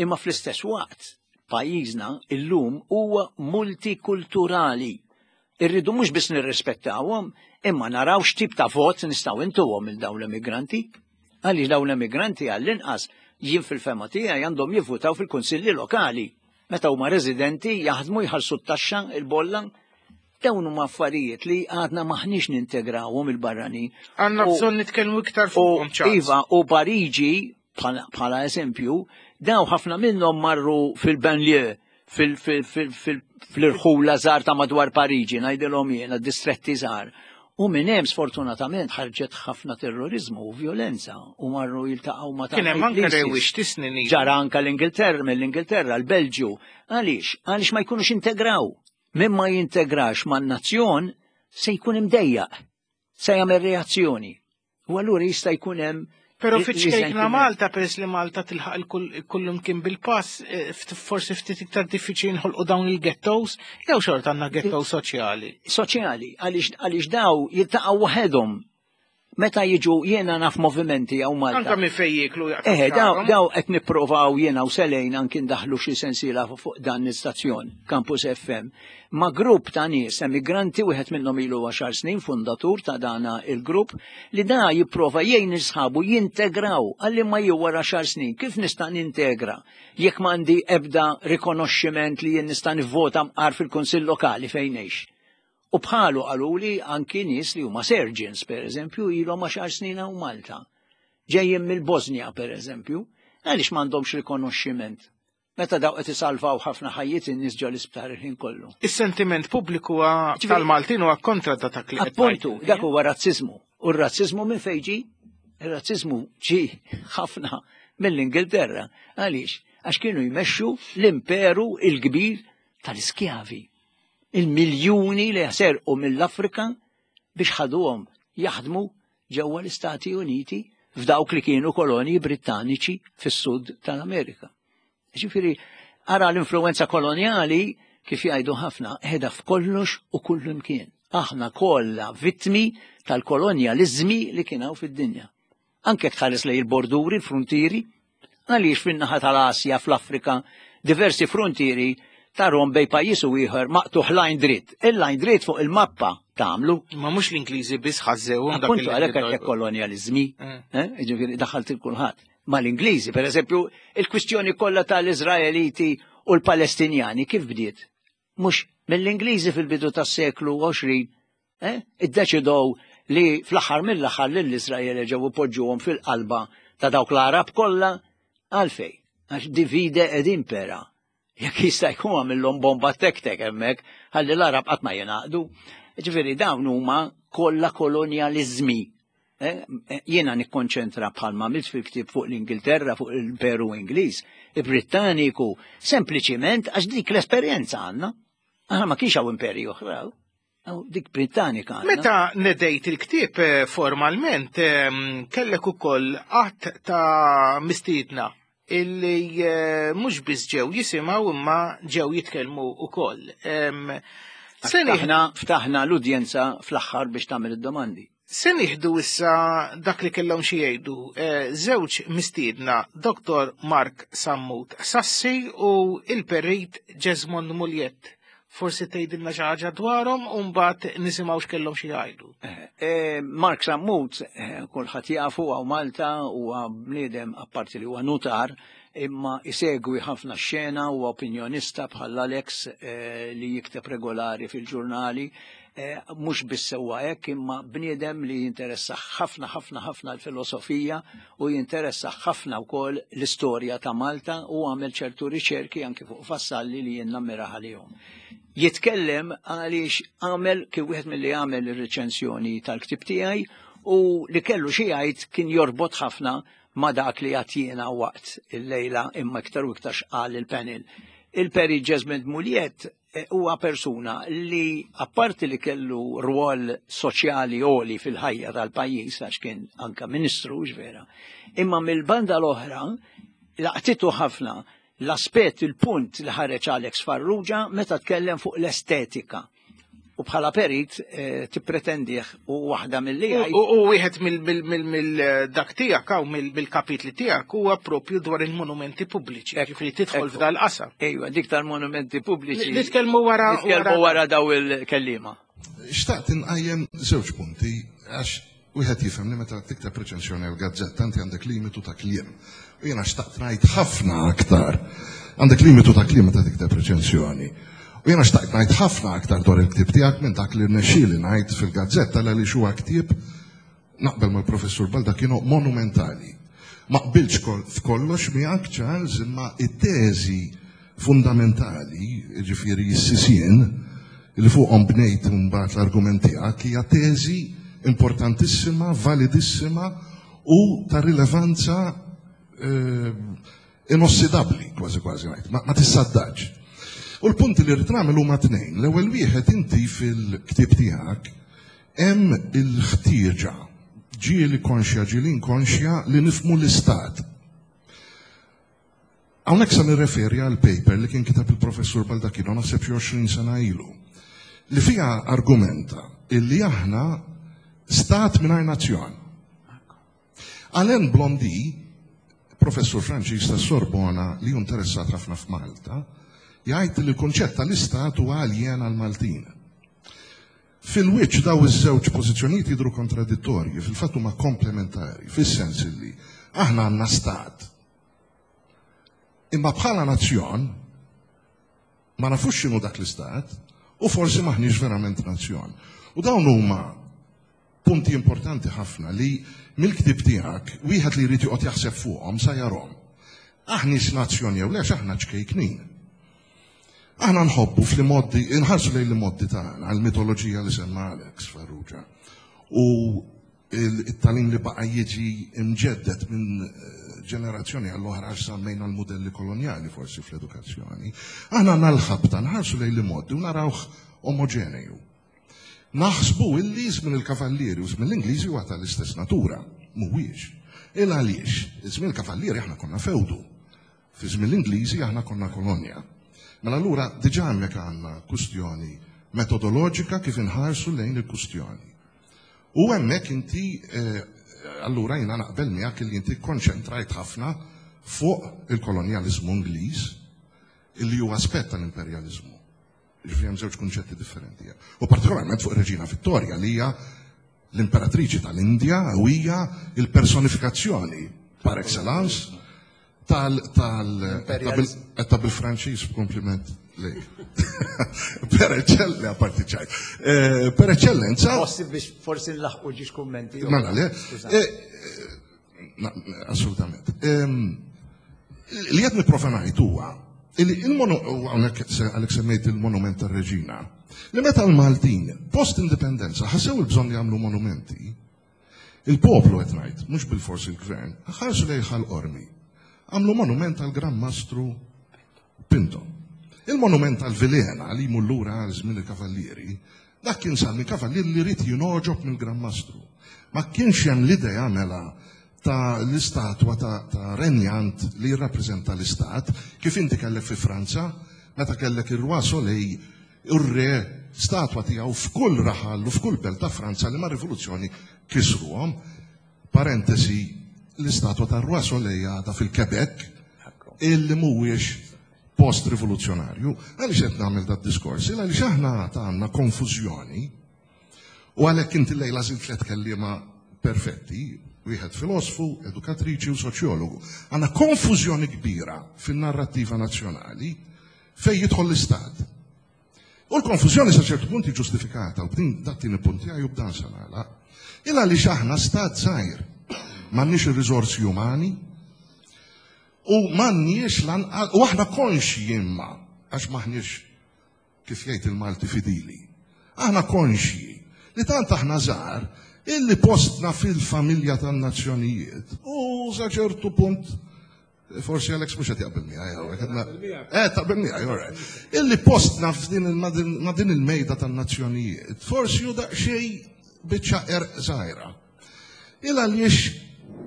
imma fl-istess waqt pajjiżna illum huwa multikulturali. Irridu mhux biss nirrispettawhom, imma naraw x'tip ta' vot nistgħu intuhom il dawn l-immigranti. Għaliex dawn l-immigranti għall-inqas jien fil-fema tiegħi għandhom jivvutaw fil-kunsilli lokali. Meta huma residenti jaħdmu jħallsu t-taxxa il-bolla. Dawn huma affarijiet li għadna maħniex nintegrawhom il-barranin. Għandna bżonn nitkellmu iktar fuqhom Iva, u Pariġi bħala eżempju, daw ħafna minnhom marru fil-banlieue fil-irħula żgħar ta' madwar Pariġi, ngħidilhom jiena distretti żgħar. U minn hemm sfortunatament ħarġet ħafna terrorizmu u violenza u marru jiltaqgħu ma' Kien hemm anke rewwix tisnin. Ġara anke l-Ingilterra, mill-Ingilterra, l-Belġju. Għaliex? Għaliex ma jkunux integraw. Min ma jintegrax man-nazzjon se jkun imdejjaq, se jagħmel reazzjoni. U allura jista' jkun hemm Pero fiċ-ċkejkna Malta, peress li Malta tilħaq kullum kien bil-pass, eh, forsi ftit iktar diffiċli nħolqu dawn il-ghettos, jew xorta għandna ghetto soċjali. Soċjali, għaliex daw jiltaqgħu waħedhom Meta jiġu jiena naf movimenti hawn Malta. Anka minn fejn jieklu jaqtgħu. Eh, daw daw qed nipprovaw jiena u Selejn anki ndaħlu xi sensiela fuq dan l-istazzjon, Campus FM. Ma' grupp ta' nies emigranti wieħed minnhom ilu għaxar snin fundatur ta' dana il-grupp li da jipprova jgħin sħabu jintegraw għalli ma jew wara xar snin kif nista' nintegra jekk m'għandi ebda rikonoxximent li jien nista' nivvota mqar fil-kunsill lokali fejn ngħix. U bħalu qaluli anki nies li huma surgeons, per eżempju, ilhom għaxar snin hawn Malta. Ġejjin mill-Bosnia, per eżempju, għaliex m'għandhomx rikonoxximent. Meta daw qed isalvaw ħafna ħajjiet in-nies ġo l-isptar il-ħin kollu. Is-sentiment pubbliku tal-Maltin huwa kontra ta' dak li Appuntu, dak huwa razziżmu. U r-razziżmu minn fejn ġi? Ir-razziżmu ġi ħafna mill-Ingilterra. Għaliex? Għax kienu jmexxu l-imperu il-kbir tal-iskjavi. Il-miljuni li serqu mill-Afrika biex ħaduhom jaħdmu ġewwa l-Istati Uniti f'dawk li kienu kolonji Brittaniċi fis-sud tal-Amerika. Ġifieri, ara l-influenza kolonjali kif jgħidu ħafna qiegħda f'kollox u kull imkien. Aħna kollha vittmi tal-kolonjaliżmi li kien hawn fid-dinja. Anke jekk tħares lejn il-borduri, il-fruntieri, għaliex fin-naħa tal-Asja, fl-Afrika, diversi fruntieri tarhom bej pajjiż u ieħor maqtugħ lajn dritt. Il-lajn dritt fuq il-mappa tagħmlu. Ma mhux l-Ingliżi biss ħażżewhom dak Appuntu għalhekk għandek kolonjaliżmi, eh. eh, jiġifieri daħalt il kulħadd. Ma l-Ingliżi, per eżempju, il-kwistjoni kollha tal-Iżraeliti u l-Palestinjani kif bdiet? Mhux mill-Ingliżi fil-bidu tas-seklu 20 eh, iddeċidow li fl-aħħar mill-aħħar lill-Iżrael ġew ipoġġuhom fil-qalba ta' dawk l-Arab kollha għalfej. Għax divide ed impera. Jekk jista' jkun għamillhom bomba tek-tek hemmhekk, ħalli l-Arab qatt ma jingħaqdu. Ġifieri dawn huma kollha kolonjaliżmi. Eh, eh, jiena nikkonċentra bħalma għamilt fil-ktieb fuq l-Ingilterra, fuq l-Imperu Ingliż, il-Brittaniku, sempliċiment għax dik l-esperjenza għandna. Aħna ma kienx hawn imperji oħra, dik Brittanika. Meta nedejt il-ktieb eh, formalment, ehm, kellek ukoll qatt ta' mistiedna illi mhux biss ġew jisimgħu imma ġew jitkellmu ukoll. Ehm, ftaħna l-udjenza fl-aħħar biex tagħmel id-domandi. Se nieħdu issa dak li kellhom xi jgħidu eh, żewġ mistiedna Dr. Mark Sammut Sassi u il-Perit Jesmond Muljett. Forsi tgħidilna xi ħaġa dwarhom u mbagħad nisimgħu x'kellhom xi jgħidu. Eh, eh, Mark Sammut kulħadd jafu hawn Malta huwa bniedem apparti li huwa nutar imma isegwi ħafna xena u opinjonista bħal Alex li jikteb regolari fil-ġurnali Eh, mhux biss sewwa hekk imma bniedem li jinteressa ħafna ħafna ħafna l-filosofija u jinteressa ħafna wkoll l-istorja ta' Malta u għamel ċertu riċerki anki fuq Vassalli li jien nammira għalihom. Jitkellem għaliex għamel kif wieħed milli għamel ir-reċensjoni tal-ktib tiegħi u li kellu xi jgħid kien jorbot ħafna ma dak li għatjena waqt il-lejla imma iktar u iktar xqal il-panel. Il-Peri Jesmond Muliet Eh, huwa persuna li apparti li kellu rwol soċjali għoli fil-ħajja tal-pajjiż għax kien anka ministru vera, imma mill-banda l-oħra laqtitu ħafna l-aspett il-punt li ħareġ Alex Farrugia meta tkellem fuq l-estetika. U bħala perit eh, tippretendih u waħda mill-li U wieħed mill-dak tiegħek hawn mill-kapitli tiegħek huwa propju dwar il-monumenti pubbliċi. Ġifieri tidħol f'dal qasam. Ejwa, dik tal-monumenti pubbliċi. Nitkellmu wara. Nitkellmu wara daw il-kellima. Xtaqt inqajjem żewġ punti għax Wieħed jifhem li meta tikteb reċensjoni għal gazzetta inti għandek limitu ta' kliem. U jiena xtaqt ngħid ħafna aktar. Għandek limitu ta' kliem meta tikteb reċensjoni. U jiena xtaqt ngħid ħafna aktar dwar il-ktieb tiegħek minn dak li rnexxieli ngħid fil-gazzetta għaliex huwa ktieb naqbel mal-professur Baldacchino monumentali. Ma qbiltx f'kollox miegħek Charles imma it-teżi fundamentali, jiġifieri s-sisien li fuqhom bnejt imbagħad l-argument tiegħek hija teżi importantissima, validissima u ta' rilevanza eh, inossidabbli kważi kważi ngħid, ma tissaddax. U l-punti li rrid nagħmel huma tnejn. L-ewwel wieħed inti fil-ktieb tiegħek hemm il-ħtieġa ġieli konxja ġieli inkonxja li nifhmu l-istat. Hawnhekk se nirreferi għal paper li kien kiteb il-professur Baldacchino naħseb xi 20 sena ilu li fiha argumenta illi aħna stat mingħajr nazzjon. Alain Blondy, professur Franċiż ta' Sorbona li hu interessat ħafna f'Malta, jgħid li l-kunċett tal-istat huwa aljen għall-Maltin. Fil-wiċċ daw iż-żewġ pożizzjonijiet jidhru kontradittorji, fil-fatt huma komplementari, fis-sens illi aħna għandna stat. Imma bħala nazzjon ma nafux x'inhu dak l-istat u forsi maħniex verament nazzjon. U dawn huma Punti importanti ħafna li mill-ktieb tiegħek wieħed li jrid joqgħod jaħseb fuqhom sa jarhom. Aħniex nazzjon jew le għax aħna ċkejknin. Aħna nħobbu fl-imoddi, inħarsu lejn l-imoddi tagħna, l-mitoloġija li semma Alex Farrugia. U it-talim li baqa' jiġi imġeddet minn eh, ġenerazzjoni għall-oħra għax sammejna l-modelli kolonjali forsi fl-edukazzjoni. Aħna għandna l-ħabta nħarsu lejn l-imoddi u narawh omogeneju. Naħsbu illi żmien il-Kavallieri u żmien l-Ingliżi huwa tal-istess natura. Mhuwiex. Il għaliex, żmien il-Kavallieri aħna konna fewdu. Fi żmien l-Ingliżi aħna konna kolonja. Mela allura diġà hemmhekk għandna kustjoni metodoloġika kif inħarsu lejn il-kustjoni. U hemmhekk inti eh, allura jiena naqbel miegħek li inti konċentrajt ħafna fuq il-kolonjaliżmu Ingliż illi huwa aspett tal-imperjaliżmu. Ġifieri hemm żewġ kunċetti differenti. U partikolarment fuq Reġina Vittoria li hija l-imperatriċi tal-Indja u hija il-personifikazzjoni par excellence tal tal ta' bil-Franċiż b'kompliment lejk. Per eccellenza, apparti ċajt. Eh, per eccellenza. Forsi biex forsi nlaħqu ġiex kummenti. Mela le. Eh, eh, assolutament. Ehm, li qed nipprova ngħid huwa hawnhekk għalhekk semmejt il-monument tar-Reġina, li meta l-Maltin post-indipendenza ħassew il-bżonn li jagħmlu monumenti, il-poplu qed ngħid, mhux bilfors il-gvern, ħarsu lejn Ħal Qormi, għamlu monument għal Gran Mastru Pinto. Il-monument għal Vilhena li jmur lura għal żmien il-Kavallieri, dak kien sar minn kavallier li ried jingħoġob mill-Gran Mastru. Ma kienx hemm l-idea mela ta' l-istatwa ta', ta renjant li jirrappreżenta l-istat, kif inti kellek fi Franza, meta kellek ir-Roi Soleil, ir-re, statwa tiegħu f'kull raħal u f'kull belt ta' Franza li mar-rivoluzzjoni kisruhom. Parentesi, l-istatwa tar-Roi Soleil għadha fil-Quebec, illi mhuwiex post-rivoluzzjonarju. Għaliex qed nagħmel dad-diskors? Għaliex aħna għandna konfużjoni U għalhekk inti llejla żilt tliet kelliema perfetti, wieħed filosfu, edukatriċi u soċjologu. Għandna konfużjoni kbira fin-narrattiva nazzjonali fejn jidħol l-istat. U l-konfużjoni sa ċertu punt ġustifikata, u b'din dat-tieni punt tiegħi u b'dan se nagħlaq. Il għaliex aħna stat żgħir, m'għandniex ir-riżorsi umani, u m'għandniex lanqas, u aħna konxji imma, għax m'aħniex kif jgħid il-Malti fidili. Aħna konxji li tant aħna żgħar illi postna fil-familja tan-nazzjonijiet u sa ċertu punt forsi Alex mhux qed jaqbel miegħi hawnhekk. Eh, taqbel miegħi, all right. Illi postna f'din ma' din il-mejda tan-nazzjonijiet, forsi hu daqsxejn biċċa erq żgħira. Il għaliex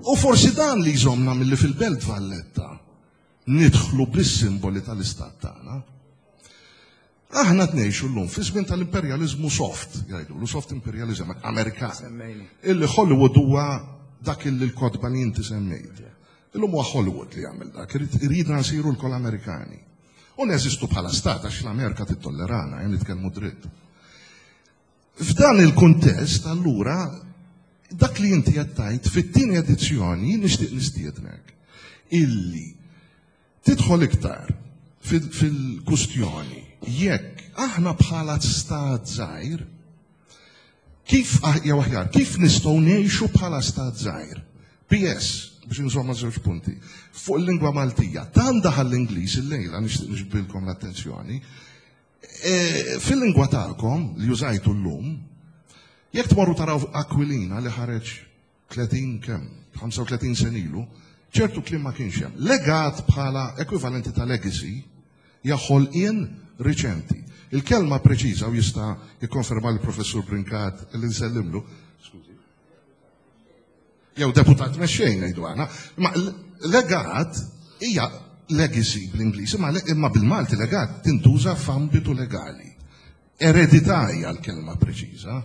u forsi dan li jżommna milli fil-Belt Valletta nidħlu bis-simboli tal-istat tagħna. Aħna tnejxu llum fi żmien tal-imperjaliżmu soft, jgħidulu soft imperialism Amerikan. Illi Hollywood huwa dak illi l-kotba li inti semmejt. Illum huwa Hollywood li jagħmel dak, iridna nsiru lkoll Amerikani. U neżistu bħala stat għax l-Amerika titollerana, jen nitkellmu dritt. F'dan il-kuntest, allura, dak li inti qed tgħid fit-tieni edizzjoni nixtieq nistiednek illi tidħol iktar fil-kustjoni jekk aħna bħala stat żgħir kif ah, jew aħjar, kif nistgħu ngħixu bħala stat żgħir? PS, biex insomma żewġ punti, fuq il-lingwa Maltija, tant daħal l-Ingliż illejla nixtieq nixbilkom l-attenzjoni, E, fil-lingwa tagħkom li użajtu llum, jekk tmorru taraw Aquilina li ħareġ 30 kemm, 35 sen ilu, ċertu kliem ma kienx hemm. Legat bħala ekwivalenti ta' legacy, Hija ħolqien riċenti. Il-kelma preċiża u jista' jikkonferma l-Professur Brincat li nsellimlu, skużi, jew deputat mexxej ngħidu aħna, ma legat hija legacy bl-Ingliż, imma bil-Malti legat tintuża f'ambitu legali. Eredità hija l-kelma preċiża.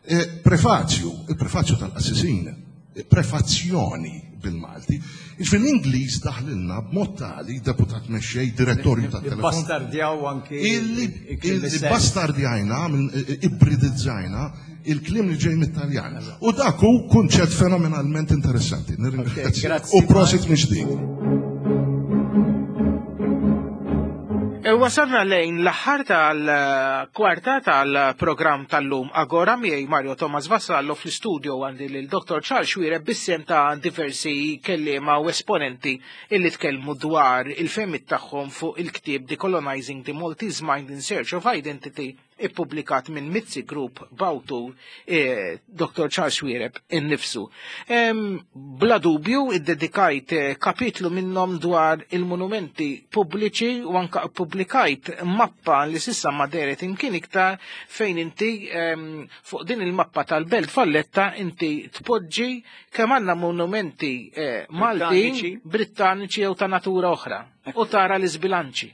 E, prefazju, il-prefazju tal-qassisin, e, prefazzjoni bil-Malti. Jiġifieri l-Ingliż daħlilna b'mod tali deputat mexxej, direttorju tat-telefon. Bastardjaw anki. Illi bastardjajna, e, ibridizzajna il-kliem li ġej mit-Taljan. U dak hu kunċett fenomenalment interessanti. Nirringrazzja. U prosit minn ġdid. E wasalna lejn l-aħħar tal-kwarta tal-programm tal-lum Agora miegħi Mario Thomas Vassallo fl-istudio għandi lil Dr. Charles Xuereb bis-sehem ta' diversi kelliema u esponenti illi tkellmu dwar il-fehmiet tagħhom fuq il-ktieb Decolonizing the Maltese Mind in Search of Identity ippubblikat minn Mizzi Group b'awtur eh, Dr. Charles Xuereb innifsu. Bla dubju iddedikajt eh, kapitlu minnhom dwar il-monumenti pubbliċi u anka ppubblikajt mappa li sissa ma deret imkien iktar fejn inti fuq din il-mappa tal-Belt Valletta inti tpoġġi kemm għandna monumenti eh, Maltin, Brittaniċi jew ta' natura oħra u tara l-iżbilanċi.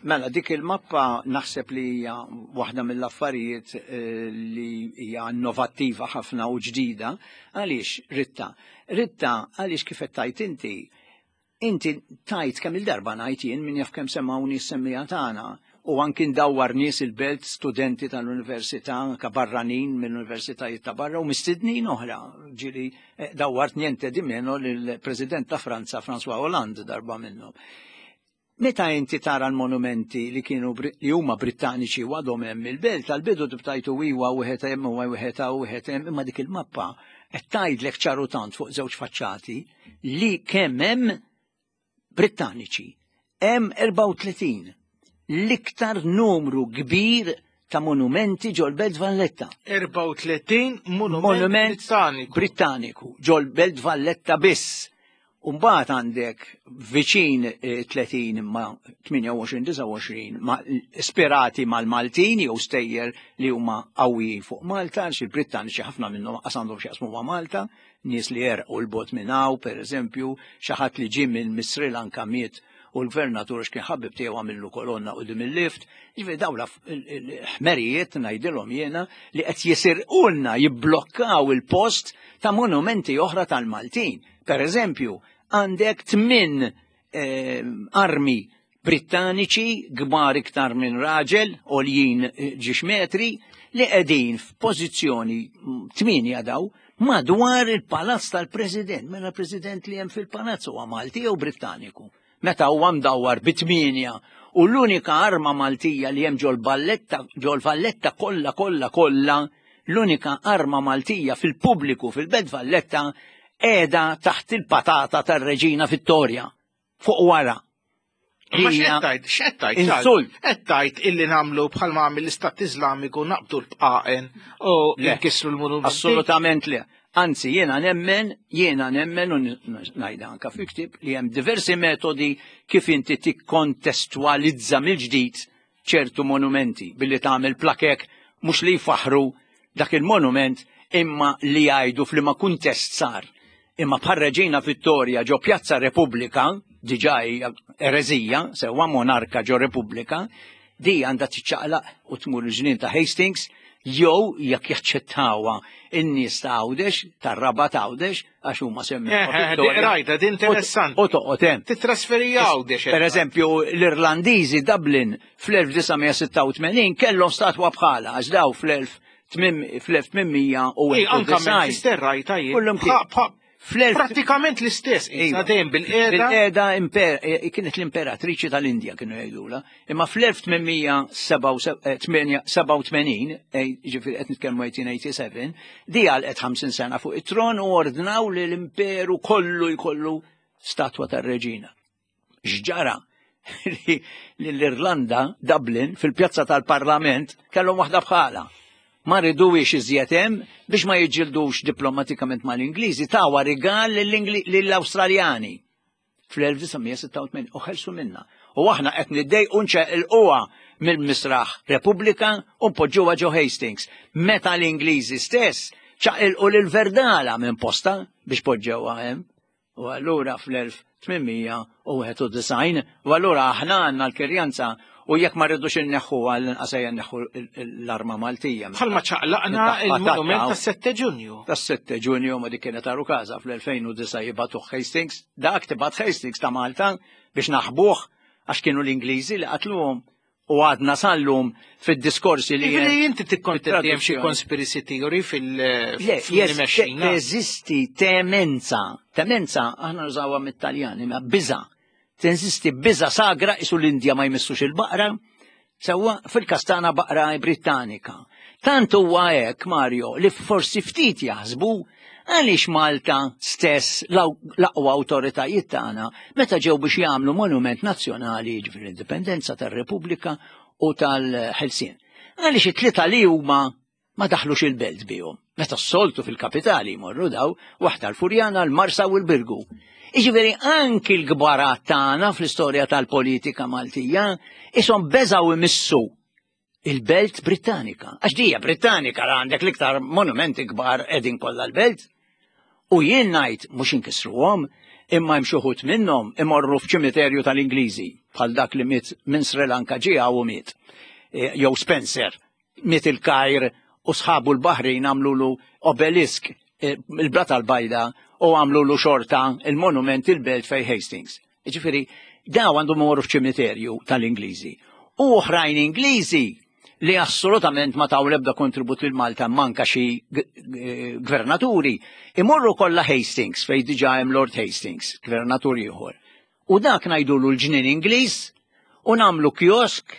Mela, dik il-mappa naħseb li hija waħda mill-affarijiet eh, li hija innovattiva ħafna u ġdida. Għaliex, Ritta? Ritta, għaliex kif qed tajt inti, inti tajt kemm il-darba ngħid jien min jaf kemm semgħuni s-semmija tagħna u anki ndawwar nies il-belt studenti tal-università anke barranin mill-universitajiet ta' barra u mistednin oħra. Ġieli eh, dawwart niente di meno lill-President ta' Franza François Hollande darba minnhom. Meta inti tara l-monumenti li kienu li huma Brittaniċi u għadhom hemm il-belt, għall-bidu tibtajtu iwa wieħed hemm u wieħed hawn wieħed hemm, imma dik il-mappa qed tgħidlek ċaru tant fuq żewġ faċċati li kemm hemm Brittaniċi. Hemm 34 l-iktar numru kbir ta' monumenti ġol-Belt Valletta. 34 monument Brittaniku. Brittaniku ġol-Belt Valletta biss. U mbagħad għandek viċin 30 imma 28, 29 ma ispirati mal-Maltin jew stejjer li huma qawwijin fuq Malta, għax il-Brittaniċi ħafna minnhom qas għandhom x'jaqsmu ma' Malta, nies li jerqu l-bot minn hawn, pereżempju, xi ħadd li ġie minn Sri Lanka miet u l-gvernatur għax kien ħabib tiegħu għamillu kolonna quddiem il-lift. Ġifieri dawn l-ħmerijiet ngħidilhom jiena li qed jisirqulna jibblokkaw il-post ta' monumenti oħra tal-Maltin. Per eżempju, għandek tmin eh, armi Brittaniċi kbar iktar minn raġel, għoljin eh, ġiex metri, li qegħdin f'pożizzjoni mm, tminja daw madwar il-palazz tal-President. Mela l-President li hemm fil-palazz huwa Malti jew Brittaniku. Meta huwa mdawwar bi tminja u l-unika arma Maltija li hemm ġol balletta ġol Valletta kollha kollha kollha l-unika arma Maltija fil-pubbliku fil-Belt Valletta qiegħda taħt il-patata tar-Reġina Vittoria fuq wara. Ma x'qed tgħid, x'qed tgħid? Insult. Qed tgħid illi nagħmlu bħalma għamel l-Istat Iżlamiku naqbdu l-bqaqen u nkissru l-monumenti. Assolutament le. Anzi, jiena nemmen, jiena nemmen u ngħidha anka fil-ktieb li hemm diversi metodi kif inti tikkontestwalizza mill-ġdid ċertu monumenti billi tagħmel plakek mhux li jfaħħru dak il-monument imma li jgħidu f'liema kuntest sar. Imma bħal Reġina Vittoria ġo Pjazza Repubblika, diġà hija ereżija, sewwa monarka ġo Repubblika, di għandha tiċċaqlaq u tmur il-ġnien ta' Hastings jew jekk jaċċettawha in-nies ta' Għawdex, tar-Rabat Għawdex, għax huma semmew. Eh, eh, di qrajta, di interessanti. U toqgħod hemm. Titrasferi Għawdex. Per eżempju, l-Irlandiżi Dublin fl-1986 kellhom statwa bħala għax daw fl-1891. Anka Manchester rajta jien. Prattikament l-istess, iva. dejjem bil-qeda. Bil-qeda eh, kienet l-imperatriċi tal-Indja kienu jgħidula. Imma fl-1887, eh, ġifieri qed nitkellmu 1887, di għalqet 50 sena fuq it-tron u ordnaw li l-imperu kollu jkollu statwa tar-reġina. X'ġara? Li l-Irlanda, Dublin, fil-pjazza tal-Parlament, kellhom waħda bħala. Ma riduwiex iżjed hemm biex ma jiġġildux diplomatikament mal-Ingliżi, tawa rigal lill-Awstraljani. fl-1986 u ħelsu minna. U aħna qed niddejqu nċeqilquha mill-Misraħ Repubblika u npoġġuha ġo Hastings. Meta l-Ingliżi stess ċaqilqu lil Verdala minn posta biex poġġewha hemm. U allura fl-1891, u allura aħna għandna l-kirjanza u jekk ma rridux inneħħu għal inqas ejja nneħħu l-arma Maltija. Bħalma ċaqlaqna il-monument tas-7 Ġunju. Tas-7 Ġunju ma dik kienet għaru każa fl-2009 jibgħatuh Hastings, dak tibgħat Hastings ta' Malta biex naħbuh għax kienu l-Ingliżi li qatluhom u għadna sallum fid-diskorsi li. Jiġifieri inti tikkontenti hemm xi conspiracy theory fil- Le, teżisti temenza, temenza aħna nużawha mit-Taljani, ma biża. Teżisti biża sagra isu l-Indja ma jmissux il-baqra, sewwa fil-kastana baqra Brittanika. Tant huwa hekk, Mario, li forsi ftit jaħsbu għaliex Malta stess l-aqwa awtoritajiet tagħna meta ġew biex jagħmlu monument nazzjonali jiġifieri l-Indipendenza tar-Repubblika u tal-Ħelsien. Għaliex it-tlieta li huma ma daħlux il-belt bihom. Meta s-soltu fil-kapitali jmorru daw, waħda l-Furjana, l-Marsa u l-Birgu. Iġifieri anki l-kbarat tagħna fl-istorja tal-politika Maltija ishom beżgħu imissu il-belt Brittanika. Għax dija Brittanika la għandek l-iktar monumenti kbar qegħdin kollha l-belt. U jien ngħid mhux inkissruhom, imma hemm xi wħud minnhom imorru f'ċimiterju tal-Ingliżi bħal dak li miet minn Sri Lanka ġie u miet. E, jew Spencer miet il-Kajr u sħabu l-Baħrin għamlulu obelisk e, il-Blata l-Bajda u għamlulu xorta il-monument il-belt fej Hastings. Jiġifieri daw għandhom imorru f'ċimiterju tal-Ingliżi. U oħrajn Ingliżi li assolutament ma taw l-ebda kontribut lil Malta manka xi gvernaturi, imorru kollha Hastings fejn diġà hemm Lord Hastings, gvernatur ieħor. U dak ngħidulu l-ġnien Ingliż u nagħmlu kiosk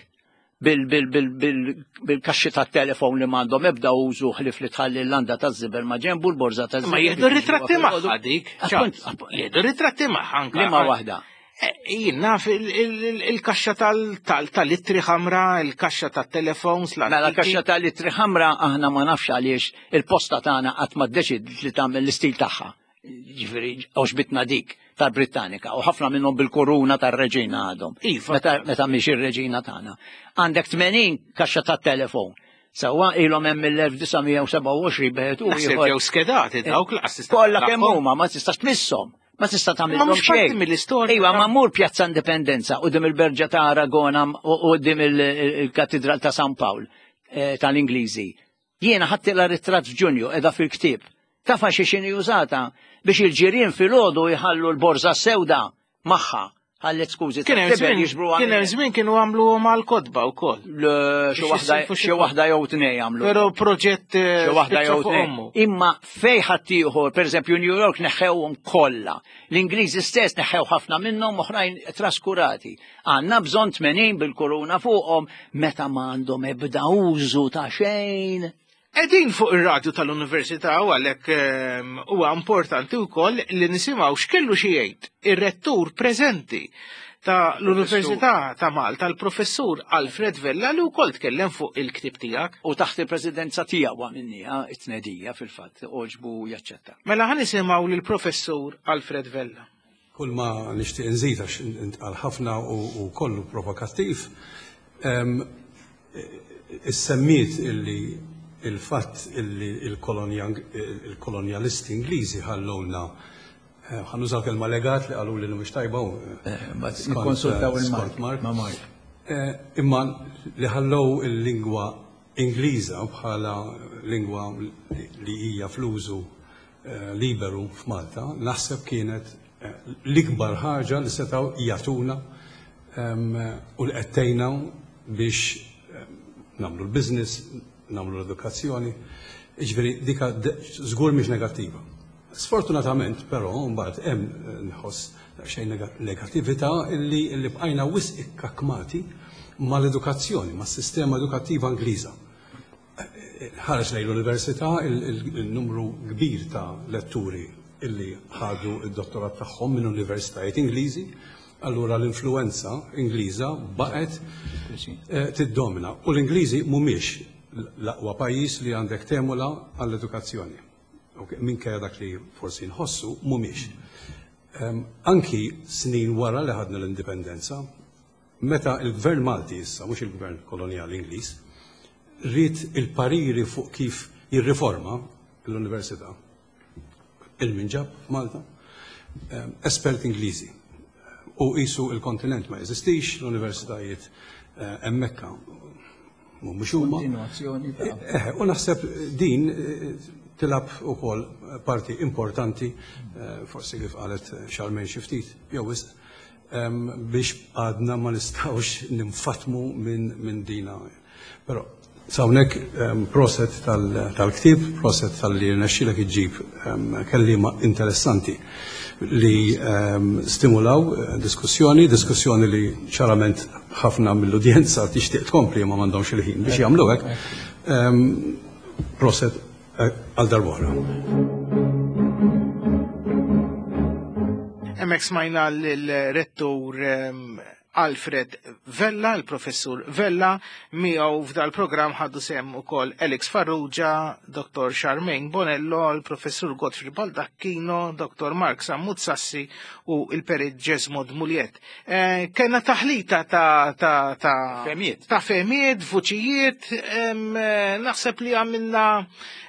bil-kaxxi tat-telefon li m'għandhom ebda użu ħlief li tħalli l-landa taż-żibel ma' ġenbu l-borża taż-żibel. Ma jieħdu ritratti magħha dik. Jieħdu ritratti magħha anke. Liema waħda? Eh, jien naf il-kaxxa tal-ittri ħamra, il-kaxxa tat-telefons. Mela l-kaxxa tal-ittri ħamra aħna ma nafx għaliex il-posta tagħna qatt ma ddeċidiet li tagħmel l-istil tagħha. Ġifieri għoxbitna dik tal-Brittanika u ħafna minnhom bil-kuruna tar-reġina għadhom. Iva. Meta, meta mhix ir-reġina tagħna. Għandek 80 kaxxa tat-telefon. Sewwa ilhom hemm mill-1927 beħet u Naħseb ieħor. ġew skedati dawk laqas tista' Kollha kemm taqlaqhom. huma ma tistax tmisshom. Ma tista' Ma tagħmilhom mhux parti xejn. mill-istorja. Iva, ma mur Pjazza Indipendenza u dim il-Berġa ta' Aragona u dim il-Katedral ta' San Pawl eh, tal-Ingliżi. Jiena ħadtilha ritratt f'Ġunju, qiegħda fil-ktieb. Tafha xi x'inhi użata biex il-ġirien filgħodu jħallu l-borża s-sewda magħha. Ħallet skużi Kien hemm tat-tiben żmien jiġbruha kien hemm minn żmien kienu għamluhom għall-kotba wkoll. Le, xi Biex waħda jissilfu xi xi waħda jew tnej għamlu. Però proġett eh, Xi waħda spiċċa jew fuq tnej. ommu. Imma fej ħaddieħor, pereżempju New York neħħewhom kollha. L-Ingliżi stess neħħew ħafna minnhom oħrajn traskurati. Għandna bżonn 80 bil-kuruna fuqhom meta ma għandhom ebda użu ta' xejn. Qegħdin fuq ir-radju tal-Università u għalhekk ehm, huwa importanti wkoll li nisimgħu x'kellu xi jgħid ir-rettur preżenti ta' l-Università ta' Malta, l-Professur Alfred Vella li wkoll tkellem fuq il-ktieb tiegħek. U taħt il-presidenza tiegħu għamilniha it-tnedija fil-fatt għoġbu jaċċetta. Mela ħa nisimgħu lill-Professur Alfred Vella. Kull ma nixtieq inżid għax intqal ħafna u kollu provokattiv, issemmiet illi il-fatt illi il-kolonjalisti Ingliżi ħallowna ħa nuża l-kelma legat li qaluli li mhux tajba u Nikkonsultaw il-Mark. Ma' Mark. Imma li ħallew il-lingwa Ingliża bħala lingwa li hija fl-użu liberu f'Malta, naħseb kienet l-ikbar ħaġa li setgħu jagħtuna u li qed tgħinna biex nagħmlu l-business, nagħmlu l-edukazzjoni. Jiġifieri dik żgur mhix negattiva. Sfortunatament però mbagħad hemm nħoss daqsxejn negattività illi bqajna wisq ikkakkmati mal-edukazzjoni, mas-sistema edukattiva Ingliża. Ħareġ lejn l-università il-numru kbir ta' letturi illi ħadu d-dottorat tagħhom minn universitajiet Ingliżi, allura l-influwenza Ingliża baqgħet eh, tiddomina. U l-Ingliżi mhumiex l-aqwa pajjiż li għandek temula għall-edukazzjoni. Minkejja dak li forsi nħossu mhumiex. Anki snin wara li ħadna l-indipendenza, meta l-Gvern Malti issa, mhux il-Gvern kolonjali Ingliż, ried il-pariri fuq kif jirriforma l-Università, il-min ġab f'Malta, esperti Ingliżi. U qisu il-kontinent ma jeżistix, l-universitajiet hemmhekk mhumiex huma. Kontinwazzjoni ta' Eh, u naħseb din tilgħab ukoll parti importanti, forsi kif qalet Charmaine xi ftit jew wisq, biex għadna ma nistgħux ninfatmu minn dina. Però s'hawnhekk proset tal-ktieb, proset talli rnexxielek iġġib kelliema interessanti li stimulaw diskussjoni, diskussjoni li ċarament ħafna mill-udjenza tixtieq tkompli ma m'għandhomx il-ħin biex jagħmlu hekk. Proset għal darb'oħra. Hemmhekk smajna lill-rettur Alfred Vella, il-professur Vella, miegħu f'dal-programm ħadu sehem ukoll Alex Farrugia, Dr. Charmaine Bonello, il-professur Godfrey Baldacchino, Dr. Mark Sammut Sassi u il-perit Jesmond Muliet. Eh, Kenna taħlita ta' ta' ta' Fehmiet. ta' fehmiet, vuċijiet, eh, naħseb li għamilna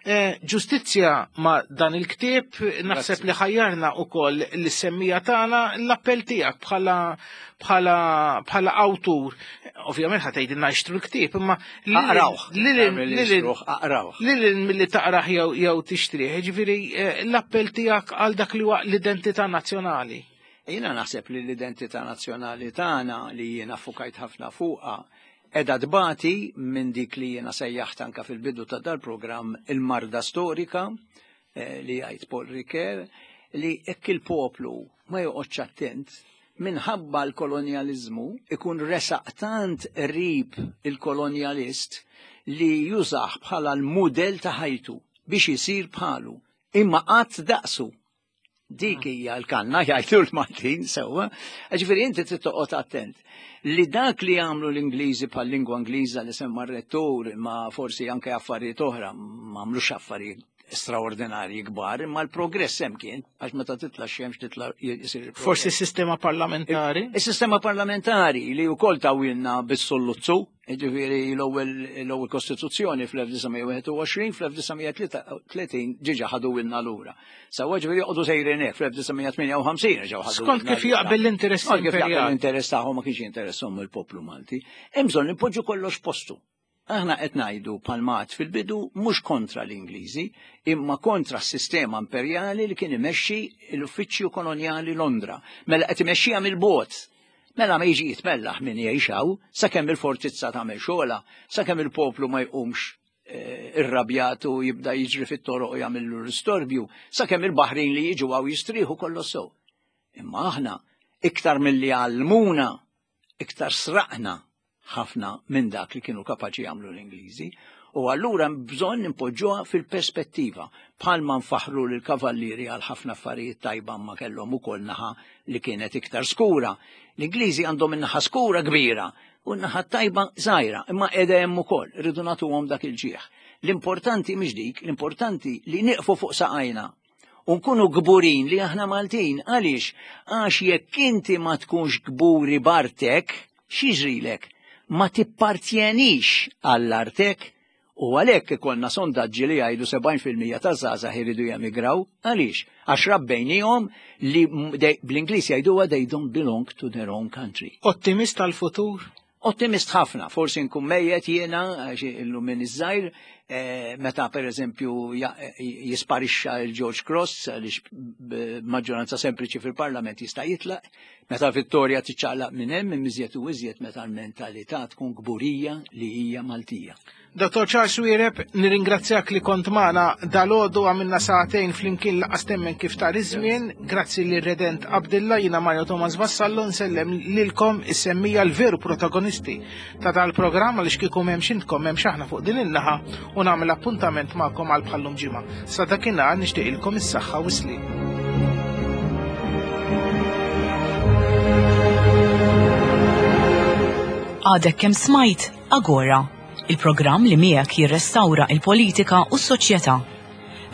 eh, ġustizzja ma' dan il-ktieb, naħseb li ħajjarna ukoll l-semmija tagħna l-appell tiegħek bħala bħala bħala awtur. Ovvjament ħa tgħidilna ixtru l-ktieb, imma Aqrawh. Aqrawh. Lil milli taqrah jew jew tixtrih, ġifieri eh, l-appell tiegħek għal dak li huwa l-identità nazzjonali. Jiena naħseb li l-identità nazzjonali tagħna li jiena fukajt ħafna fuqha qiegħda tbati minn dik li jiena sejjaħt anka fil-bidu ta' dal-programm il-marda storika eh, li jgħid Paul Ricoeur li hekk il-poplu ma joqgħodx attent minħabba l-kolonjaliżmu ikun resaq tant qrib il-kolonjalist li jużah bħala l-mudell ta' ħajtu biex isir bħalu imma qatt daqsu. Dik hija l-kanna jgħidu l-Maltin sewwa. Ġifieri inti trid toqgħod attent li dak li għamlu l-Ingliżi bħal lingwa Ingliża li semma r-rettur ma forsi anke affarijiet oħra ma għamlux affarijiet straordinarji kbar, imma l-progress hemm kien, għax meta titla' x-xemx titla' jsir il-progress. Forsi s-sistema parlamentari? Is-sistema parlamentari li wkoll tawilna bis-solluzzu, jiġifieri l-ewwel kostituzzjoni fl-1921, fl-1933 ġiġa ħaduwilna lura. Sewwa ġifieri joqogħdu sejrin hekk fl-1958 ġew ħadu. Skont kif jaqbel l-interess Skont kif jaqbel l-interess tagħhom ma kienx jinteresshom il-poplu Malti. Hemm bżonn nipoġġu kollox postu. Aħna qed ngħidu bħalma għedt fil-bidu mhux kontra l-Ingliżi, imma kontra s-sistema imperjali li kien imexxi l-Uffiċċju Kolonjali Londra. Mela qed imexxiha mill-bogħod. Mela ma jiġi jitmellaħ min jgħix hawn sakemm il-fortizza tagħmel xogħolha, sakemm il-poplu ma jqumx eh, irrabjat u jibda jiġri fit-toroq u jagħmillu l-istorbju, sakemm il-baħrin li jiġu hawn jistrieħu kollox sew. Imma aħna iktar milli għallmuna iktar sraqna ħafna minn dak li kienu kapaċi jagħmlu l-Ingliżi. U allura bżonn impoġġuha fil-perspettiva. Bħalma nfaħru lil kavallieri għal ħafna affarijiet tajba ma kellhom ukoll naħa li kienet iktar skura. L-Ingliżi għandhom in-naħa skura kbira u n-naħa tajba żgħira, imma qiegħda hemm ukoll, irridu nagħtuhom dak il-ġieħ. L-importanti mhix dik, l-importanti li nieqfu fuq saqajna u nkunu kburin li aħna Maltin. Għaliex? Għax jekk inti ma tkunx kburi b'artek, x'jiġrilek? Ma tippartjenix għall-artek u għalhekk ikollna sondaġġi li jgħidu 70% taż-żgħażagħ iridu jemigraw. Għaliex? Għax rabbejnihom li bl-Ingliż jgħiduha they don't belong to their own country. Ottimist għall-futur? Ottimist ħafna, forsi nkun mejjet jiena, għax illum minn iż-żgħir, eh, meta pereżempju jisparixxa il-George Cross għaliex b'maġġoranza sempliċi fil-Parlament jista' jitlaq, meta Vittoria tiċċaqlaq minn hemm iżjed u iżjed meta l-mentalità tkun kburija li hija Maltija. Dottor Charles Xuereb, nirringrazzjak li kont magħna dalgħodu għamilna sagħtejn flimkien laqas temmen kif tar iż-żmien. Grazzi lil Redent Abdilla, jiena Mario Thomas Vassallo nsellem lilkom is-semmija l-veru protagonisti ta' dal-programm għaliex kieku m'hemmx intkom m'hemmx aħna fuq din in-naħa u nagħmel appuntament magħkom għal bħallum ġimgħa. Sa dakinhar nixtieqilkom is-saħħa u s-sliem. Għadek kemm smajt Agora, il-programm li miegħek jirrestawra il-politika u s-soċjetà.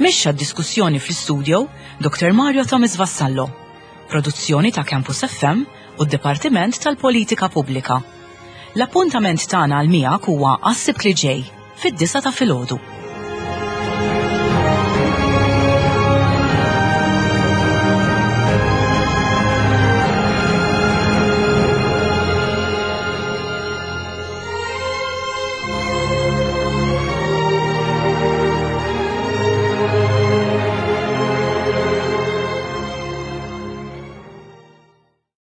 Mexxa d-diskussjoni fl-istudio Dr. Mario Thomas Vassallo. Produzzjoni ta' Campus FM u d-Dipartiment tal-Politika Pubblika. L-appuntament tagħna għal miegħek huwa għas-Sibt li ġej, fid-disgħa ta' filgħodu.